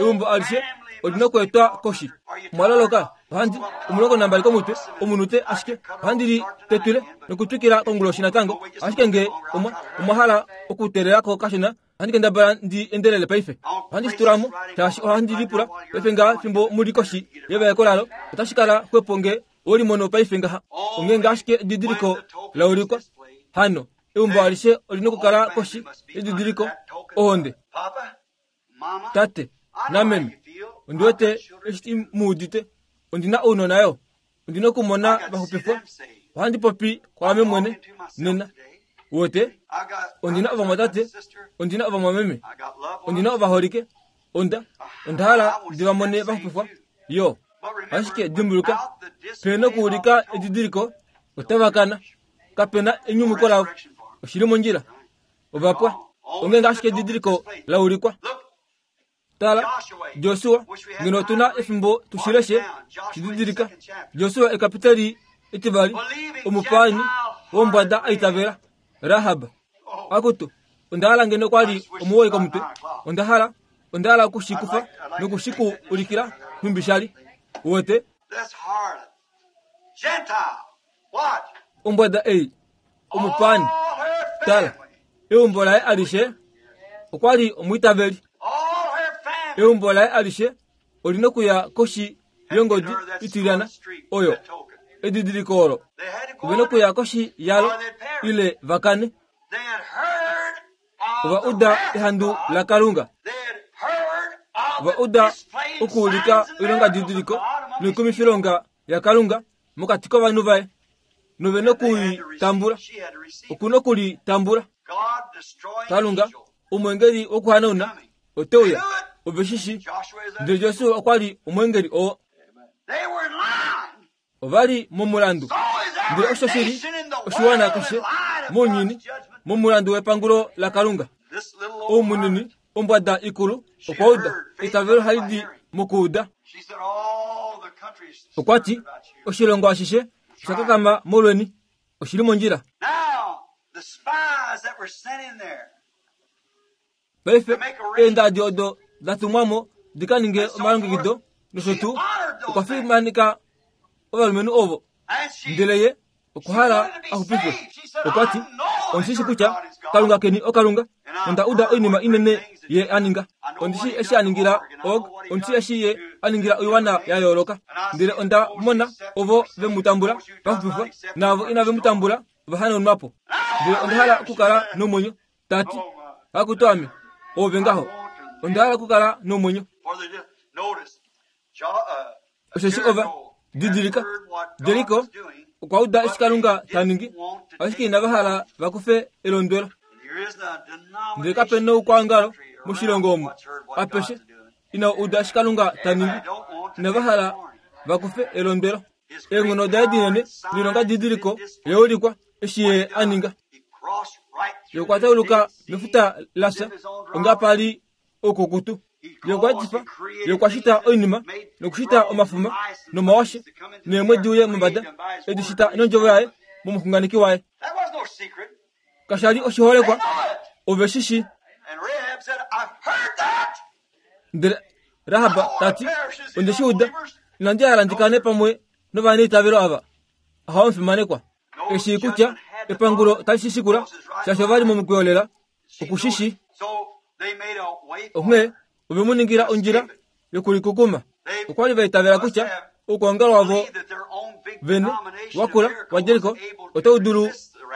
Eumbo alishe olina okweetwa koshi. Mwaloloka ohandi omulongo nambali komutwe omunute, ashike ohandi li tetwile nokutwikila konguloshi natango. Ashike ngee omwa omwa hala okutelelako kashona, ohandi kendabala ndi endelele paife. Ohandi shi tulamo shaashi ohandi lipula paife ngaha fimbo muli koshi yevaeko lalo, otashi kala xwepo ngee owelimono paife ngaha. Ongeenge ashike edidiliko laulikwa, hano eumbo alishe olina okukala koshi yedidiliko ohonde. Tate nameme, ondi wete eshi mu udite. Ondina ounona yo, ondina okumona vaxupifwa. Ohandi popi kwaame mwene nena. Wote ondina ovamwatate, ondina ovamwameme, ondina ovaholike, onda onda hala ndi vamone vaxupifwa yo. Ashike dimbuluka, pena okuulika edidiliko, otava kana. Kapena enyumuko lavo, oshili mondjila. Ovapwa. Ongeenge ashike edidiliko laulikwa. Tala, Josua, ngeno otuna efimbo tushileshe, shididilika. Josua ekapiteli etivali, omupaani wombwada aitavela, Rahab. Akutu, onda hala ngeno kwali omuwoi komutwe. Onda hala, onda hala okushikufa nokushikuulikila nhumbi shali. Wote ombwada ei, omupaani. Tala, eumbo laye alishe okwali omwiitaveli. Eumbo laye alishe olina okuya koshi yongodi itilyana oyo edidiliko olo. Ovena okuya koshi yalo ile vakane. Ova uda ehandu laKalunga. Ova uda okuulika oilongadidiliko noikumifilonga yaKalunga mokati kovanhu vaye, novena okulitambula. Okuna okulitambula. Kalunga, omwengeli wokuhanauna, ote uya. Ove shishi, ndele Josua okwa li omwengeli oo. Ova li momulandu. Ndele osho shili oshiwana keshe mounyuni momulandu wepangulo laKalunga. Oumunini ombwada ikulu okwa uda. Eitavelo hali di mokuuda. Okwa ti oshilongo ashishe osha kakama molweni. Oshili mondjila. Paife eendadi odo da tumwamo di ka ninge omalongekido nosho tuu, okwa fimanika ovalumenhu ovo. Ndele ye okwa hala a xupifwe. Okwa ti, ondishi kutya Kalunga keni oKalunga, nonda uda oinima inene ye a ninga. Ondishi eshi a ningila Og, ondishi eshi ye a ningila oiwana ya yooloka. Ndele onda mona ovo ve mu tambula va xupifwa, naavo inave mu tambula ova hanaunwa po. Ndele onda hala okukala nomwenyo. Tati, akutu ame, oove ngaho. Onda hala okukala nomwenyo. Osheshi ova didilika, Jeriko okwa uda eshi Kalunga ta ningi, ashike inava hala va kufe elondwelo. Ndele kape noukwaongalo moshilongo omu apeshe inau uda eshi Kalunga ta ningi, inava hala va kufe elondwelo. Eenghono daye dinene noilonga didiliko yaulikwa eshi ye a ninga. Ye okwa tauluka mefuta lafya onga pali oukukutu. Ye okwa etifa, ye okwa shita oinima nokushita omafuma nomawashe neemwedi uye mombada, edi shita nondjovo yaye momuxunganeki waye. Kasha li oshiholekwa, ove shi shi. Ndele Rahab tati, onde shi uda, inandi hala ndi kane pamwe novaneitavelo ava. Aha omufimanekwa. Eshi kutya epangulo tali shi shikula, shaashi ova li momukweyo lela, okushishi. Onghee ove mu ningila ondjila yokulikukuma. Okwa li va itavela kutya oukwangalo wavo vene wakula waJeriko otau dulu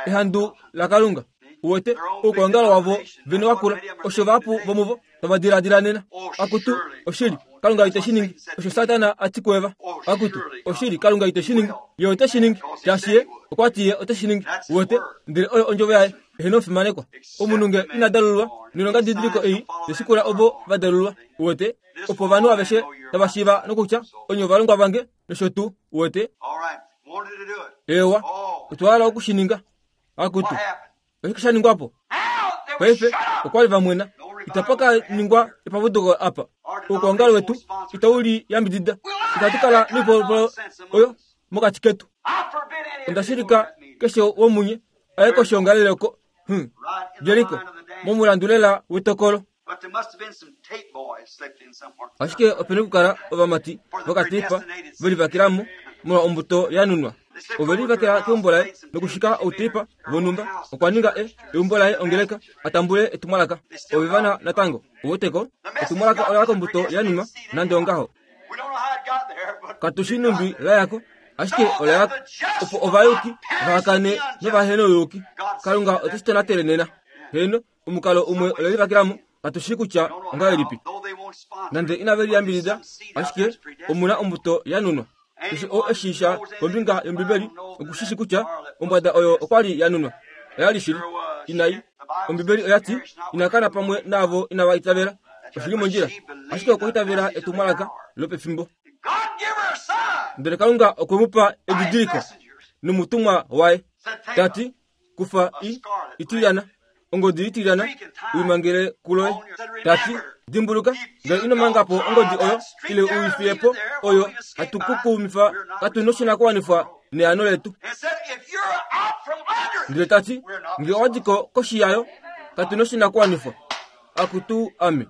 ehandu laKalunga. Uwete oukwangalo wavo vene wakula, osho vahapu vomuvo tava diladila nena. Akutu, oshili, Kalunga ite shi ningi. Osho Satana a ti kuEva. Akutu, oshili, Kalunga ite shi ningi. Ye ote shi ningi, shaashi ye okwa ti ye ote shi ningi. Uwete, ndele oyo ondjovo yaye, eheno omufimanekwa. Omunhu nge ina dalulwa, noilonga didiliko ei teshikula ovo va dalulwa. Uwete, opo ovanhu aveshe tava shiiva nokutya onye ovalongwa vange nosho tuu. Uwete, ewa, otwa hala oku shi ninga. Akutu, oshike sha ningwa po? Paife okwa li va mwena. Itapa ka ningwa epavuduko apa. Oukwangalo wetu itau li yambidida. Itatu kala noipolopolo oyo mokati ketu. Onda shilika keshe womunye aye koshiongalele oko. Hmm. Jeriko, momulandu lela wetokolo. Ashike opena okukala ovamati vokatipa velivakilamo molwa ombuto yanunwa. Ove livakela keumbo laye nokushika outeipa vonhumba. Okwa ninga e eumbo laye ongeleka atambule etumwalaka. Ove vana natango uweteko etumwalaka ola kombuto yanunwa nande ongaho. Katushi numbi layako, ashike ola yako opo ovayuki vahakane novahenouyuki. Kalunga oteshi tonatele nena. Heno omukalo umwe ole livakilamo, katushi kutya ongahelipi. Nande inave liyambidida, ashike omuna ombuto yanunwa. Keshe oo eshiisha kombinga yOmbibeli okushishi kutya ombwada oyo okwa li yanunwa. Oya li shili inai. Ombibeli oya ti inakana pamwe naavo inava itavela. Oshili mondjila, ashike okwa itavela etumwalaka lopefimbo. Ndele Kalunga okwe mu pa edidiliko nomutumwa waye. Tati, kufa i itilyana, ongodi itilyana, uimangele kuloye. Tati, dimbuluka, ngele ino manga po ongodi oyo, ile uifiye po oyo, hatukukumifa katu noshinakuwanifwa neano letu. Ndele tati, ngele owa diko koshi yayo, katu noshinakuwanifwa. Akutu ame.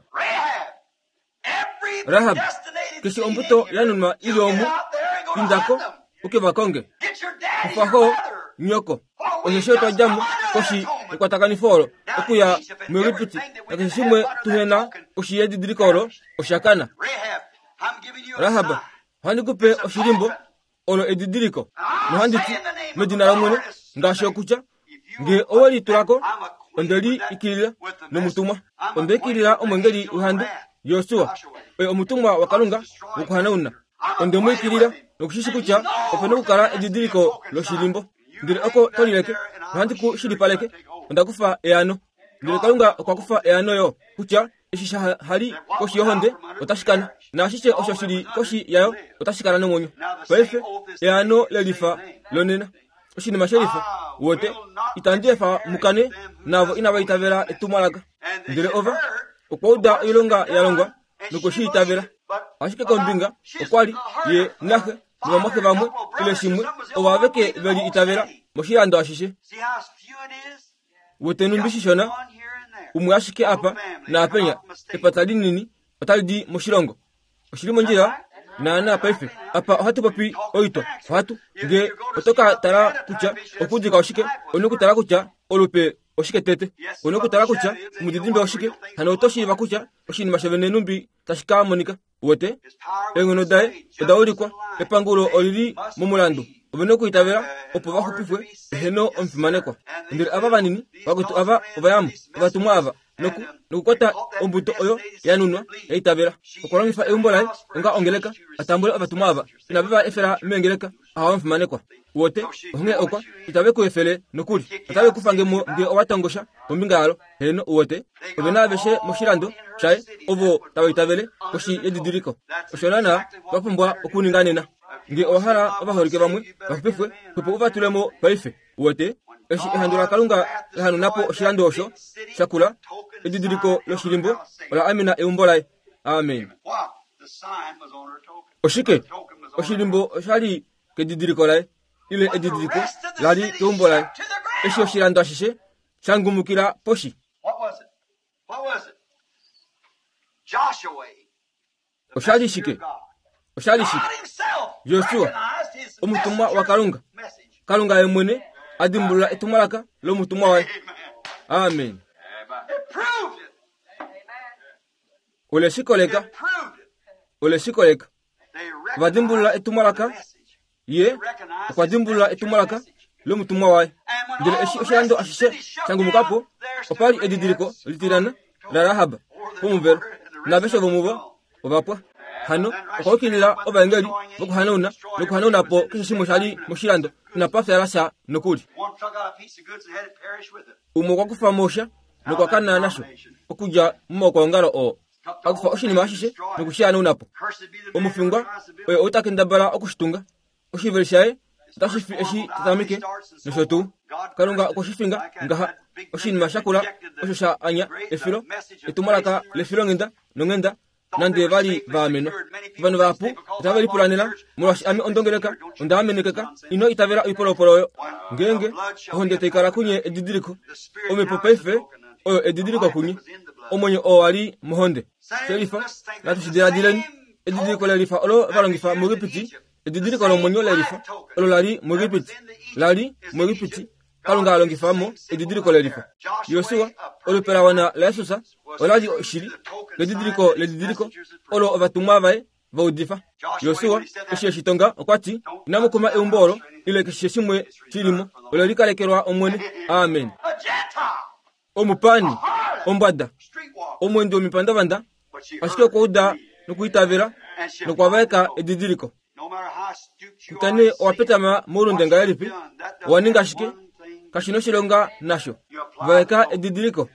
Rahab, keshe ombuto yanunwa ili omu, indako, uke vakonge. Kufaho, nyoko. Osho twa djamo koshi ekwatakanifo olo, okuya muEgipiti, nakeshe shimwe tuhena koshi yedidiliko olo, osha kana. Rahab, ohandi ku pe oshilimbo olo edidiliko, nohandi ti medina lOmwene, ngaashi okutya, nge owe litulako, onde li ikilila nomutumwa. Onde ikilila omwengeli wehandu, Josua, oye omutumwa waKalunga wokuhanauna. Onde mu ikilila nokushishi kutya opena okukala edidiliko loshilimbo. Ndele oko tolileke, nohandi ku shilipaleke, onda kufa eano. Ndele Kalunga okwa kufa eano yo, kutya eshi sha hali koshi yohonde otashi kana, naashishe osho shili koshi yayo otashi kala nomwenyo. Paife eano lelifa lonena, oshinima shelifa. Wote itandi efa mukane navo inava itavela etumwalaka. Ndele ova okwa uda oilonga ya longwa nokushi itavela. Ashike kombinga okwa li ye naxe novamwaxe vamwe ile shimwe ovo aveke veli itavela moshilando ashishe. Wote numbi shishona umwe ashike apa naapenya epata linini otali di moshilongo. Oshili mondjila naana paife apa ohatu popi oitwa. Ohatu nge otoka tala kutya okudika oshike, onu kutala kutya olupe oshike tete, onu kutala kutya omudidimbe oshike, hano oto shiiva kutya oshinima shovene numbi tashi ka monika. Wote eenghono daye oda ulikwa, epangulo olili momulandu. Ove nokuitavela opo vaxupifwe, eheno omufimanekwa. Ndele ava vanini vakwetu ava ovayamo, ovatumwa ava noku nokukwata ombuto oyo yanunwa yaitavela. Okwa longifa eumbo laye onga ongeleka atambule ovatumwa ava inave va efela meengeleka. Aha omufimanekwa. Wote onghee okwa itave ku efele nokuli, otave ku fangemo nge owa tongosha kombinga yalo. Heno uwete ove na aveshe moshilando shaye ovo tava itavele koshi yedidiliko. Osho naana twa pumbwa okuninga nena. Nge owa hala ovaholike vamwe vaxupifwe, opo u va tulemo paife. Uwete Eshi ehandu laKalunga la hanauna po oshilando osho shakula, edidiliko loshilimbo ola amena eumbo laye. Amen. Oshike? Oshilimbo oshali kedidiliko laye, ile edidiliko lali keumbo laye. Eshi oshilando ashishe shangumukila poshi. Oshali shike? Oshali shike? Josua, omutumwa waKalunga. Kalunga ye mwene a dimbulula etumwalaka lomutumwa waye. Amen. Ole shikoleka. Ole shikoleka. Va dimbulula etumwalaka. Ye okwa dimbulula etumwalaka lomutumwa waye. Ndele eshi oshilando ashishe shangumukapo, opali edidiliko litilana la Rahab pomuvelo, naveshe vomuvo ovapwa. Hano okwa ukilila ovaengeli vokuhanauna nokuhanauna po keshe shimwe shali moshilando, inapa fyala sha nokuli. Umwe okwa kufa mosha nokwa kana nasho okudja momaukwaongalo oo, akufa oshinima ashishe nokushihanauna po. Omufingwa oye ou ta kendabala okushitunga, oshiveli shaye otashi fi eshi tatameke nosho tuu. Kalunga okwe shi finga ngaha oshinima shakula osho sha anya efilo, etumwalaka lefilonghenda nonghenda, nande vali vaamenwa. Ovanhu vahapu otave lipulanela molwaashi ame ondongeleka onda amenekeka. Ino itavela oipolopolo oyo. Ngeenge ohonde tai kala kunye edidiliko, omhepo paife oyo edidiliko kunye, omwenyo oo wali mohonde. Shelifa, natu shi diladileni. Edidiliko lelifa olo va longifa muEgipiti, edidiliko lomwenyo lelifa olo lali muEgipiti, lali muEgipiti. Kalunga a longifa mo edidiliko lelifa. Josua, olupe la wana laJesus olali oshili ledidiliko ledidiliko olo ovatumwa vaye va udifa. Josua eshi eshi tonga okwa ti, inamu kuma eumbo olo ile keshe shimwe shilimo, olo likalekelwa Omwene. Amen. Omupani, ombwada, omwendi womipandavanda, ashike okwa uda nokuitavela nokwa vaeka edidiliko. Kutya owa petama moulunde ngahelipi, owa ninga shike, kashi noshilonga nasho. Vaeka edidiliko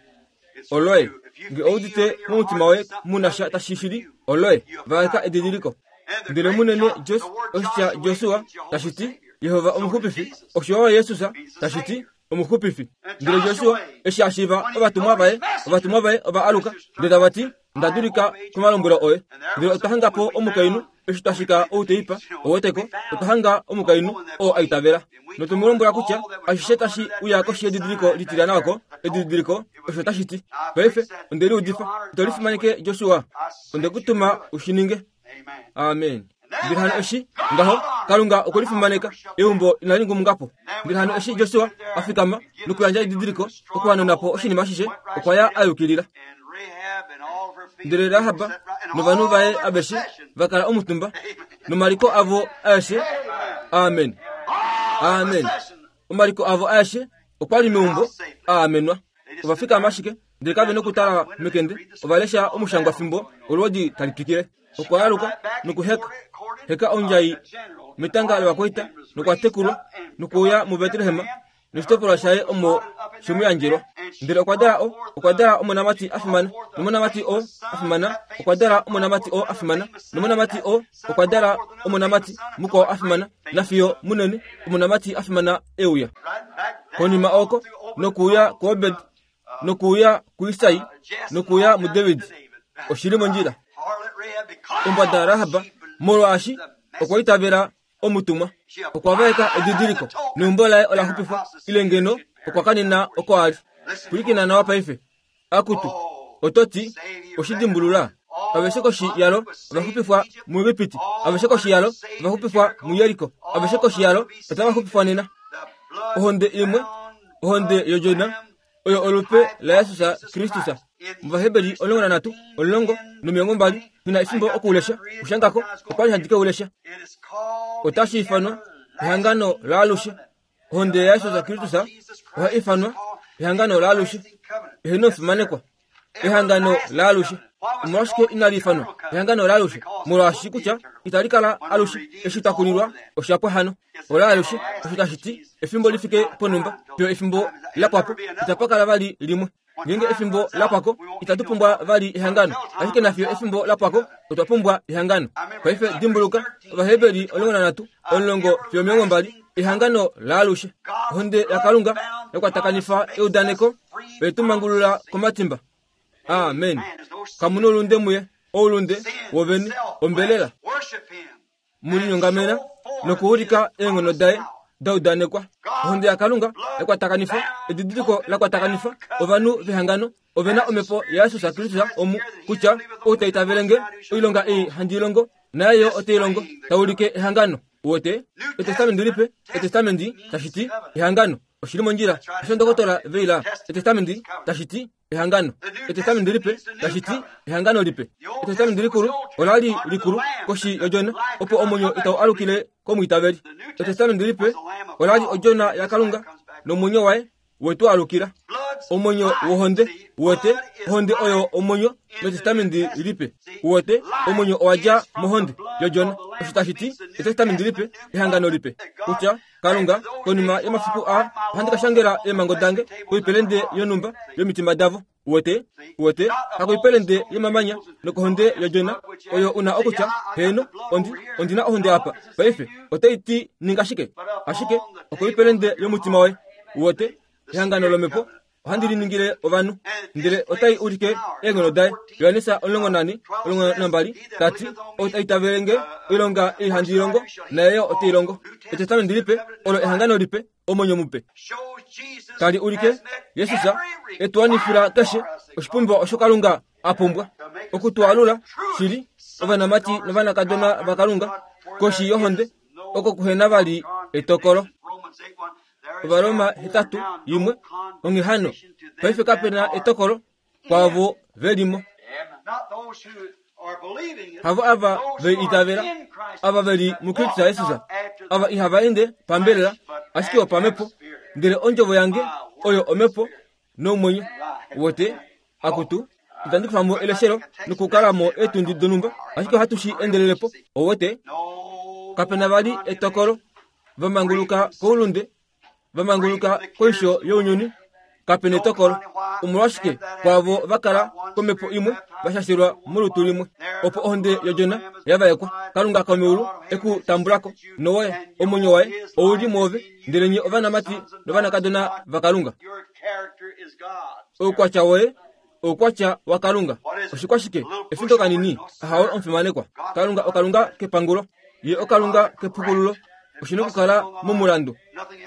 oloye. Nge oudite momutima woye muna sha tashi shili, oloye. Vaeka edidiliko. Ndele munene Jos, oshitya Josua tashi ti Yehova omuxupifi, osho yo Jesus tashi ti omuxupifi. Ndele Josua eshi a shiiva ovatumwa vaye, ovatumwa vaye ova aluka ndele tava ti, nda dulika komalombwelo oye. Ndele otwa hanga po omukainhu eshi twa shika outeipa oweteko, otwa hanga omukainhu oo a itavela. Notu mu lombwela kutya ashishe tashi uya koshi yedidiliko litilana oko, edidiliko osho tashi ti. Paife onde liudifa, ito lifimaneke Josua, onde ku tuma u shi ninge. Amen. Ndele hano eshi ngaho Kalunga okwe lifimaneka, eumbo inali ngumukapo. Ndele hano eshi Josua a fikama nokuyandja edidiliko okuhanauna po oshinima ashishe, okwa ya a yukilila. Ndele Rahab novanhu vaye aveshe va kala omutumba nomaliko avo aeshe. Amen. Amen. Omaliko avo aeshe okwa li meumbo a amenwa. Ova fikama ashike ndele kave nokutala mekende, ova lesha omushangwa fimbo olwoodi tali twikile. Okwa aluka nokuheka heka ondjai metanga lovakwaita nokwa tekulwa nokuuya muBetlehem noshitopolwa shaye omo shemuyandjelwa. Ndele okwa dala o okwa dala omonamati a fimana, nomonamati o a fimana, okwa dala omonamati o a fimana, nomonamati o okwa dala omonamati mukwao a fimana, nafiyo munene omonamati a fimana euya. Konima oko nokuuya kuObed, nokuuya kuIsai, nokuuya muDavid. Oshili mondjila. Ombwada Rahab molwaashi okwa itavela omutumwa, okwa vaeka edidiliko neumbo laye ola xupifwa, ile ngeno okwa kanena oko ali. Pwilikina nawa paife. Akutu, oto ti oshidimbulula. Aveshe koshi yalo ova xupifwa muEgipiti, aveshe koshi yalo ova xupifwa muJeriko, aveshe koshi yalo otava xupifwa nena. Ohonde imwe, ohonde yodjona, oyo olupe laJesus Kristus. Muvaheberi omulongo nanhatu, omulongo nomilongo mbali, nghi efimbo okuulesha, kushangako okwa li handi ke ulesha. Otashi ifanwa ehangano laalushe. Ohonde yaJesus Kristus oha ifanwa ehangano laalushe. Eheno fimanekwa. Ehangano laalushe. Omolwashike inali ifanwa ehangano laalushe? Molwaashi kutya itali kala alushe eshi twa kulilwa oshapwa hano. Olaalushe osho tashi ti efimbo lifike ponumba, fiyo efimbo lapwapo itapa kala vali limwe. Ngeenge efimbo lapwako itatu pumbwa vali ehangano, ashike nafiyo efimbo lapwako otwa pumbwa ehangano. Paife dimbuluka Ovaheberi omulongo nanhatu, omulongo fiyo omilongo mbali. Ehangano laalushe. Ohonde yaKalunga yakwatakanifa eudaneko oyetumangulula komatimba. Amen. Kamuna oulunde muye, oulunde wovene ombelela. Mulinyongamena nokuulika eenghono daye daudanekwa. Ohonde yaKalunga yakwatakanifa, edidiliko lakwatakanifa ovanhu vehangano ovena omhepo yaJesus Kristus omu kutya ou ta itavelenge oilonga ei handi longo naye yo ote ilongo taulike ehangano. Wote etestamenti lipe, etestamenti tashiti ehangano. Oshili mondjila osho ndokotola veila. Etestamenti tashiti ehangano. Etestamenti lipe tashiti ehangano lipe. Etestamenti likulu olali likulu koshi yojona opo omwenyo itau alukile komwiitaveli. Etestamenti lipe olali ojona yaKalunga nomwenyo waye wetu alukila. Omwenyo wohonde wote ohonde oyo omwenyo metestamenti lipe. Wote omwenyo owadja mohonde yojona. Osho tashiti etestamenti lipe ehangano lipe. Kutya Kalunga konima yomafiku a ohandi kashangela eemhango dange koipelende yonhumba yomitima davo. Wote wote hakoipelende yomamanya nokohonde yojona oyo una okutya heeno ondi ondina ohonde apa paife otaiti ninga shike ashike okoipelende yomutima waye. Wote ehangano lomhepo ohandi liningile ovanhu ndele otai ulike eenghono daye. Johannes omulongo nane omulongo nambali tati ou ta itavelenge oilonga ei handi ilongo naye yo ote ilongo. Etestamenti lipe olo ehangano lipe omwenyo mupe tali ulike Jesus etuwanifila keshe oshipumbiwa osho Kalunga a pumbwa okutwalula shili ovanamati novanakadona vaKalunga koshi yohonde oko kuhena vali etokolo. Ovaroma hetatu yimwe onghehano paife kapena etokolo kwaavo velimo. Havo ava ve itavela ava veli muKristu Jesus ava ihava ende pambelela ashike opamhepo ndele ondjovo yange oyo omhepo nomwenyo. Wote akutu itandi kufamo eleshelo nokukalamo etundi donhumba ashike ohatu shi endelelepo. Owote kapena vali etokolo vamanguluka koulunde vamanguluka koisho younyuni kapena etokolo. Omolwashike kwaavo vakala komhepo imwe vashashilwa molutu limwe opo ohonde yojona yavaekwa. Kalunga komeulu ekutambulako nowoye omwenyo waye ouli mwoove ndele nye ovanamati novanakadona vaKalunga. Oukwatya woye oukwatya waKalunga. Oshikwashike efinto kanini ahawe omufimanekwa. Kalunga okalunga kepangulo ye okalunga kepukululo. Oshina okukala momulandu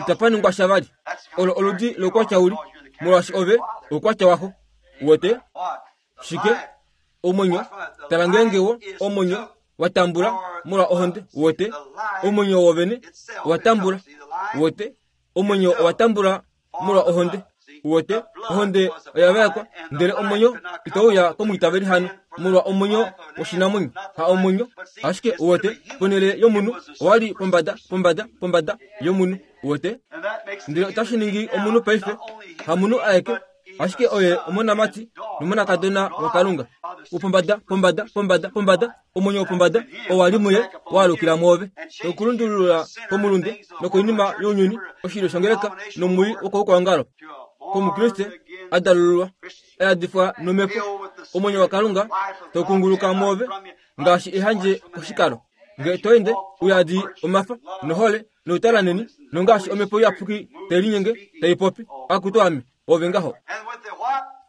itapaningwa sha vali. Olo oludi loukwatya uli molwaashi ove oukwatya waxo. Wote shike omwenyo tala ngeenge wo omwenyo watambula molwa ohonde. Wote omwenyo wovene watambula. Wote omwenyo owatambula molwa ohonde. Wote ohonde oyavaekwa ndele omwenyo itauya komwiitaveli hano molwa omwenyo woshinamwenyo ha omwenyo ashike. Wote ponele yomunhu owali pombada pombada pombada yomunhu. Wote ndele otashi ningi omunhu paife hamunhu aeke ashike oye omonamati nomonakadona waKalunga. Upombada pombada pombada pombada omwenyo wopombada owali muye waalukila mwoove nokulundulula komulunde nokoinima younyuni oshilyo shongeleka nomuli wokoukwangalo komukriste adalululwa ayadifwa nomhepo omwenyo waKalunga tokunguluka mwoove ngaashi ehandje koshikalo. Nge toende uyadi omafa nohole noutalaneni nongaashi omhepo iyapuki telinyenge taipopi akutu ame ove ngaho.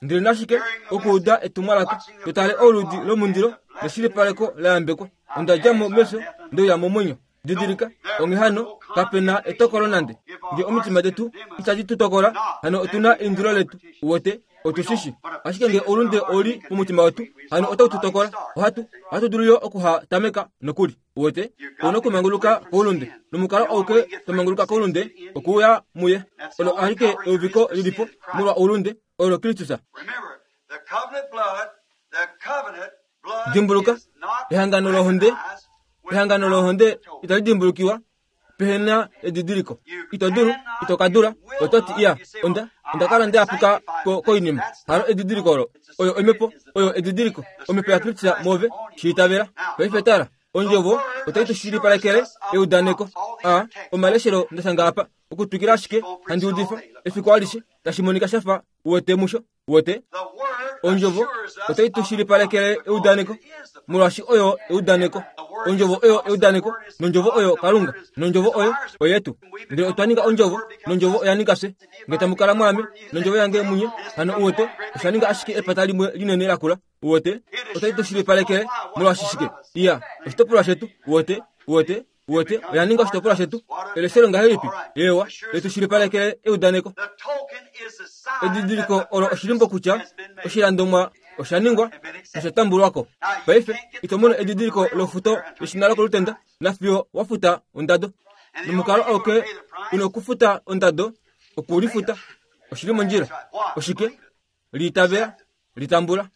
Ndele nashike okuuda etumwalaka totale oludi lomundilo neshilipaleko layambekwa. Ondadjamo mefyo ndeuya momwenyo. Didilika onghehano kapena etokolo nande. Nge omitima detu itadi tu tokola hano otuna eindilo letu. Wote otushishi ashike nge oulunde oli momutima wetu hano otau tu tokola. Ohatu ohatu dulu yo okuhatameka nokuli. Wote ouna okumanguluka koulunde nomukalo auke tomanguluka koulunde okuuya muye. Olo alike euviko lilipo molwa oulunde olo Kristus. Dimbuluka ehangano lohonde. Ehangano lohonde itali dimbulukiwa pehena edidiliko. Ito dulu itokadula ototi iya onda ondakala ndeapuka ko koinima halo edidiliko olo oyo omhepo oyo edidiliko omhepo yaKristus move shiitavela. Paife tala ondjovo otai tushilipalekele eudaneko. A omaleshelo ndashanga apa okutwikila ashike handi udifa efiku alishe tashi monika shafa uwete musho. Wote ondjovo otai tushilipalekele eudaneko molwaashi oyo eudaneko. Ondjovo oyo eudaneko, nondjovo oyo Kalunga, nondjovo oyo oyetu. Ndele otwa ninga ondjovo, nondjovo oya ninga fye. Nge tamu kala mwaame, nondjovo yange munye, hano uwete, osha ninga ashike epata limwe linene lakula. Uwete, otali tu shilipalekele molwaashi shike? Iya, oshitopolwa shetu. Uwete, uwete, uwete, oya ninga oshitopolwa shetu. Eleshelo ngahelipi? Ewa, letu shilipalekele eudaneko. Edidiliko olo oshilimbo kutya oshilandomwa osha ningwa nosha tambulwako. Paife ito mono edidiliko lofuto leshina lokolutenda nafiyo wafuta ondado. Nomukalo auke una okufuta ondado okulifuta. Oshili mondjila. Oshike? Liitavela, litambula.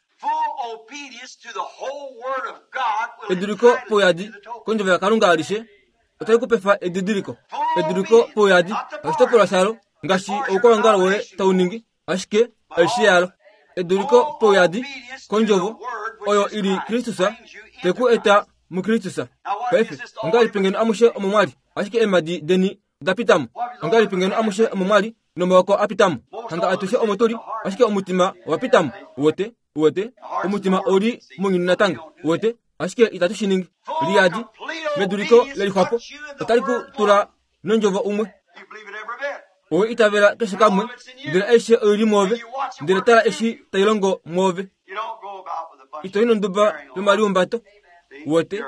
Eduliko pouyadi kondjovo yaKalunga alishe otali kupefa edidiliko. Eduliko pouyadi oshitopolwa shalo ngaashi oukwawongalo woye tau ningi, ashike alishe yalo. Eduliko pouyadi kondjovo oyo ili Kristus teku eta muKristus. Paife ongahelipi ngeno amushe omo mwali, ashike eemhadi deni oda pitamo? Ongahelipi ngeno amushe omo mwali nomaoko a pitamo? Hanga atushe omo tuli, ashike omutima owa pitamo. Uwete, uwete, omutima ouli mounyuni natango. Uwete, ashike itatu shi ningi. Liyadi meduliko lelixwapo otali ku tula nondjovo umwe. Owe itavela keshe kamwe, ndele aishe oili mwoove, ndele tala eshi tai longo mwoove. Ito i nonduba yomaliumbato. Uwete,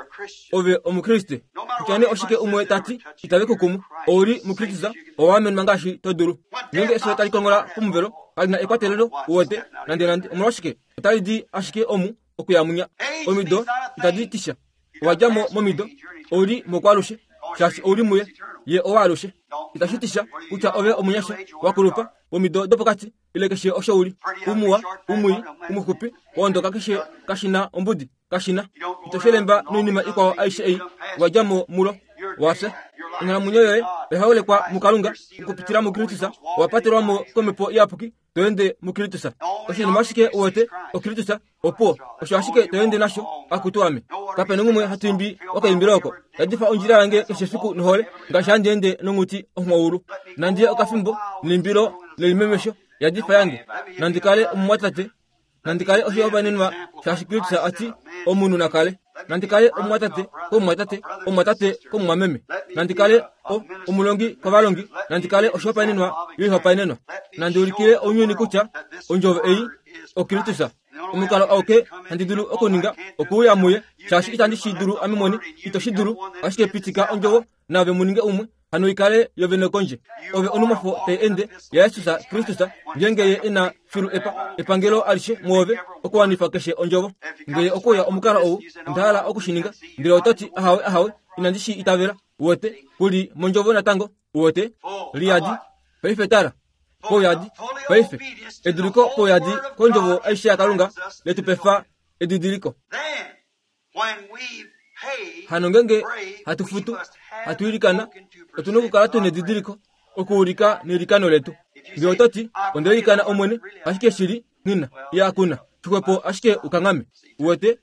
ove omukriste. Kutya nee oshike umwe tati itave kukumu, ouli muKristus, owa amenwa ngaashi to dulu. Ngeenge efyo tali kongola pomuvelo, kali na ekwatelelo. Uwete, nande nande omolwashike otali di ashike omu okuya munya. Omido itadi tisha. Owa dja mo momido, ouli mokwaalushe, shaashi ouli muye, ye owaalushe. Itashi tisha kutya ove omunyasha, wakulupa, womido dopokati, ile keshe osho uli, umuwa, umwii, umuxupi, waondoka keshe kashina ombudi, kashina. Ito shelemba noinima ikwao aishe ei, wa dja mo mulo, wafya. Onghalamwenyo yoye oya holekwa muKalunga okupitila muKristus, owa patelwa mo komhepo iyapuki, to ende muKristus. Oshinima ashike uwete oKristus, opuwo, osho ashike to ende nasho, akutu ame. Kapena umwe hatu imbi okaimbilo oko. Yadifa ondjila yange keshe efiku nohole, ngaashi handi ende nonghuti onghwaulu. Nandiye okafimbo neimbilo lelimemesho, yadifa yange. Nandi kale omumwatate, nandi kale oshihopaenenwa shaashi Kristus ati omunhu na kale. Nandi kale omumwatate komumwatate, omumwatate komumwameme. Nandi kale o omulongi kovalongi, nandi kale oshihopaenenwa yoihopaenenwa. Nandi ulikile ounyuni kutya ondjovo ei oKristus. Omukalo auke handi dulu okuninga okuuya muye, shaashi itandi shi dulu ame mwene, ito shi dulu, ashike pitika ondjovo naave muninge umwe, hano ikale yovene kondje. Ove onumwafo tai ende yaJesus Kristus, ngeenge ye ena filu epa epangelo alishe mwoove okuwanifa keshe ondjovo. Ngee okuya omukalo ou, onda hala okushininga, ndele ototi ahawe ahawe, inandi shi itavela. Uwete, kuli mondjovo natango. Uwete, liyadi, paife tala, pouyadi, paife eduliko pouyadi kondjovo aishe yaKalunga letu pefa edidiliko. Hano ngeenge hatu futu, hatu ilikana, otuna okukala tuna edidiliko okuulika neilikano letu. Ngee ototi onda ilikana Omwene, ashike shili nghina iya kuna, xixwepo ashike ukanghame. Uwete,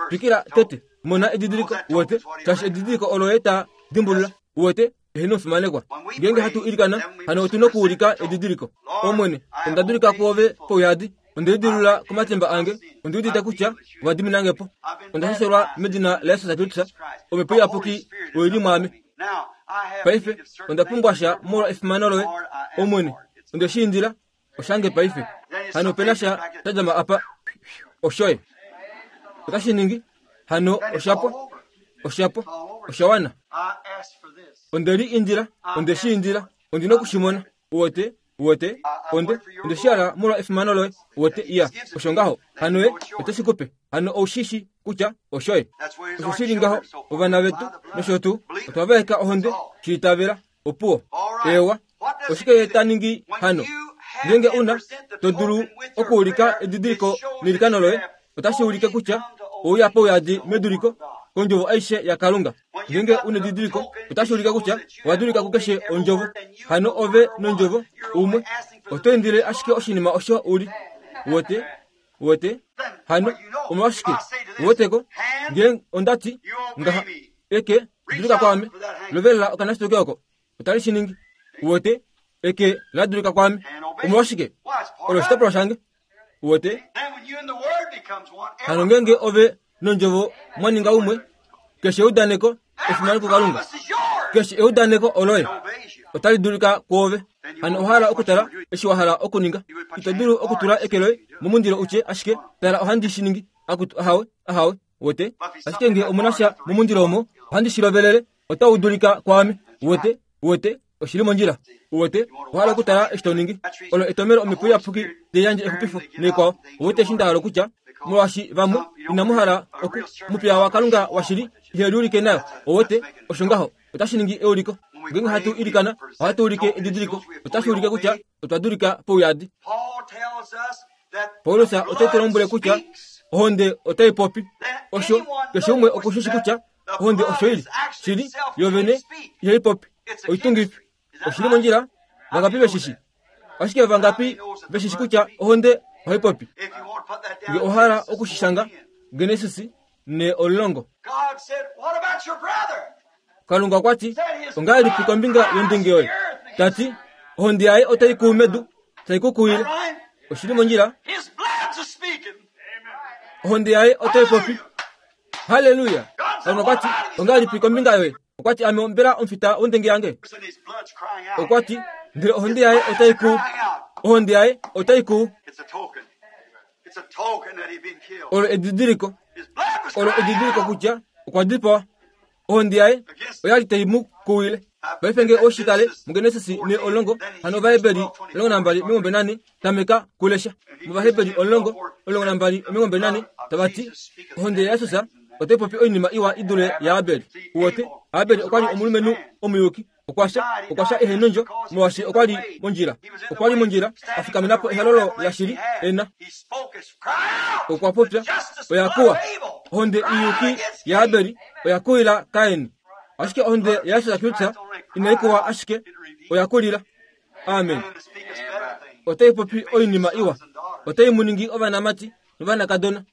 twikila tete, mona edidiliko. Uwete, shaashi edidiliko olo ye ta dimbulula. Uwete, eheno omufimanekwa. Ngeenge hatu ilikana, hano otuna okuulika edidiliko. Omwene, onda dulika kwoove pouyadi, onda lidilula komatimba ange, ondi udite kutya owa diminange po. Onda shashelwa medina laJesus Kristus, omhepo iyapuki oili mwaame. Paife onda pumbwa sha molwa efimano loye, Omwene, onde shi indila, oshange paife. Hano opena sha sha djama apa, oshoye. Otashi ningi, hano oshapwa, oshapwa, oshawana. Onde li indila, onde shi indila, ondina okushimona. Uwete, uwete, onde, onde shi hala molwa efimano loye. Uwete, iya, osho ngaho. Hano ye oteshi kupe. Hano oushishi kutya oshoye. Osho shili ngaho, ovana vetu nosho tuu, otwa vaeka ohonde, shi itavela, opuwo. Ewa, oshike ye ta ningi hano? Ngeenge una to dulu okuulika edidiliko neilikano loye, otashi ulike kutya ouya pouyadi meduliko kondjovo aishe yaKalunga. Ngeenge una edidiliko, otashi ulike kutya owa dulika kukeshe ondjovo. Hano ove nondjovo umwe, oto indile ashike oshinima osho uli. Uwete, uwete, hano omolwashike uweteko? Ngee ondati ngaha, eke dulika kwaame, lovelela okanashitoke oko, otali shi ningi. Uwete, eke la dulika kwaame, omolwashike olo oshitopolwa shange. Uwete, hano ngeenge ove nondjovo mwa ninga umwe, Keshe eudaneko efimano kuKalunga. Keshe eudaneko oloye. Otali dulika kwoove. Hano owa hala okutala eshi wa hala okuninga. Ito dulu okutula eke loye momundilo utye ashike tala ohandi shi ningi. Akutu ahawe ahawe wote. Ashike nge omuna sha momundilo omo ohandi shi lovelele otau dulika kwaame. Wote wote oshili mondjila. Wote owa hala okutala eshi to ningi. Olo etomelo omhepo iyapuki tai yandje exupifo neikwao. Wote eshi nda hala okutya molwaashi vamwe inamu hala oku mupiya waKalunga washili ihe liulike nayo. Owote osho ngaho otashi ningi euliko. Ngeenge hatu ilikana ohatu ulike edidiliko. Otashi ulike kutya otwa dulika pouyadi. Paulus ote tu lombwele kutya ohonde otai popi. Osho keshe umwe okushishi kutya ohonde osho ili shili yovene ihai popi. Oitungifi oshili mondjila. Vangapi veshishi? Ashike vangapi veshishi kutya ohonde ohai popi? Nge ohala okushishanga Genesis ne olongo. Kalunga okwa ti ongahelipi kombinga yondunge yoye? Tati ohonde yaye otai kuu medu tai kukuwile. Oshili mondjila. Ohonde yaye otai popi. Haleluya. Kalunga okwa ti ongahelipi kombinga yoye? Okwa ti ame mbela omufita wondenge yange. Okwa ti ndele ohonde yaye otai kuu. Ohonde yaye otai kuu. Olo edidiliko. Olo edidiliko kutya okwa dipawa. Ohonde yaye oyali tai mu kuwile. Paife nge oshitale muGenesis ne olongo hano Ovaheberi olongo nambali omilongo mbali nane tameka kulesha. MOvaheberi olongo olongo nambali omilongo mbali nane tavati ohonde yaJesus otai popi oinima iwa i dule yaAbel. Uwote Abel okwa li omulumenhu omuyuki. Okwasha okwasha ehe nondjo molwaashi okwa li mondjila. Okwa li mondjila a fikamena po ehalolo lashili ena. Okwa popya oya kuwa. Ohonde iyuki yaAbel oya kuwila Kain. Ashike ohonde yaJesus Kristus inai kuwa ashike oya kulila. Amen. Otai popi oinima iwa. Otai mu ningi ovanamati novanakadona.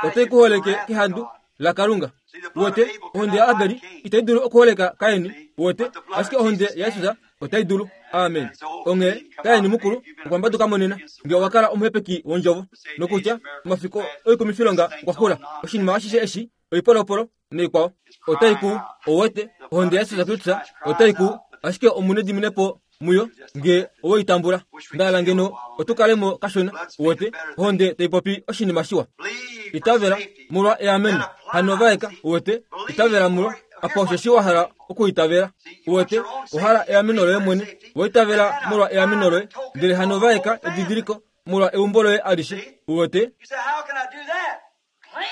Otai kuholeke kehandu laKalunga. Wote ohonde yaAbel itai dulu okuholeka Kain. Wote ashike ohonde yaJesus otai dulu. Amen. Onghee Kain mukulu okwa mbaduka monena nge owa kala omuhepeki wondjovo nokutya omafiko oikumifilonga okwa xula. Oshinima ashishe eshi oipolopolo neikwao otai ku owote ohonde yaJesus Kristus otai ku ashike omune diminepo muyo nge owoitambula. Ndala ngeno otukalemo kashona. Wote ohonde tai popi oshinima shiwa. Itavela molwa eameno. Hano vaeka wote itavela molwa apa osheshi wa hala okuitavela. Wote ohala eameno loye mwene. Woitavela molwa eameno loye ndele hano vaeka edidiliko molwa eumbo loye alishe. Wote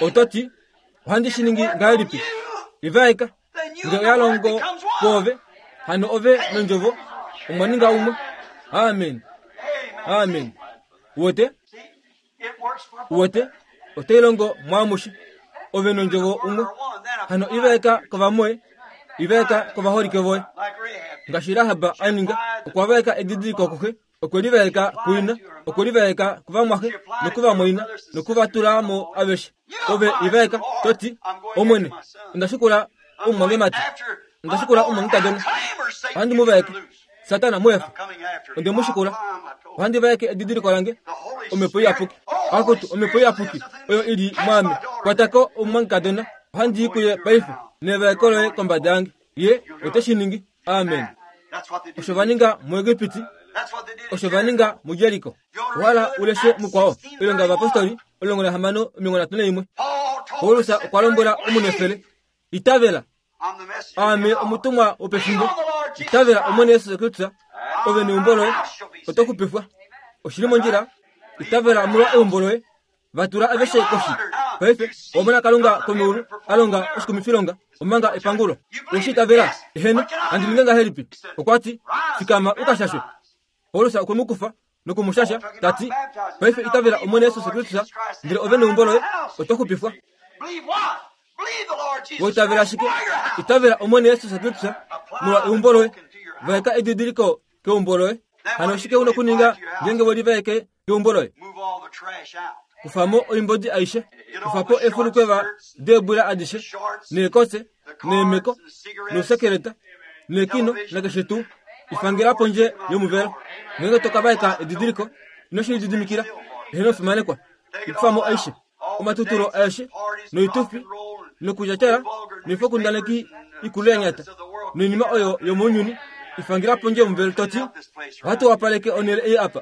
ototi ohandi shi ningi ngahelipi? Ivaeka nge oya longo kwoove hano ove nondjovo omwa ninga umwe. Amen. Amen. Wote wote otai longo mwaamushe. Ove nondjovo umwe. Hano ivaeka kovamwoye. Ivaeka kovaholike voye. Ngaashi Rahab a ninga okwa vaeka edidiliko kuxe. Okwe livaeka kuina. Okwe livaeka kuvamwaxe nokuvamwaina nokuvatulamo aveshe. Ove ivaeka toti Omwene onda shikula omumwangemati. Onda shikula omumwangekadona. Ohandi mu vaeke. Satana muefa. Onde mu shikula. Ohandi vaeke edidiliko lange. Omhepo iyapuki. Akutu omhepo iyapuki oyo ili mwame. Kwatako omumwangekadona. Ohandi i kuye paife nevaeko loye kombada yange. Ye ote shi ningi. Amen. Osho va ninga muEgipiti. Osho va ninga muJeriko. Ohala uleshe mukwao. Oilonga yovapostoli olongo nahamano omilongo nhatu naimwe. Paulus okwa lombwela omunefele itavela. Ame omutumwa wopefimbo. Itavela Omwene Yesus Kristus ove neumbo loye oto xupifwa. Oshili mondjila. Itavela molwa eumbo loye. Vatula aveshe koshi. Paife omona Kalunga komeulu alonga oshikumifilonga omanga epangulo. Oshi itavela eheno handi ninge ngahelipi? Okwa ti fikama ukashashwe. Paulus okwe mu kufa nokumushasha tati paife itavela Omwene Yesus Kristus ndele ove neumbo loye oto xupifwa. Woitavela ashike itavela Omwene Yesus Kristus molwa eumbo loye. Vaeka edidiliko keumbo loye. Hano oshike una okuninga ngeenge welivaeke keumbo loye? Kufamo oimbodi aishe. Kufapo efulukweva deebwila adishe neekotse neemeko nousekeleta neekino nakeshe tuu. Ifangela pondje yomuvelo. Ngeenge tokavaeka edidiliko ino shi lididimikila eheno fimanekwa. Ikufamo aishe omatutulo aeshe noitufi Nokudjatjala noifokundaneki ikulu ya nyata noinima oyo yomounyuni ifangila pondje yomuvelo toti ohatu wapaleke onhele ei apa.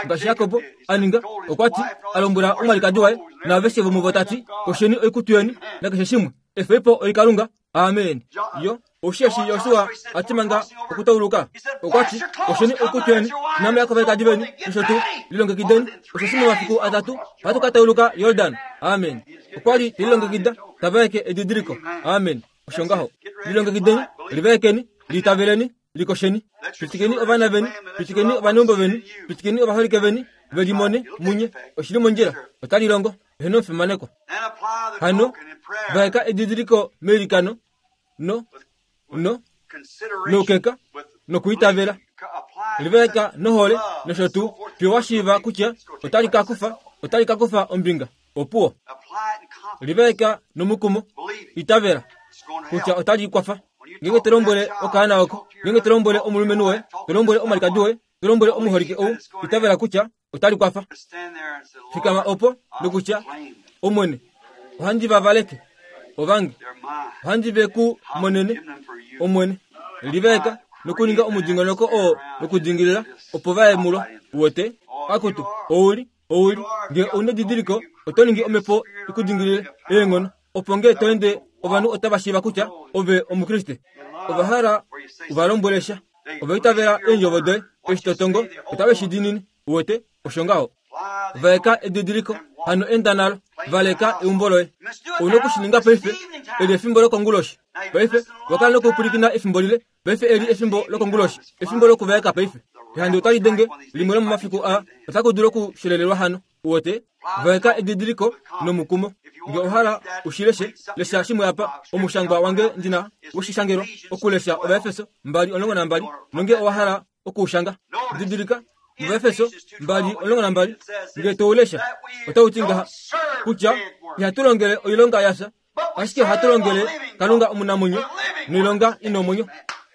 Ngaashi Jakobo a ninga, okwa ti a lombwela omwalikadi waye naaveshe vomuvo tati kosheni oikutu yeni nakeshe shimwe efeipo oikalunga. Amen. Yo osheshi Josua a ti manga okutauluka okwa ti kosheni oikutu yeni namaya kovalikadi veni nosho tuu lilongekideni osheshi momafiku atatu ohatu ka tauluka Yordan. Amen. Okwa li telilongekida tavaeke edidiliko. Amen. Osho ngaho lilongekideni, livaekeni, liitaveleni, likosheni, pitikeni ovana veni, pitikeni ovaneumbo veni, pitikeni ovaholike veni velimone munye oshili mondjila otali longo eheno omufimanekwa. Hano vaeka edidiliko meilikano no no noukeka nokuitavela livaeka nohole nosho tuu fiyo wa shiiva kutya otali ka kufa otali ka kufa ombinga opuwo. Livaeka nomukumo, itavela kutya otali kwafa. Ngenge to lombwele okaana oko, ngenge to lombwele omulumenhu woye, to lombwele omwalikadi woye, to lombwele omuholike ou, itavela kutya otali kwafa. Fikama opo nokutya Omwene, ohandi va valeke ovange, ohandi ve ku monene Omwene. Livaeka nokuninga omudingonoko oo wokudingilila opo vaye mulo. Uwete akutu ouli ouli ngee ouna edidiliko oto ningi omhepo ikudingilile eenghono opo ngee to ende ovanhu otava shiiva kutya ove omukriste. Ova hala uvalombwele sha, ova itavela eendjovo doye eshi to tongo otave shi diinine. Uwete osho ngaho. Vaeka edidiliko hano enda nalo, valeka eumbo loye. Ouna okushininga paife, eli efimbo lokonguloshi. Paife wakala nokupwilikina efimbo lile, paife eli efimbo lokonguloshi, efimbo lokuvaeka paife. Ehandi otali denge limwe lomomafiku aa, otaku dulu okushelelelwa hano. Uwete vaeka edidiliko nomukumo. Nge ohala ushileshe, lesha shimwe apa omushangwa wange ndina woshishangelo okulesha Ovaefeso mbali omulongo nambali, nonge owa hala okuushanga. Didilika Ovaefeso mbali omulongo nambali, nge toulesha otau ti ngaha kutya ihatu longele oilonga yafya, ashike ohatu longele Kalunga omunamwenyo noilonga ina omwenyo.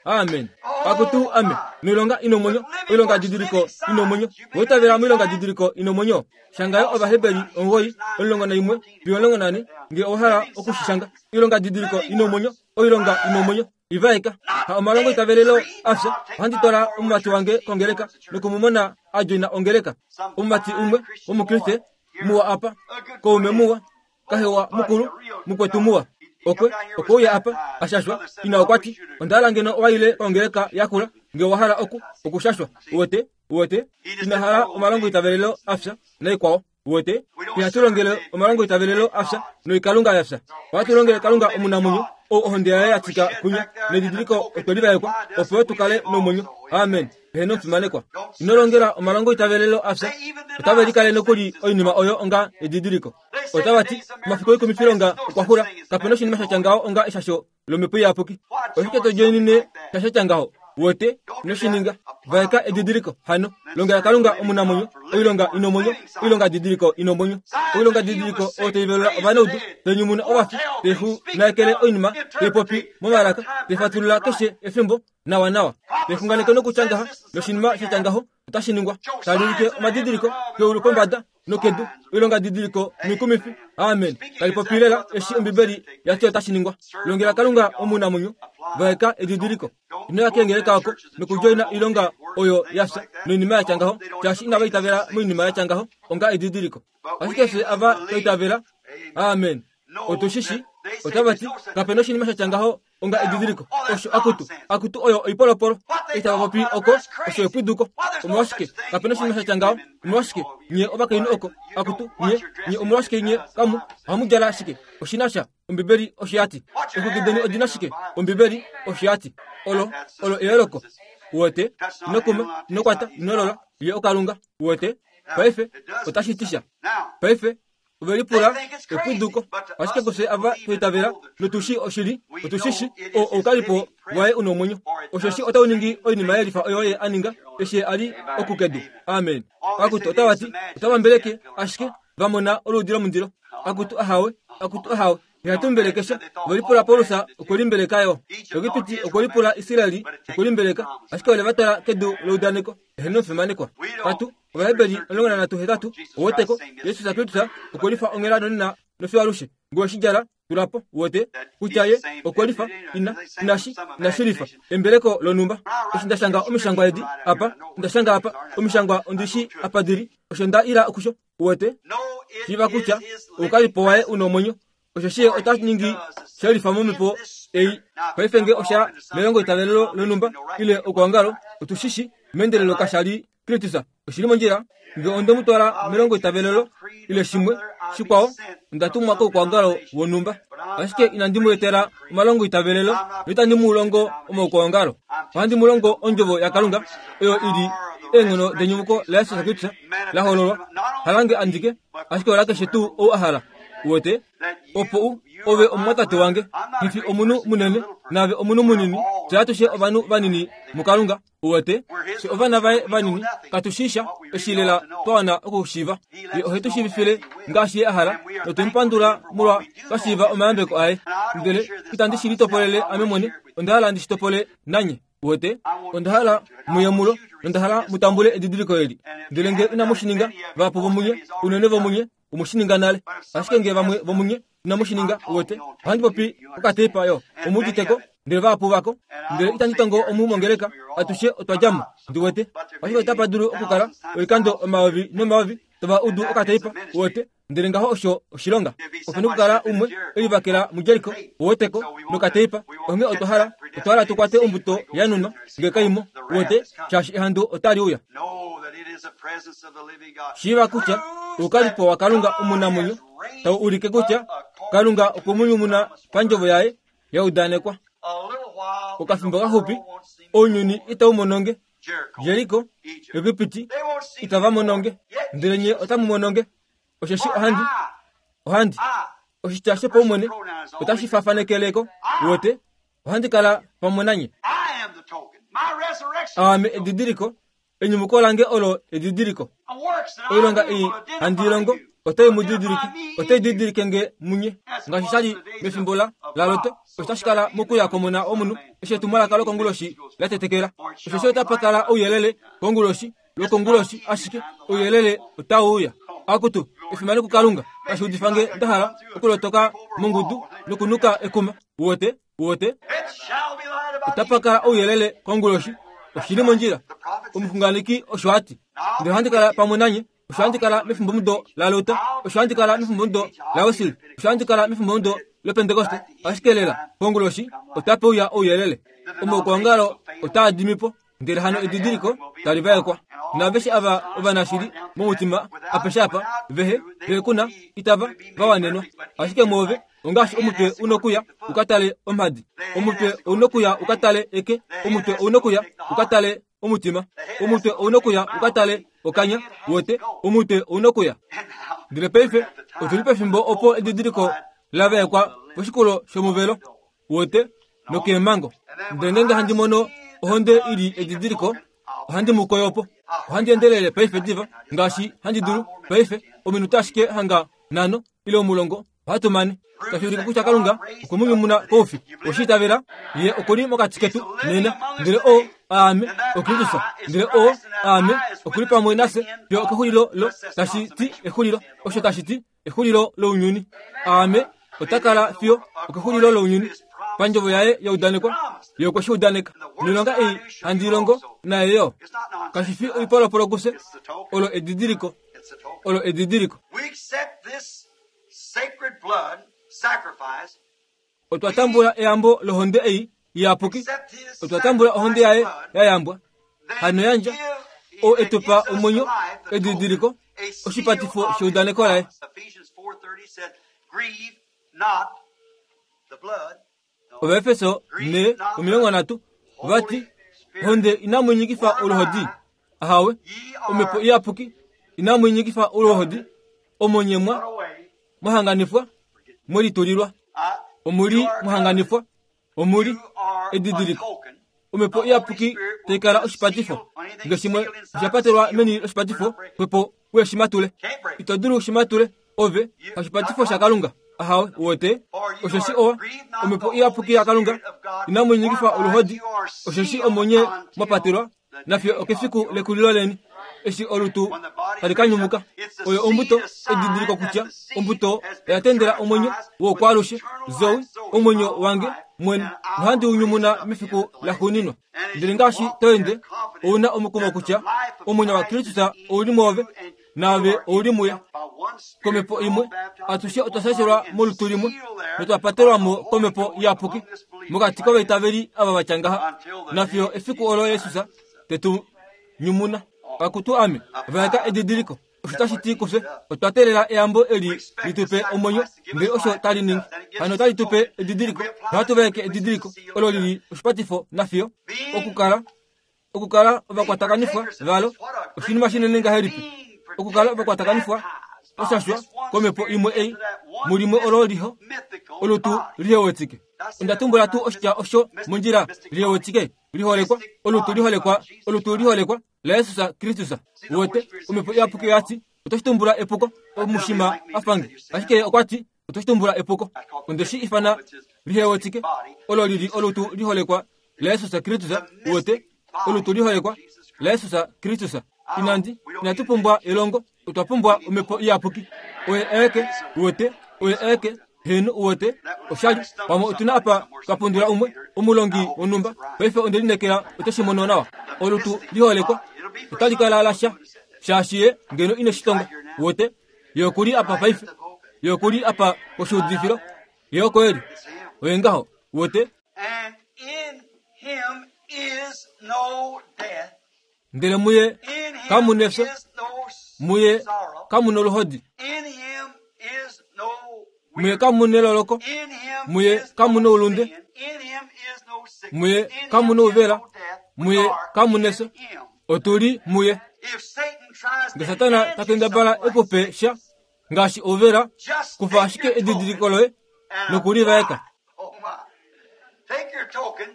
Amen. Akutu ame noilonga ina omwenyo, oilonga didiliko ina omwenyo. Oitavela moilonga didiliko ina omwenyo. Shangayo Ovaheberi omugoyi omulongo naimwe fiyo omulongo nane nge owa hala okushishanga. Oilonga didiliko ina omwenyo, oilonga ina omwenyo. Ivaeka ha omalongo itavelelo afya. Ohandi twala omumati wange kongeleka nokumumona a joina ongeleka. Omumati umwe womukriste muwa apa, koume muwa, kahewa mukulu, mukwetu muwa. Okwe okwe uya apa ashashwa ina okwa ti onda hala ngeno owaile kongeleka yakula nge owa hala oku okushashwa. Uwete uwete ina hala omalongo itavelelo afya naikwao. Uwete ihatu longele omalongo itavelelo afya noikalunga yafya. Ohatu longele Kalunga omunamwenyo ou ohonde yaye ya tika kunya nedidiliko otwe livaekwa opo tu kale nomwenyo. Amen. Eheno omufimanekwa. Ino longela omalongo itavelelo afya. Otave likale nokuli oinima oyo onga edidiliko. Otava ti omafiku oikumifilonga okwa xula, kapena oshinima sha tya ngaho onga eshasho lomhepo iyapuki. Oshike to djoinine sha sha tya ngaho? Uwete ino shi ninga. Vaeka edidiliko hano longela Kalunga omunamwenyo, oilonga ina omwenyo, oilonga didiliko ina omwenyo, oilonga didiliko oyo tai velula ovanaudu, tai nyumuna ovafi, tai xunaekele oinima, tai popi momalaka, tai fatulula keshe efimbo nawa nawa, tai xunganeke nokutya ngaha noshinima sha tya ngaho otashi ningwa, tali ulike omadidiliko keulu pombada nokedu, oilonga didiliko noikumifi. Amen. Tali popi lela eshi Ombibeli ya ti otashi ningwa. Longela Kalunga omunamwenyo, vaeka edidiliko. Ino ya kengeleka oko nokudjoina oilonga oyo yafya noinima ya tya ngaho, shaashi inava itavela moinima ya tya ngaho onga edidiliko. Ashike fye ava twa itavela. Amen. Otu shi shi. Otava ti kapena oshinima sha tya ngaho onga edidiliko. Osho akutu akutu oyo oipolopolo itava popi oko osho epwiduko. Omolwashike kapena oshinima sha tya ngaho? Omolwashike nye ovakainhu oko akutu nye nye omolwashike nye kamu ohamu djala shike? Oshina sha Ombibeli osho ya ti. Exwiki deni odina shike? Ombibeli osho ya ti. Olo olo eyooloko. Uwete ino kuma, ino kwata, ino lola, ye okalunga. Uwete paife otashi ti sha. Paife ove lipula epwiduko, ashike kufye ava twa itavela notushi oshili, otushishi oukalipo waye una omwenyo. Osheshi otau ningi oinima yelifa oyo ye a ninga eshi a li okukedu. Amen. Akutu otava ti otava mbeleke ashike va mona oluudi lomundilo. Akutu ahawe, akutu ahawe. Ihatu mbelekesha. Ove lipula Paulus okwe limbeleka yo. Egipiti okwe lipula Israeli okwe limbeleka, ashike ole va twala kedu leudaneko. Eheno omufimanekwa. Katu Ovaheberi omulongo nanhatu hetatu oweteko Jesus Kristus okwe lifa onghela nonena nofiyo alushe. Ngee oshidjala Tulapo uwete kutya ye okwelifa ina inashi inashilifa embeleko lonumba. Eshi ndashanga omishangwa edi apa, ndashanga apa omishangwa ondishi apa dili, osho nda ila okusho uwete shiva kutya ukalipo waye unomwenyo. Osho shiye otashi shelifa momipo ei paife nge osha melongo itavelelo lonumba ile okuangalo otushishi mendelelo kashali Kristus oshili mondjila. Nge onde mutwala melongo itavelelo ile shimwe shikwao ndatumwa kokuangalo wonumba, ashike inandi mu etela omalongo itavelelo noitandi mu longo omokuangalo. Ohandi mu longo ondjovo yaKalunga oyo ili eenghono denyumuko laYesus Kristus la hololwa halange andike, ashike ola keshe tuu ou a hala. Uwete opo u ove omumwatate wange, hifi omunhu munene nave omunhu munini, fye atushe ovanhu vanini muKalunga. Uwete fye ovana vaye vanini katushisha eshilela twawana okushiiva. Ye ohe tu shiivifile ngaashi ye a hala, notumupandula molwa twashiiva omayambeko aye. Ndele itandi shi litopolele ame mwene, onda hala ndi shi topole nanye. Uwete onda hala muye mulo, nonda hala mutambule edidiliko eli. Ndele nge inamu shi ninga, vahapu vomunye, unene vomunye, omushininga nale. Ashike nge vamwe vomunye inamushininga, uwete ohandi popi okateipa yo omuditeko ndele vahapu vako. Ndele itandi tongo omu mongeleka, atushe otwa djamo ndiwete. Ashike otapa dulu okukala oikando omayovi nomayovi tova udu okateipa uwete. Ndele ngaho osho oshilonga. Opena okukala umwe elivakela muJeriko uweteko nokateipa. Onge otwa hala otwa hala tukwate ombuto yanunwa nge kaimo uwete, shaashi ehandu otali uya. Shiiva kutya ukalipo wa Kalunga omunamwenyo tau ulike kutya Kalunga okwemunyumuna pandjovo yaye yaudanekwa. Okafimbo kaxupi ounyuni itau mononge, Jeriko, Egipiti itava mononge, ndele nye otamu mononge. Osheshi ohandi ohandi oshitya shopaumwene otashi fafanekeleko uwete, ohandi kala pamwe nanye. Aame edidiliko, enyumuko lange olo edidiliko. Oilonga ei handi longo otai mu didilike, otai didilike nge munye. Ngaashi shali mefimbo la laLot, otashi kala mokuya komona womunhu eshi etumwalaka lokonguloshi la tetekela. Osheshi otapa kala ouyelele konguloshi lokonguloshi, ashike ouyelele otau uya. Akutu efimano kuKalunga, tashi udifa nge nda hala okulotoka mongudu nokunuka ekuma. Uwete uwete otapa kala ouyelele konguloshi. Oshili mondjila. Omuxunganeki osho ati, ndele ohandi kala pamwe nanye. Osho handi kala mefimbomudo laLut, osho handi kala mefimbomudo laWesley, osho handi kala mefimbomudo loPentekoste. Ashike lela konguloshi otape uya ouyelele. Omaukwaongalo otaa dimi po, ndele hano edidiliko tali vaekwa. Naaveshe ava ovanashili momutima apeshe apa vehe vekuna itava vawanenwa. Ashike mwoove ongaashi omutwe unokuya ukatale omhadi, omutwe unokuya ukatale eke, omutwe unokuya ukatale omutima, omutwe unokuya ukatale okanya, wote omutwe unokuya. Ndele paife otuli pefimbo opo edidiliko lavaekwa poshikulo shomuvelo, wote nokeemhango. Ndele ngeenge handi mono ohonde ili edidiliko, ohandi mu koyopo. Ohandi endelele paife diva ngaashi handi dulu. Paife ominute ashike hanga nhano ile omulongo ohatu mane. Tashi ulike kutya Kalunga okwe mu nyumuna koufi. Oshiitavela ye okuli mokati ketu nena. Ndele o aame oKristus, ndele o aame okuli pamwe nafye fiyo okexulilo lo tashi ti exulilo, osho tashi ti exulilo lounyuni. Aame ota kala fiyo okexulilo lounyuni pandjovo yaye yaudanekwa, ye okwe shi udaneka. Noilonga ei handi longo naye yo kashi fi oipolopolo kufye. Olo edidiliko, olo edidiliko. Otwa tambula eyambo lohonde ei iyapuki, otwa tambula ohonde yaye yayambwa hano yandja o etupa omwenyo, edidiliko, oshipatifo sheudaneko laye. Ovaefeso ne omilongo nhatu vati honde inamu nyikifa oluhodi, ahawe omhepo iyapuki inamu nyikifa oluhodi, omonyemwa mwahanganifwa mwelitulilwa, omuli mwahanganifwa, omuli edidiliko. Omhepo iyapuki taikala oshipatifo, nge shimwe oshapatelwa meni loshipatifo, kwepo weshimatule ito dulu shimatule ove hashipatifo shaKalunga. Ahawe uwete osheshi owa omhepo iyapuki yaKalunga inamu nyikifa oluhodi, osheshi omonye mwapatelwa nafiyo okefiku lekulilo leni. Eshi olutu tali ka nyumuka oyo ombuto edidiliko kutya ombuto oya tendela omwenyo wokwaalushe Zoe omwenyo wange mwene nohandi unyumuna mefiku laxuuninwa. Ndele ngaashi to ende ouna omukumo kutya omwenyo waKristus ouli mwoove naave ouli muye. Komhepo imwe atushe otwa shashelwa molutu limwe notwa patelwamo komhepo iyapuki mokati kovaitaveli ava vatya ngaha nafiyo efiku olo Yesus tetu nyumuna. Akutu ame vaeka edidiliko osho tashi ti kufye otwa teelela eyambo eli litupe omwenyo ndele osho tali ningi hano otali tupe edidiliko nohatu vaeke edidiliko olo lili oshipatifo nafiyo okukala okukala ovakwatakanifwa valo oshinima shinene ngahelipi okukala ovakwatakanifwa oshashwa komhepo imwe ei mulimwe olo liho olutu lihewetike. Onda tumbula tuu oshitya osho mondjila lihewetike liholekwa olutu liholekwa olutu liholekwa la Yesus Kristus. Wote omhepo iyapuki oyati otoshi tumbula epuko omushima afange ashike okwati otoshi tumbula epuko ondeshi ifana lihewetike olo lili olutu liholekwa la Yesus Kristus. Wote olutu liholekwa la Yesus Kristus. Inandi inatupumbwa elongo otwa pumbwa omhepo iyapuki oye eke wote oye eke henu wote oshali pamwe otuna apa twapundula umwe omulongi wonhumba paife ondelinekela otoshi mono nawa olutu liholekwa otali kala lasha shaashi ye ngeno ine shitonga wote ye okuli apa paife ye okuli apa koshiudifilo ye oko eli oye ngaho wote. And in him is no death. Ndele muye In him kamu nefyo is no muye sorrow. kamu noluhodi In him is no muye kamu neloloko In him muye is kamu no noulunde sin. In him is no sickness. muye In kamu him is nouvela no death. We muye are kamu in nefyo him. otuli muye. If Satan tries Nge to Satana hand you takendabala something like ekupe sha ngaashi ouvela just kufa take ashike your edidiliko token loye and nokulivaeka. apply. Oh my. Take your token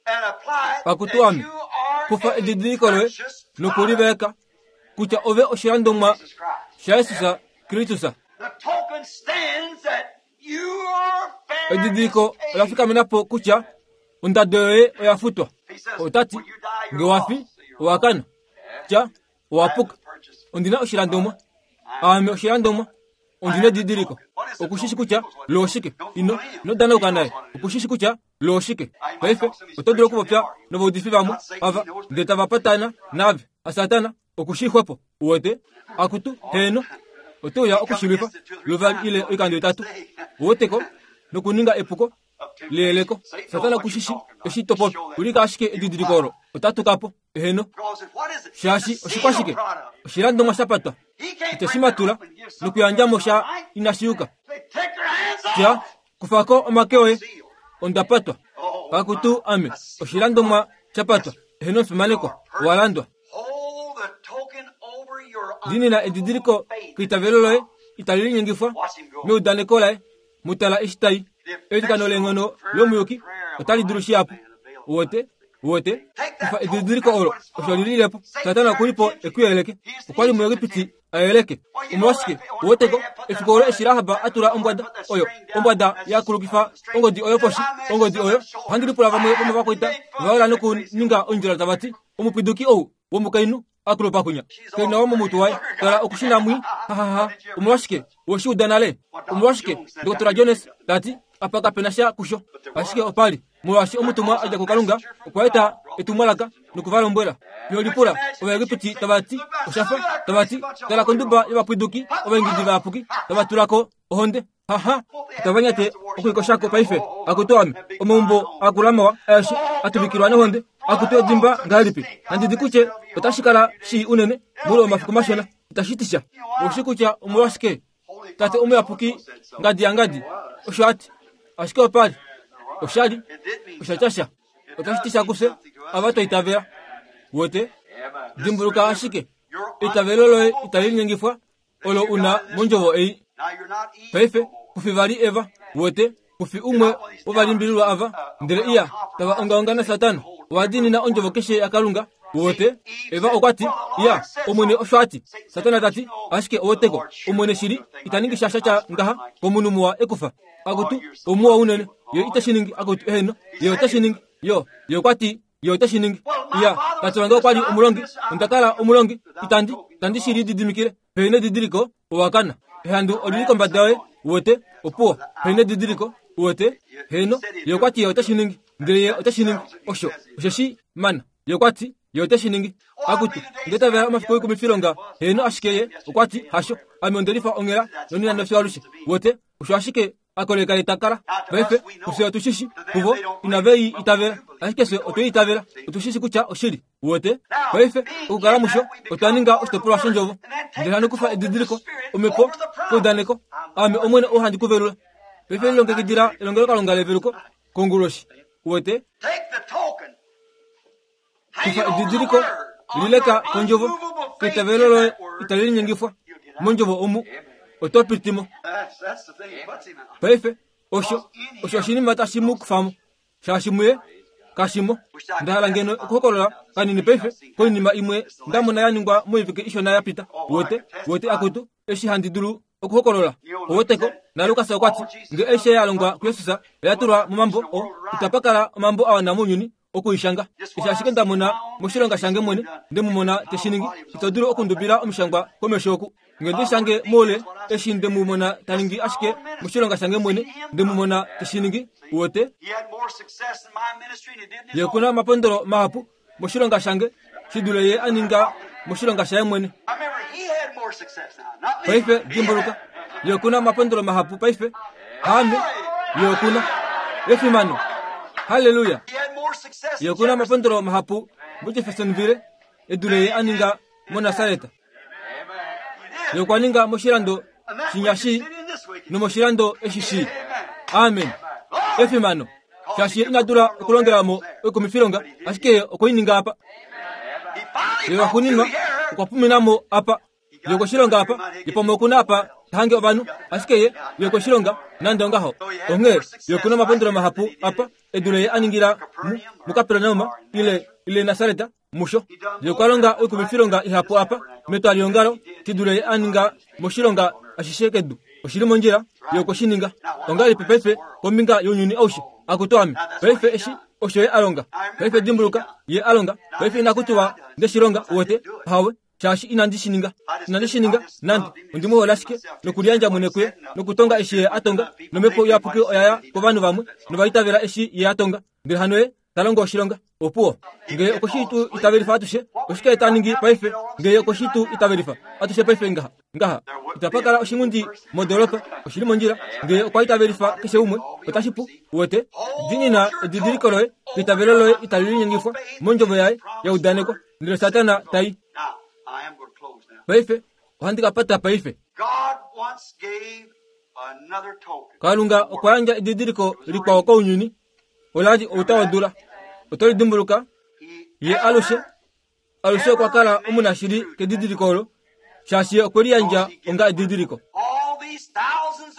and apply it Pakutu that ame you are kufa a edidiliko loye purchased product nokulivaeka kutya ove oshilandomwa of Jesus Christ. sha Yesus Kristus. The token stands that you are fair Edidiliko is paid. ola fikamenapo kutya ondado yoye oya futwa. He says, Otati when you die, nge you're wafi lost. So you're owakana tya owapuka. purchased. Ondina oshilandomwa ame oshilandomwa ondina edidiliko okushishi kutya looshike ino inodanauka naye okushishi kutya looshike. Paife oto dulu okupopya novaudifi vamwe ava ndele tava patana nave asatana okushixwepo uwete akutu heno otouya okushilwifa luvali ile oikando itatu uweteko nokuninga epuko liyeleko. Satana kushishi eshi topopi ulika ashike edidiliko olo otatukapo eheno Because if- what is it? shaashi It's a oshikwashike sealed product. oshilandomwa shapatwa He can't ite break shimatula it up and give something nokuyandjamo that's sha not right. inashiyuka They take their hands tya off. kufako omake oye Sealed. ondapatwa Oh, pakutu ame oshilandomwa shapatwa eheno mfimanekwa owalandwa. Hold the token over your Dinina edidiliko faith. keitavelo loye itali linyengifwa Watch him go. meudaneko laye mutala eshi tai eilikano leenghono lomuyuki otali dulu shihapu wote wote kufa edidiliko olo osho lililepo. Satana okulipo ekuyeleke okwali muEgipiti ayeleke omolwashike uweteko efiku olo eshi Rahab atula ombwada oyo ombwada yakulukifa ongodi oyo poshi ongodi oyo ohandi lipula vamwe vomovakwaita vaola nokuninga ondjila tava ti omupwiduki ou womukainhu akulupa kunya kena womomutu waye tala okushina mwi hahaha omolwashike woshiuda nale omolwashike Dr Jones tati apa kapena sha kusho ashike opali molwaashi omutumwa adja kuKalunga okwa eta etumwalaka nokuvalombwela. Yolipula Ovaegipiti tava ti oshafa tava ti tala konduba yovapwiduki ovaingidi vayapuki tava tulako ohonde haha tavanyate okuikoshako paife akutu ame omaumbo akulamawa aeshe atuvikilwa nohonde akutu edimba ngahelipi nandidi kutye otashi kala shii unene muule womafiku mashona itashi ti sha oshi kutya omolwashike tate omuyapuki ngadi ya ngadi osho ati ashike opali oshali It did mean oshatya sha otashi ti sha kufye ava twaitavela wote dimbuluka ashike eitavelo loye itali linyengifwa olo una mondjovo ei. Now you're not Eve Paife no more. kufi vali Eva wote kufi umwe wovalimbililwa ava ndele iya tava ongaonga na Satana owadiinina ondjovo keshe yaKalunga wote Eva okwati iya omwene osho ati Satana tati ashike oweteko omwene shili itaningi sha shatya ngaha komunhu muwa ekufa akutu omuwa unene ye itashi ningi akutu eheno ye otashi ningi yo ye okwati ye otashi ningi Iya, tate wange okwa li omulongi, onda kala omulongi, itandi, itandi shi lididimikile. Pehina edidiliko, owa kana. Ehandu olili kombada yoye, uwete, opuwo. Pehina edidiliko, uwete, heno, ye okwa ti ye ote shi ningi. Ndele ye ote shi ningi, osho, osheshi mana. Ye okwa ti, ye ote shi ningi. Akutu, ndetavela omafiku oikumifilonga, heno ashike ye, okwa ti, hasho. Ame onde lifa onghela, nonena nofyo alushe. Uwete, osho ashike akoleka ye takala. Paife, kufye otushishi, kuvo, inave i itavela. Ashike fye otwe itavela, otushishi kutya oshili. Uwete, paife, okukala musho, otwa ninga oshitopolwa shondjovo. Ndele hano kufa edidiliko, omhepo, keudaneko, ame Omwene ou handi kuvelula. Paife lilongekidila elongelokalunga leveluko, konguloshi. Uwete, kufa edidiliko, lileka kondjovo, keitavelo loye itali linyengifwa. Mondjovo omu, oto pitimo. Paife, osho, osho oshinima tashi mu kufamo. Shaashi muye, kashimo. Ndahala ngeno okuhokolola kanini paife, koinima imwe ndamona ya ningwa moivike ishona ya pita. Uwete, uwete akutu, eshi handi dulu okuhokolola. Oweteko, na Lukas okwa ti, nge eshi ya longwa kuJesus, oya tulwa momambo o, itapa kala omambo a wana mounyuni okuishanga. Eshi ashike ndamona moshilonga shange mwene, nde mu mona te shi ningi. Ito dulu okundubila omishangwa komesho oku. Nge ndi shange moule, eshi nde mu mona ta ningi ashike moshilonga shange mwene, nde mu mona te shi ningi. Uwete, ye okuna omapondolo mahapu moshilonga shange shi dule ye a ninga moshilonga shaye mwene. Paife dimbuluka, ye okuna omapondolo mahapu paife. Haame, ye okuna efimano. Haleluya. Ye okuna omapondolo mahapu muJeffersonville e dule ye a ninga muNasareta. Ye okwa ninga moshilando shinyashi nomoshilando eshi shii. Amen. Efimano. Shaashi ye ina dula okulongela mo oikumifilonga, ashike ye okwe i ninga apa. Ye waxuuninwa okwa pumina mo apa. Ye okwe apa, ye pamwe okuna apa ta hange ovanhu, ashike ye, ye okwe nande ongaho. Onghee, ye okuna omapondolo mahapu apa, e dule ye a ningila mu, muKapernaum, ile, ile Nasareta, musho. Ye okwa longa oikumifilonga ihapu apa, metwaliongalo, shi dule ye a ninga moshilonga ashishe kedu. Oshili mondjila, ye okwe shi ninga. Ongahelipi paife kombinga younyuni aushe? Akutu ame. Paife eshi osho ye a longa. Paife dimbuluka, ye a longa. Paife inaku tiwa nde shi longa, uwete, hawe, shaashi inandi shi ninga. Inandi shi ninga, nande. Ondi mu hole ashike, nokuliyandja mwene kuye, nokutonga eshi ye a tonga, nomhepo iyapuki oya ya kovanhu vamwe, nova itavela eshi ye a tonga. Ndele hano ye ta longo oshilonga. Opuwo. Nge okwe tu itavelifa atushe, oshike ta ningi paife? Nge okwe tu itavelifa atushe paife ngaha, ngaha. Itapa kala oshingundi modoolopa, oshili mondjila. Nge okwa itavelifa keshe umwe, otashi pu. Uwete, diinina edidiliko loye, eitavelo loye itali linyengifwa mondjovo yaye ya udanekwa. Ndele Satana tai. Paife, ohandi ka pata paife. Kalunga okwa yandja edidiliko likwao kounyuni, ola li outa wodula. Oto lidimbuluka, ye alushe, alushe okwa kala omunashili kedidiliko olo, shaashi ye okwe liyandja onga edidiliko.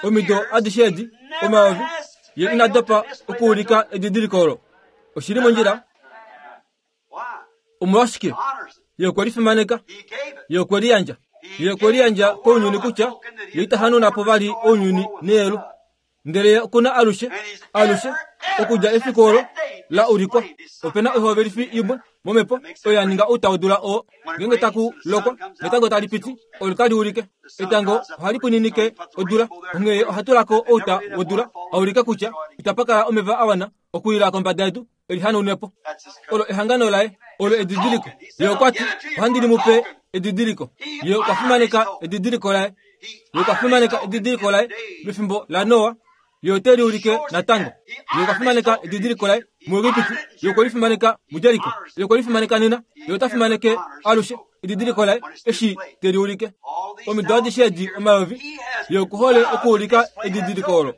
Omido adishe edi, omayovi, ye ina dopa okuulika edidiliko olo. Oshili mondjila. Omolwashike? Ye okwe lifimaneka, ye okwe liyandja. Ye okwe liyandja kounyuni kutya ye ita hanuna po vali ounyuni neyelu. Ndele ye okuna alushe, alushe, okudja efiku olo la ulikwa. Opena oihovelifi imwe momhepo oyo ya ninga outa wodula oo. Ngeenge taku lokwa, netango tali piti, olo tali ulike. Etango ohali pwininike odula, onghee ye oha tulako outa wodula, a ulike kutya itapa kala omeva a wana okuyila kombada yedu e li hanaunepo. Olo ehangano laye, olo edidiliko. Ye okwa ti, ohandi li mu pe edidiliko. Ye okwa fimaneka edidiliko laye. Ye okwa fimaneka edidiliko laye mefimbo laNoa. Ye ote li ulike natango. Ye okwa fimaneka edidiliko laye muEgipiti. Ye okwe li fimaneka muJeriko. Ye okwe li fimaneka nena. Ye ota fimaneke alushe edidiliko laye eshi te li ulike. Omido adishe edi omayovi, ye okuhole okuulika edidiliko olo.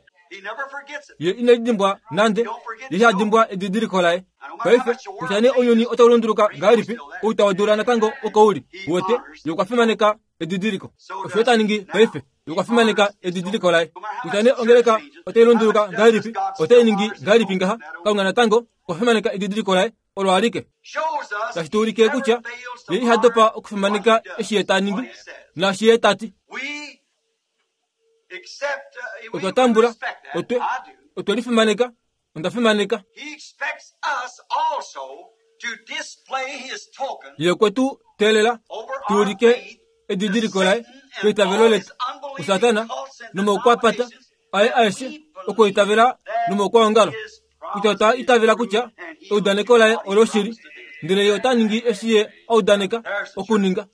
Ye ine lidimbwa nande, ye iha dimbwa edidiliko laye. Paife, kutya nee ounyuni otau lunduluka ngahelipi, outa wodula natango oko uli. Uwete, ye okwa fimaneka edidiliko. Osho ta ningi paife, ye okwa fimaneka edidiliko laye. Kutya nee ongeleka otai lunduluka ngahelipi, otai ningi ngahelipi ngaha, Kalunga natango okwa fimaneka edidiliko laye, olo alike. Tashi tu ulike kutya ye iha dopa okufimaneka eshi ye ta ningi, naashi ye ta ti. Otwa tambula, otwe, otwe lifimaneka, onda fimaneka. Ye kwetu teelela tuulike edidiliko laye keitavelo letu kuSatana nomoukwapata aye aeshe okuitavela nomoukwaongalo kutya ota itavela kutya eudaneko laye oloshili ndele ye ota ningi eshi ye audaneka okuninga.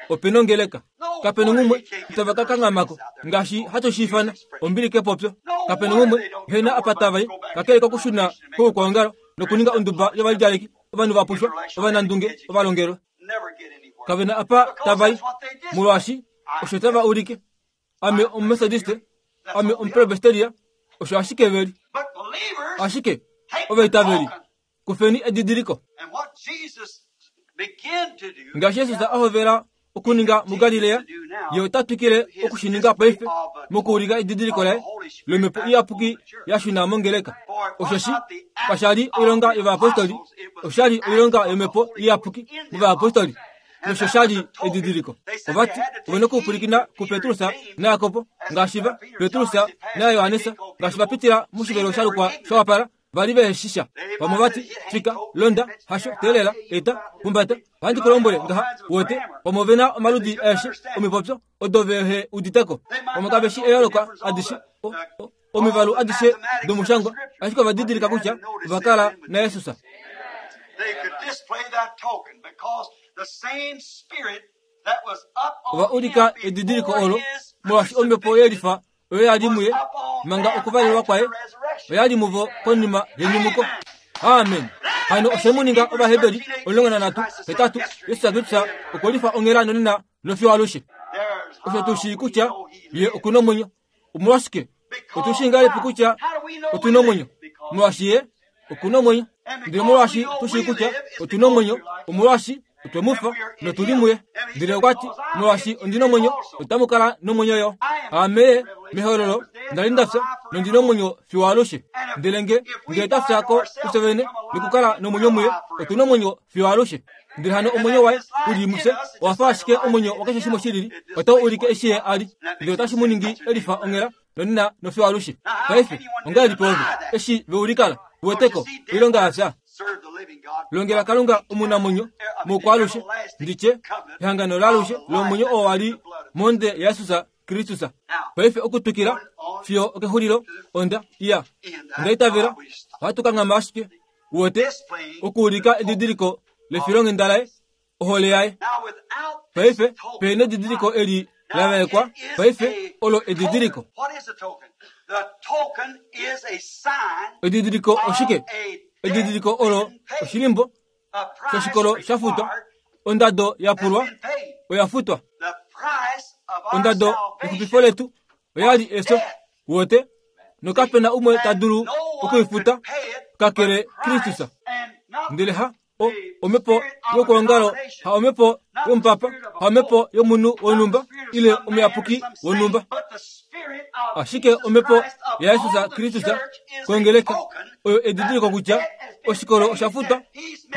Opena ongeleka kapena ngumwe itava ka kangamako ngaashi hatu shi ifana ombili kepopyo. Kapena ngumwe hena apa tava i kakele kokushuna koukwaongalo nokuninga onduba yovalidjaleki ovanhu vapushwa ovanandunge ovalongelwe. Kavena apa tava i molwaashi osho tava ulike. Ame Omumethodiste, ame Omupresbyteria, osho ashike veli. Ashike ovaitaveli kufeni edidiliko. Ngaashi Jesus a hovela okuninga muGalilea, ye ota twikile okushininga paife mokuulika edidiliko laye lomhepo iyapuki ya shuna mongeleka. Oshoshi kasha li oilonga yovayapostoli, osha li oilonga yomhepo iyapuki movayapostoli. Nosho sha li edidiliko. Ovati ovena okupwilikina kuPetrus naJakobo ngaashi va Petrus naJohannes ngaashi va pitila moshivelo sha lukwa sha wapala vali vehe shisha. Vamwe vati fika londa hasho teelela eta humbata ohandi ku lombwele ngaha wote. Vamwe ovena omaludi aeshe omipopyo odo vehe uditeko. Vamwe kave shi eyooloko adishe omivalu adishe domushangwa, ashike ova didilika kutya ova kala naJesus. Ova ulika edidiliko olo molwaashi omhepo yelifa oyo ya li muye manga okuvalelwa kwaye oya li muvo konima yenyumuko. Amen. Hano oshe mu ninga Ovaheberi omulongo nanhatu hetatu Jesus Kristus okwe lifa onghela nonena nofiyo alushe. Osho tu shii kutya ye oku na omwenyo. Omolwashike otu shii ngahelipi kutya otu na omwenyo? Molwaashi ye oku na omwenyo. Ndele molwaashi tu shii kutya otu na omwenyo, omolwaashi otwe mu fa notu li muye. Ndele okwa ti, molwaashi ondi na omwenyo, otamu kala nomwenyo yo. Ame mehololo nda li nda fya nondi na omwenyo fiyo alushe. Ndele nge nge twa fya ko kufye vene nokukala nomwenyo muye, otu na omwenyo fiyo alushe. Ndele hano omwenyo waye u li mufye owa fa ashike omwenyo wakeshe shimwe shilili, otau ulike eshi ye a li. Ndele otashi mu ningi elifa onghela nonena nofiyo alushe. Paife ongahelipi ove eshi veulikala uweteko oilonga ya fya? Longela Kalunga omunamwenyo mokwaalushe, nditye ehangano laalushe lomwenyo oo wa li monde yaJesus Kristus. Paife okutwikila fiyo okexulilo onda iya onda itavela ohatu kanghama ashike uwete okuulika edidiliko lefilonghenda laye ohole yaye. Paife pehena edidiliko eli la vaekwa, paife olo edidiliko. Edidiliko oshike? Edidiliko olo oshilimbo shoshikolo sha futwa, ondado ya pulwa oya futwa. Ondado yexupifo letu oya li efyo wote, nokapena umwe ta dulu okuifuta kakele Kristus. Ndele ha o omhepo yokuongalo, ha omhepo yomupapa, ha omhepo yomunhu wonhumba ile omuyapuki wonhumba, ashike omhepo yaJesus Kristus kongeleka oyo edidiliko kutya oshikolo osha futwa.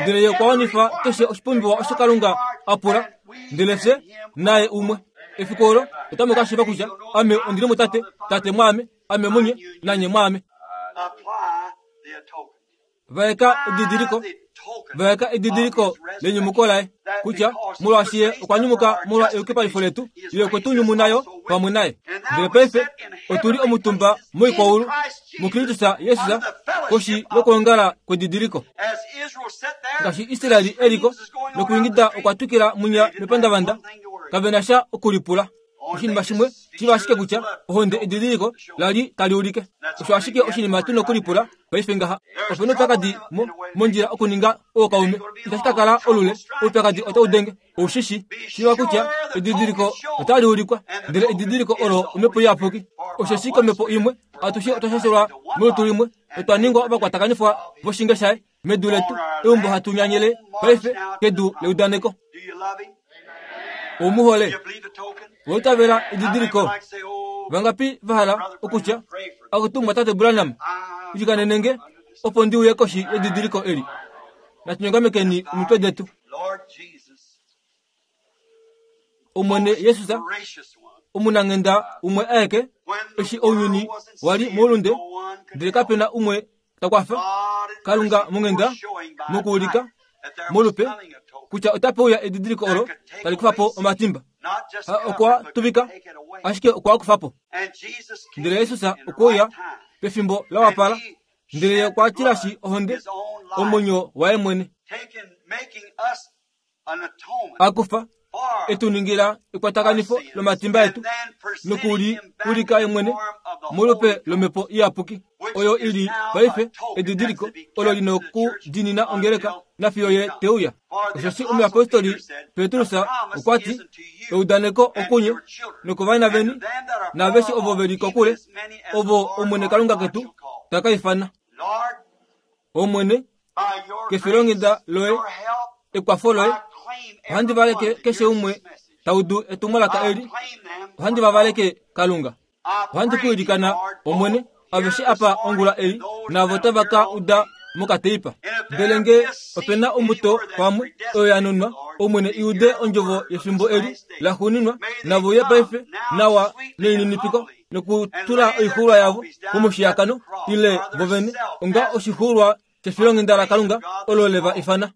Ndele ye okwa wanifa keshe oshipumbiwa osho Kalunga a pula, ndele fye naye umwe. Efiku olo otamu ka shiiva kutya ame ondi li muTate, Tate mwaame, ame munye, nanye mwaame. Vaeka edidiliko, vaeka edidiliko lenyumuko laye kutya molwaashi ye okwa nyumuka molwa eyukipalifo letu, ye okwe tu nyumuna yo pamwe naye. Ndele paife otu li omutumba moikwaulu muKristus Jesus koshi yokwoongala kwedidiliko. Ngaashi Israeli eliko nokuingida okwa twikila munya mepandavanda, kave na sha okulipula. Oshinima shimwe shiva ashike kutya ohonde edidiliko la li tali ulike. Osho ashike oshinima tu nokulipula paife ngaha. Opena oupyakadi mondjila okuninga ookaume. Itashi ka kala olule, oupyakadi otau denge. Oushishi shiva kutya edidiliko otali ulikwa, ndele edidiliko olo omhepo iyapuki. Osheshi komhepo imwe atushe otwa shashelwa molutu limwe, otwa ningwa ovakwatakanifwa voshinge shaye medu letu, eumbo hatu nyanyele paife kedu leudaneko. Omuhole oitavela edidiliko. Vangapi va hala okutya akutumwa Tate Branham ilikanenenge opo ndi uye koshi yedidiliko eli? Natunyongamekeni omitwe detu. Omwene Jesus omunanghenda umwe aeke, eshi ounyuni wali moulunde, ndele kapena umwe ta kwafa. Kalunga monghenda mokuulika Molupe kutya otape uya edidiliko olo tali kufa po omatimba. Okwa tuvika ashike okwa kufa po. Ndele Yesus okwe uya pefimbo la wapala, ndele okwa tilashi ohonde omwenyo waye mwene. Akufa etu ningila ekwatakanifo lomatimba etu nokuli ulika ye mwene molupe lomhepo iyapuki oyo ili paife edidiliko olo lina okudinina ongeleka nafiyo ye teuya. Oshoshi omuyapostoli Petrus okwa ti eudaneko okunye nokovana veni naaveshe ovo veli kokule ovo Omwene Kalunga ketu taka ifana. Omwene kefilonghenda loye ekwafo loye ohandi valeke keshe umwe taudu etumwalaka eli, ohandi vavaleke Kalunga. Ohandi kuilikana Omwene aveshe apa ongula ei navo tava ka uda mokateipa. Ndele nge opena ombuto pamwe oyo ya nunwa, Omwene iude ondjovo yefimbo eli la xuuninwa, navo uye paife nawa nelininipiko nokutula oixuulwa yavo komushiyakano ile vovene onga oshixuulwa shefilonghenda laKalunga olo le va ifana.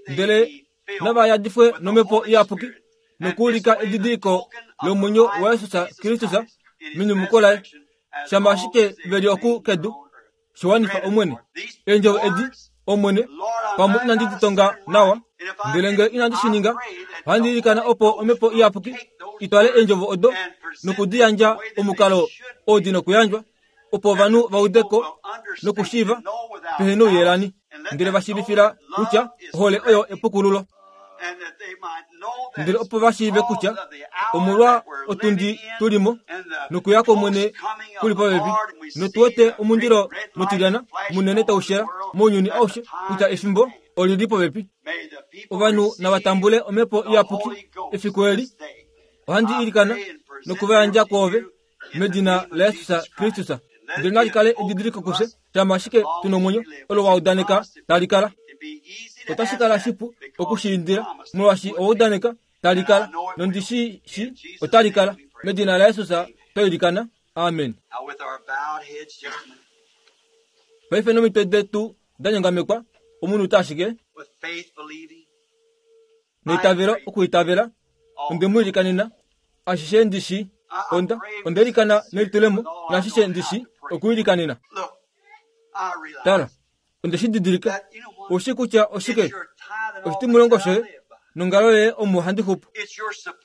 Ndele nava yadifwe nomhepo iyapuki nokuulika edidiliko lomwenyo waJesus Kristus menyumuko laye, shama ashike veli oku kedu shiwanifa Omwene. Eendjovo edi Omwene pamwe inandi ditonga nawa, ndele nge inandi shi ninga, ohandi ilikana opo omhepo iyapuki itwale eendjovo odo nokudiyandja omukalo oo di nokuyandjwa, opo ovanhu va udeko nokushiiva pehe nouyelani, ndele va shiivifila kutya ohole oyo epukululo. Ndele opo va shiive kutya omolwa otundi tulimo nokuya kOmwene kuli popepi, notu wete omundilo mutilyana munene tau shela mounyuni aushe kutya efimbo olili popepi. Ovanhu nava tambule omhepo iyapuki efiku eli. Ohandi ilikana nokuvayandja kwoove medina laJesus Kristus. Ndele nali kale edidiliko kufye shama ashike tuna omwenyo olo wa udaneka tali kala. Otashi kala shipu okushiindila molwaashi owa udaneka tali kala, nondi shi shi otali kala. Medina laJesus twa ilikana, amen. Paife nomitwe detu da nyongamekwa, omunhu ta ashike neitavelo okuitavela, onde mu ilikanena ashishe ndi shi onda onde ilikana nelitulemo naashishe ndi shi okuilikanena. Tala, onde shi didilika oshi kutya oshike oshitimulongo shoye nongalo yoye omo handi xupu,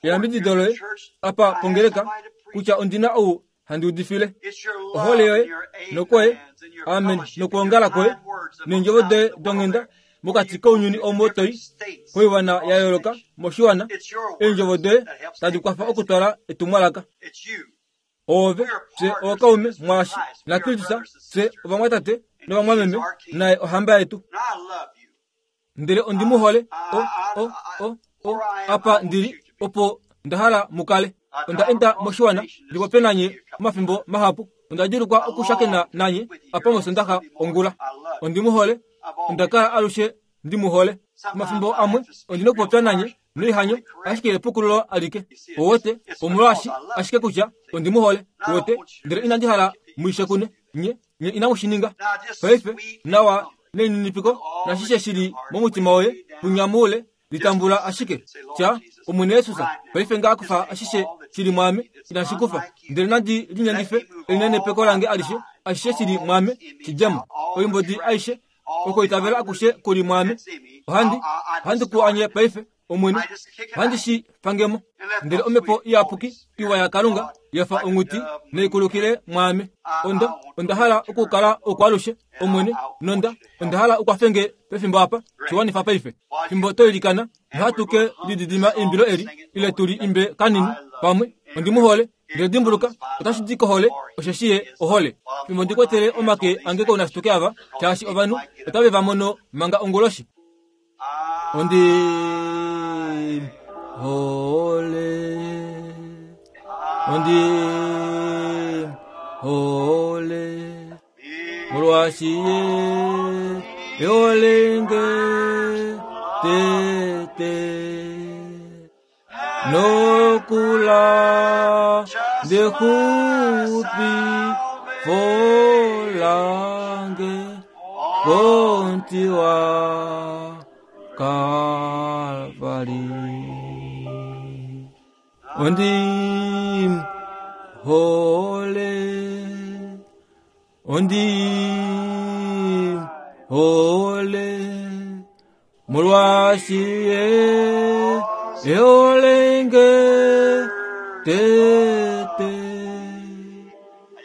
eyambidido loye apa pongeleka kutya ondina ou handi udifile, ohole yoye nokwoye amen nokwoongala kwoye neendjovo doye donghenda mokati kounyuni omo toi koiwana ya yooloka moshiwana, eendjovo doye tadi kwafa okutwala etumwalaka. Oove fye ookaume mwaashi naKristus, fye ovamwatate novamwameme, naye ohamba yetu. Ndele ondi mu hole o o o o apa ndili opo nda hala mu kale. Onda enda moshiwana ndipopye nanye omafimbo mahapu, onda djulukwa okushakena nanye apa mosondaxa ongula. Ondi mu hole, onda kala alushe ndi mu hole. Omafimbo amwe ondina okupopya nanye noihanyo ashike epukululo alike. Owote omolwaashi ashike kutya ondi mu hole, wote, ndele inandi hala muishe kune nye nye inamu shi ninga. Paife nawa nelininipiko nashishe shili momutima woye punyamuule litambula ashike tya Omwene Yesus paife nga akufa ashishe shili mwame inashi kufa, ndele nandi linyengife elinenepeko lange alishe, ashishe shili mwame shidjemo oimbodi aishe okoitavela akushe kuli mwame. Ohandi ohandi ku anye paife Omwene, ohandi shi fangemo. Ndele omhepo iyapuki iwa yaKalunga yafa onghuti naikulukile mwame. Onda onda hala okukala okwalushe Omwene, nonda onda hala ukwafenge pefimbo apa shiwanifa paife. Fimbo toilikana nohatu ke lididima eimbilo eli ile tuli imbe kanini pamwe. Ondi mu hole, ndele dimbuluka otashi di kohole, osheshi ye ohole. Fimbo ndi kwetele omake ange kounashituke ava, shaashi ovanhu otave va mono manga onguloshi. Ondi hole, ondi hole, molwaashi ye olenge tete nokula ndexupi folange kontiwa Kalvari. Ondi hole, ondi hole, molwaashi ye eolenge tete.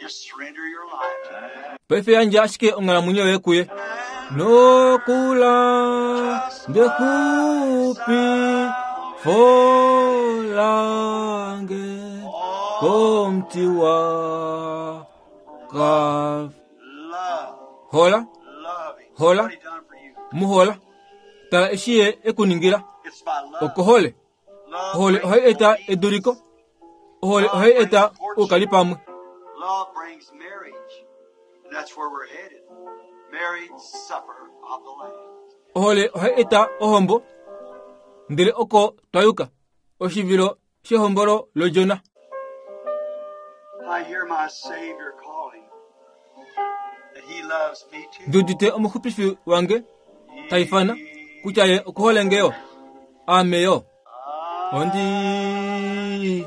Just surrender your life to Him. Paife yandja ashike onghalamwenyo yoye kuye. Nokula ndexupi folange komuti wa ka Love, hola love Him. Hola. What He done for you. muhola tala eshi ye ekuningila It's by love. okohole Love ohole brings ohayi eta obedience. eduliko ohole ohayi eta uukali pamwe. Love brings marriage. And that's where we're headed. Marriage supper of the Lamb. Ohole ohayi eta ohombo ndele oko twayuka oshivilo shehombolo lodjona. I hear my Savior calling that He loves me too. Ndiudite omuxupifi wange taifana kutya ye okuhole ngeyo aame yo ondi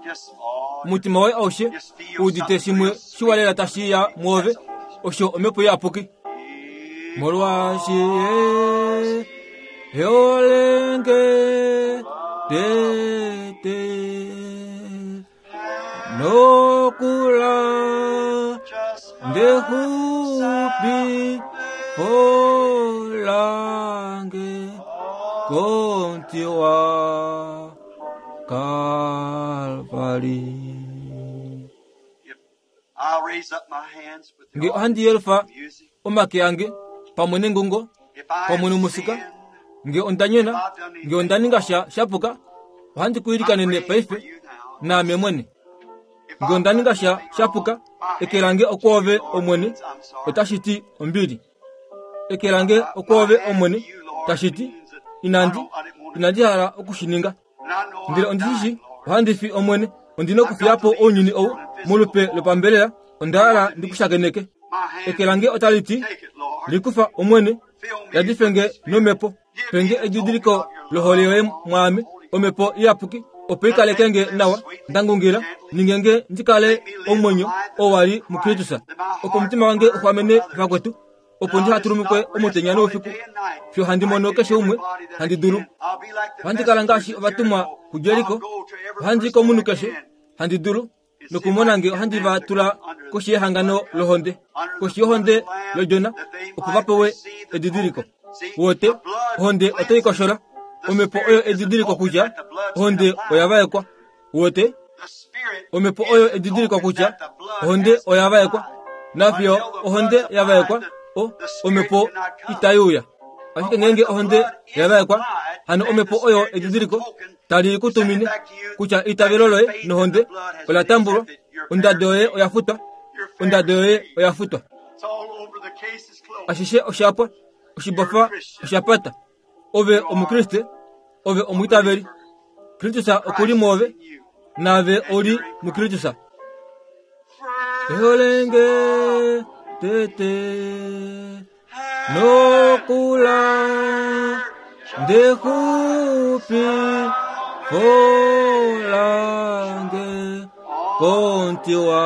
Just all omutima woye aushe uudite shimwe shiwalela tashiya mwoove osho omhepo iyapuki molwaashi ye eolenge tete nokula just ndexupi folange komuti wa Kalvari. If I'll raise up my hands with the Nge ohandi yelufa music. omake ange pamwe nengungo If I pamwe have nomusika sinned, nge onda nyona nge onda ninga sha shapuka ohandi ku I'm ilikanene praying for paife you now. naame mwene If nge I've onda done ninga sha anything shapuka wrong, my eke lange hand to okwoove you, Lord, omwene means I'm sorry. otashi ti ombili. Eke lange okwoove omwene tashi ti inandi inandi hala okushininga And I know ndele I'm ondishishi dying, Lord. ohandi fi omwene ondina okufiyapo ounyuni ou molupe lopambelela onda hala ndikushakeneke. My hand, Eke lange otali ti take it, Lord. likufa omwene Fill me yadife nge nomhepo penge edidiliko lohole yoye mwaame omhepo iyapuki opo ikaleke nge nawa ndangungila ninge nge ndikale omwenyo oo wali mukristus opo omutima wange uxwamene vakwetu opo ndihatulumukwe omutenya noufiku fiyo handi mono keshe umwe handi dulu. Ohandi kala ngaashi ovatumwa kuJeriko ohandi komunhu keshe handi dulu nokumona nge ohandi va tula koshi yehangano lohonde koshi yohonde lodjona opo va pewe edidiliko. Wote ohonde otai koshola omhepo oyo edidiliko kutya ohonde oya vaekwa. Wote omhepo oyo edidiliko kutya ohonde oya vaekwa nafiyo ohonde ya vaekwa o omhepo itai uya. Ashike ngeenge ohonde ya vaekwa hano omhepo oyo edidiliko tali kutumine kutya eitavelo loye nohonde ola tambulwa ondado yoye oya futwa ondado yoye oya futwa. It's all over. The case is closed. Ashishe oshapwa oshibofa oshapata. Ove omukriste ove omwiitaveli Kristus okuli mwoove In you. naave oli mukristus. Eholenge tete nokula ndexupi folange komuti wa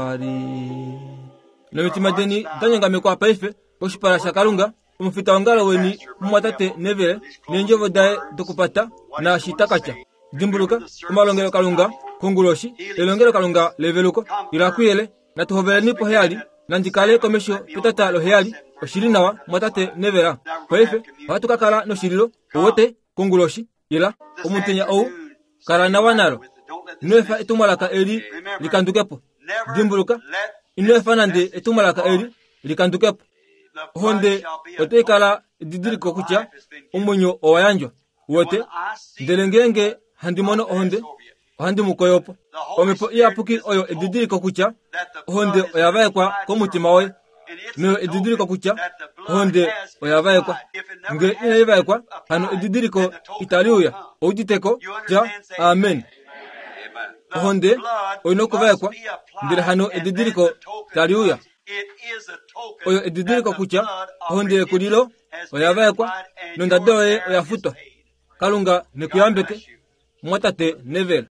Kalvari. Nomitima deni danyongamekwa paife koshipala shaKalunga omufita wongalo weni mumwatate Neville neendjovo daye dokupata naashi takatya. Dimbuluka omalongelo Kalunga konguloshi elongelo Kalunga leveluko ila kuyele natuhoveleni poheyali nandikale komesho petata loheyali oshili nawa mwatate Neville. Paife ohatu ka kala noshililo owote konguloshi ila omutenya ou kala nawa nalo. Ino efa etumwalaka eli likandukepo. Dimbuluka ino efa nande etumwalaka eli likandukepo. Ohonde otai kala edidiliko kutya omwenyo owa yandjwa wote ndele ngeenge handi mono ohonde ohandi mu koyopo. Omhepo iyapuki oyo edidiliko kutya ohonde oya vaekwa komutima woye noyo edidiliko kutya ohonde oya vaekwa. Nge inai vaekwa hano edidiliko itali uya. Ouditeko tya amen. Ohonde oina okuvaekwa ndele hano edidiliko tali uya. Oyo edidiliko kutya ohonde yekulilo oya vaekwa nondado yoye oya futwa. Kalunga nekuyambeke, mumwatate Neville.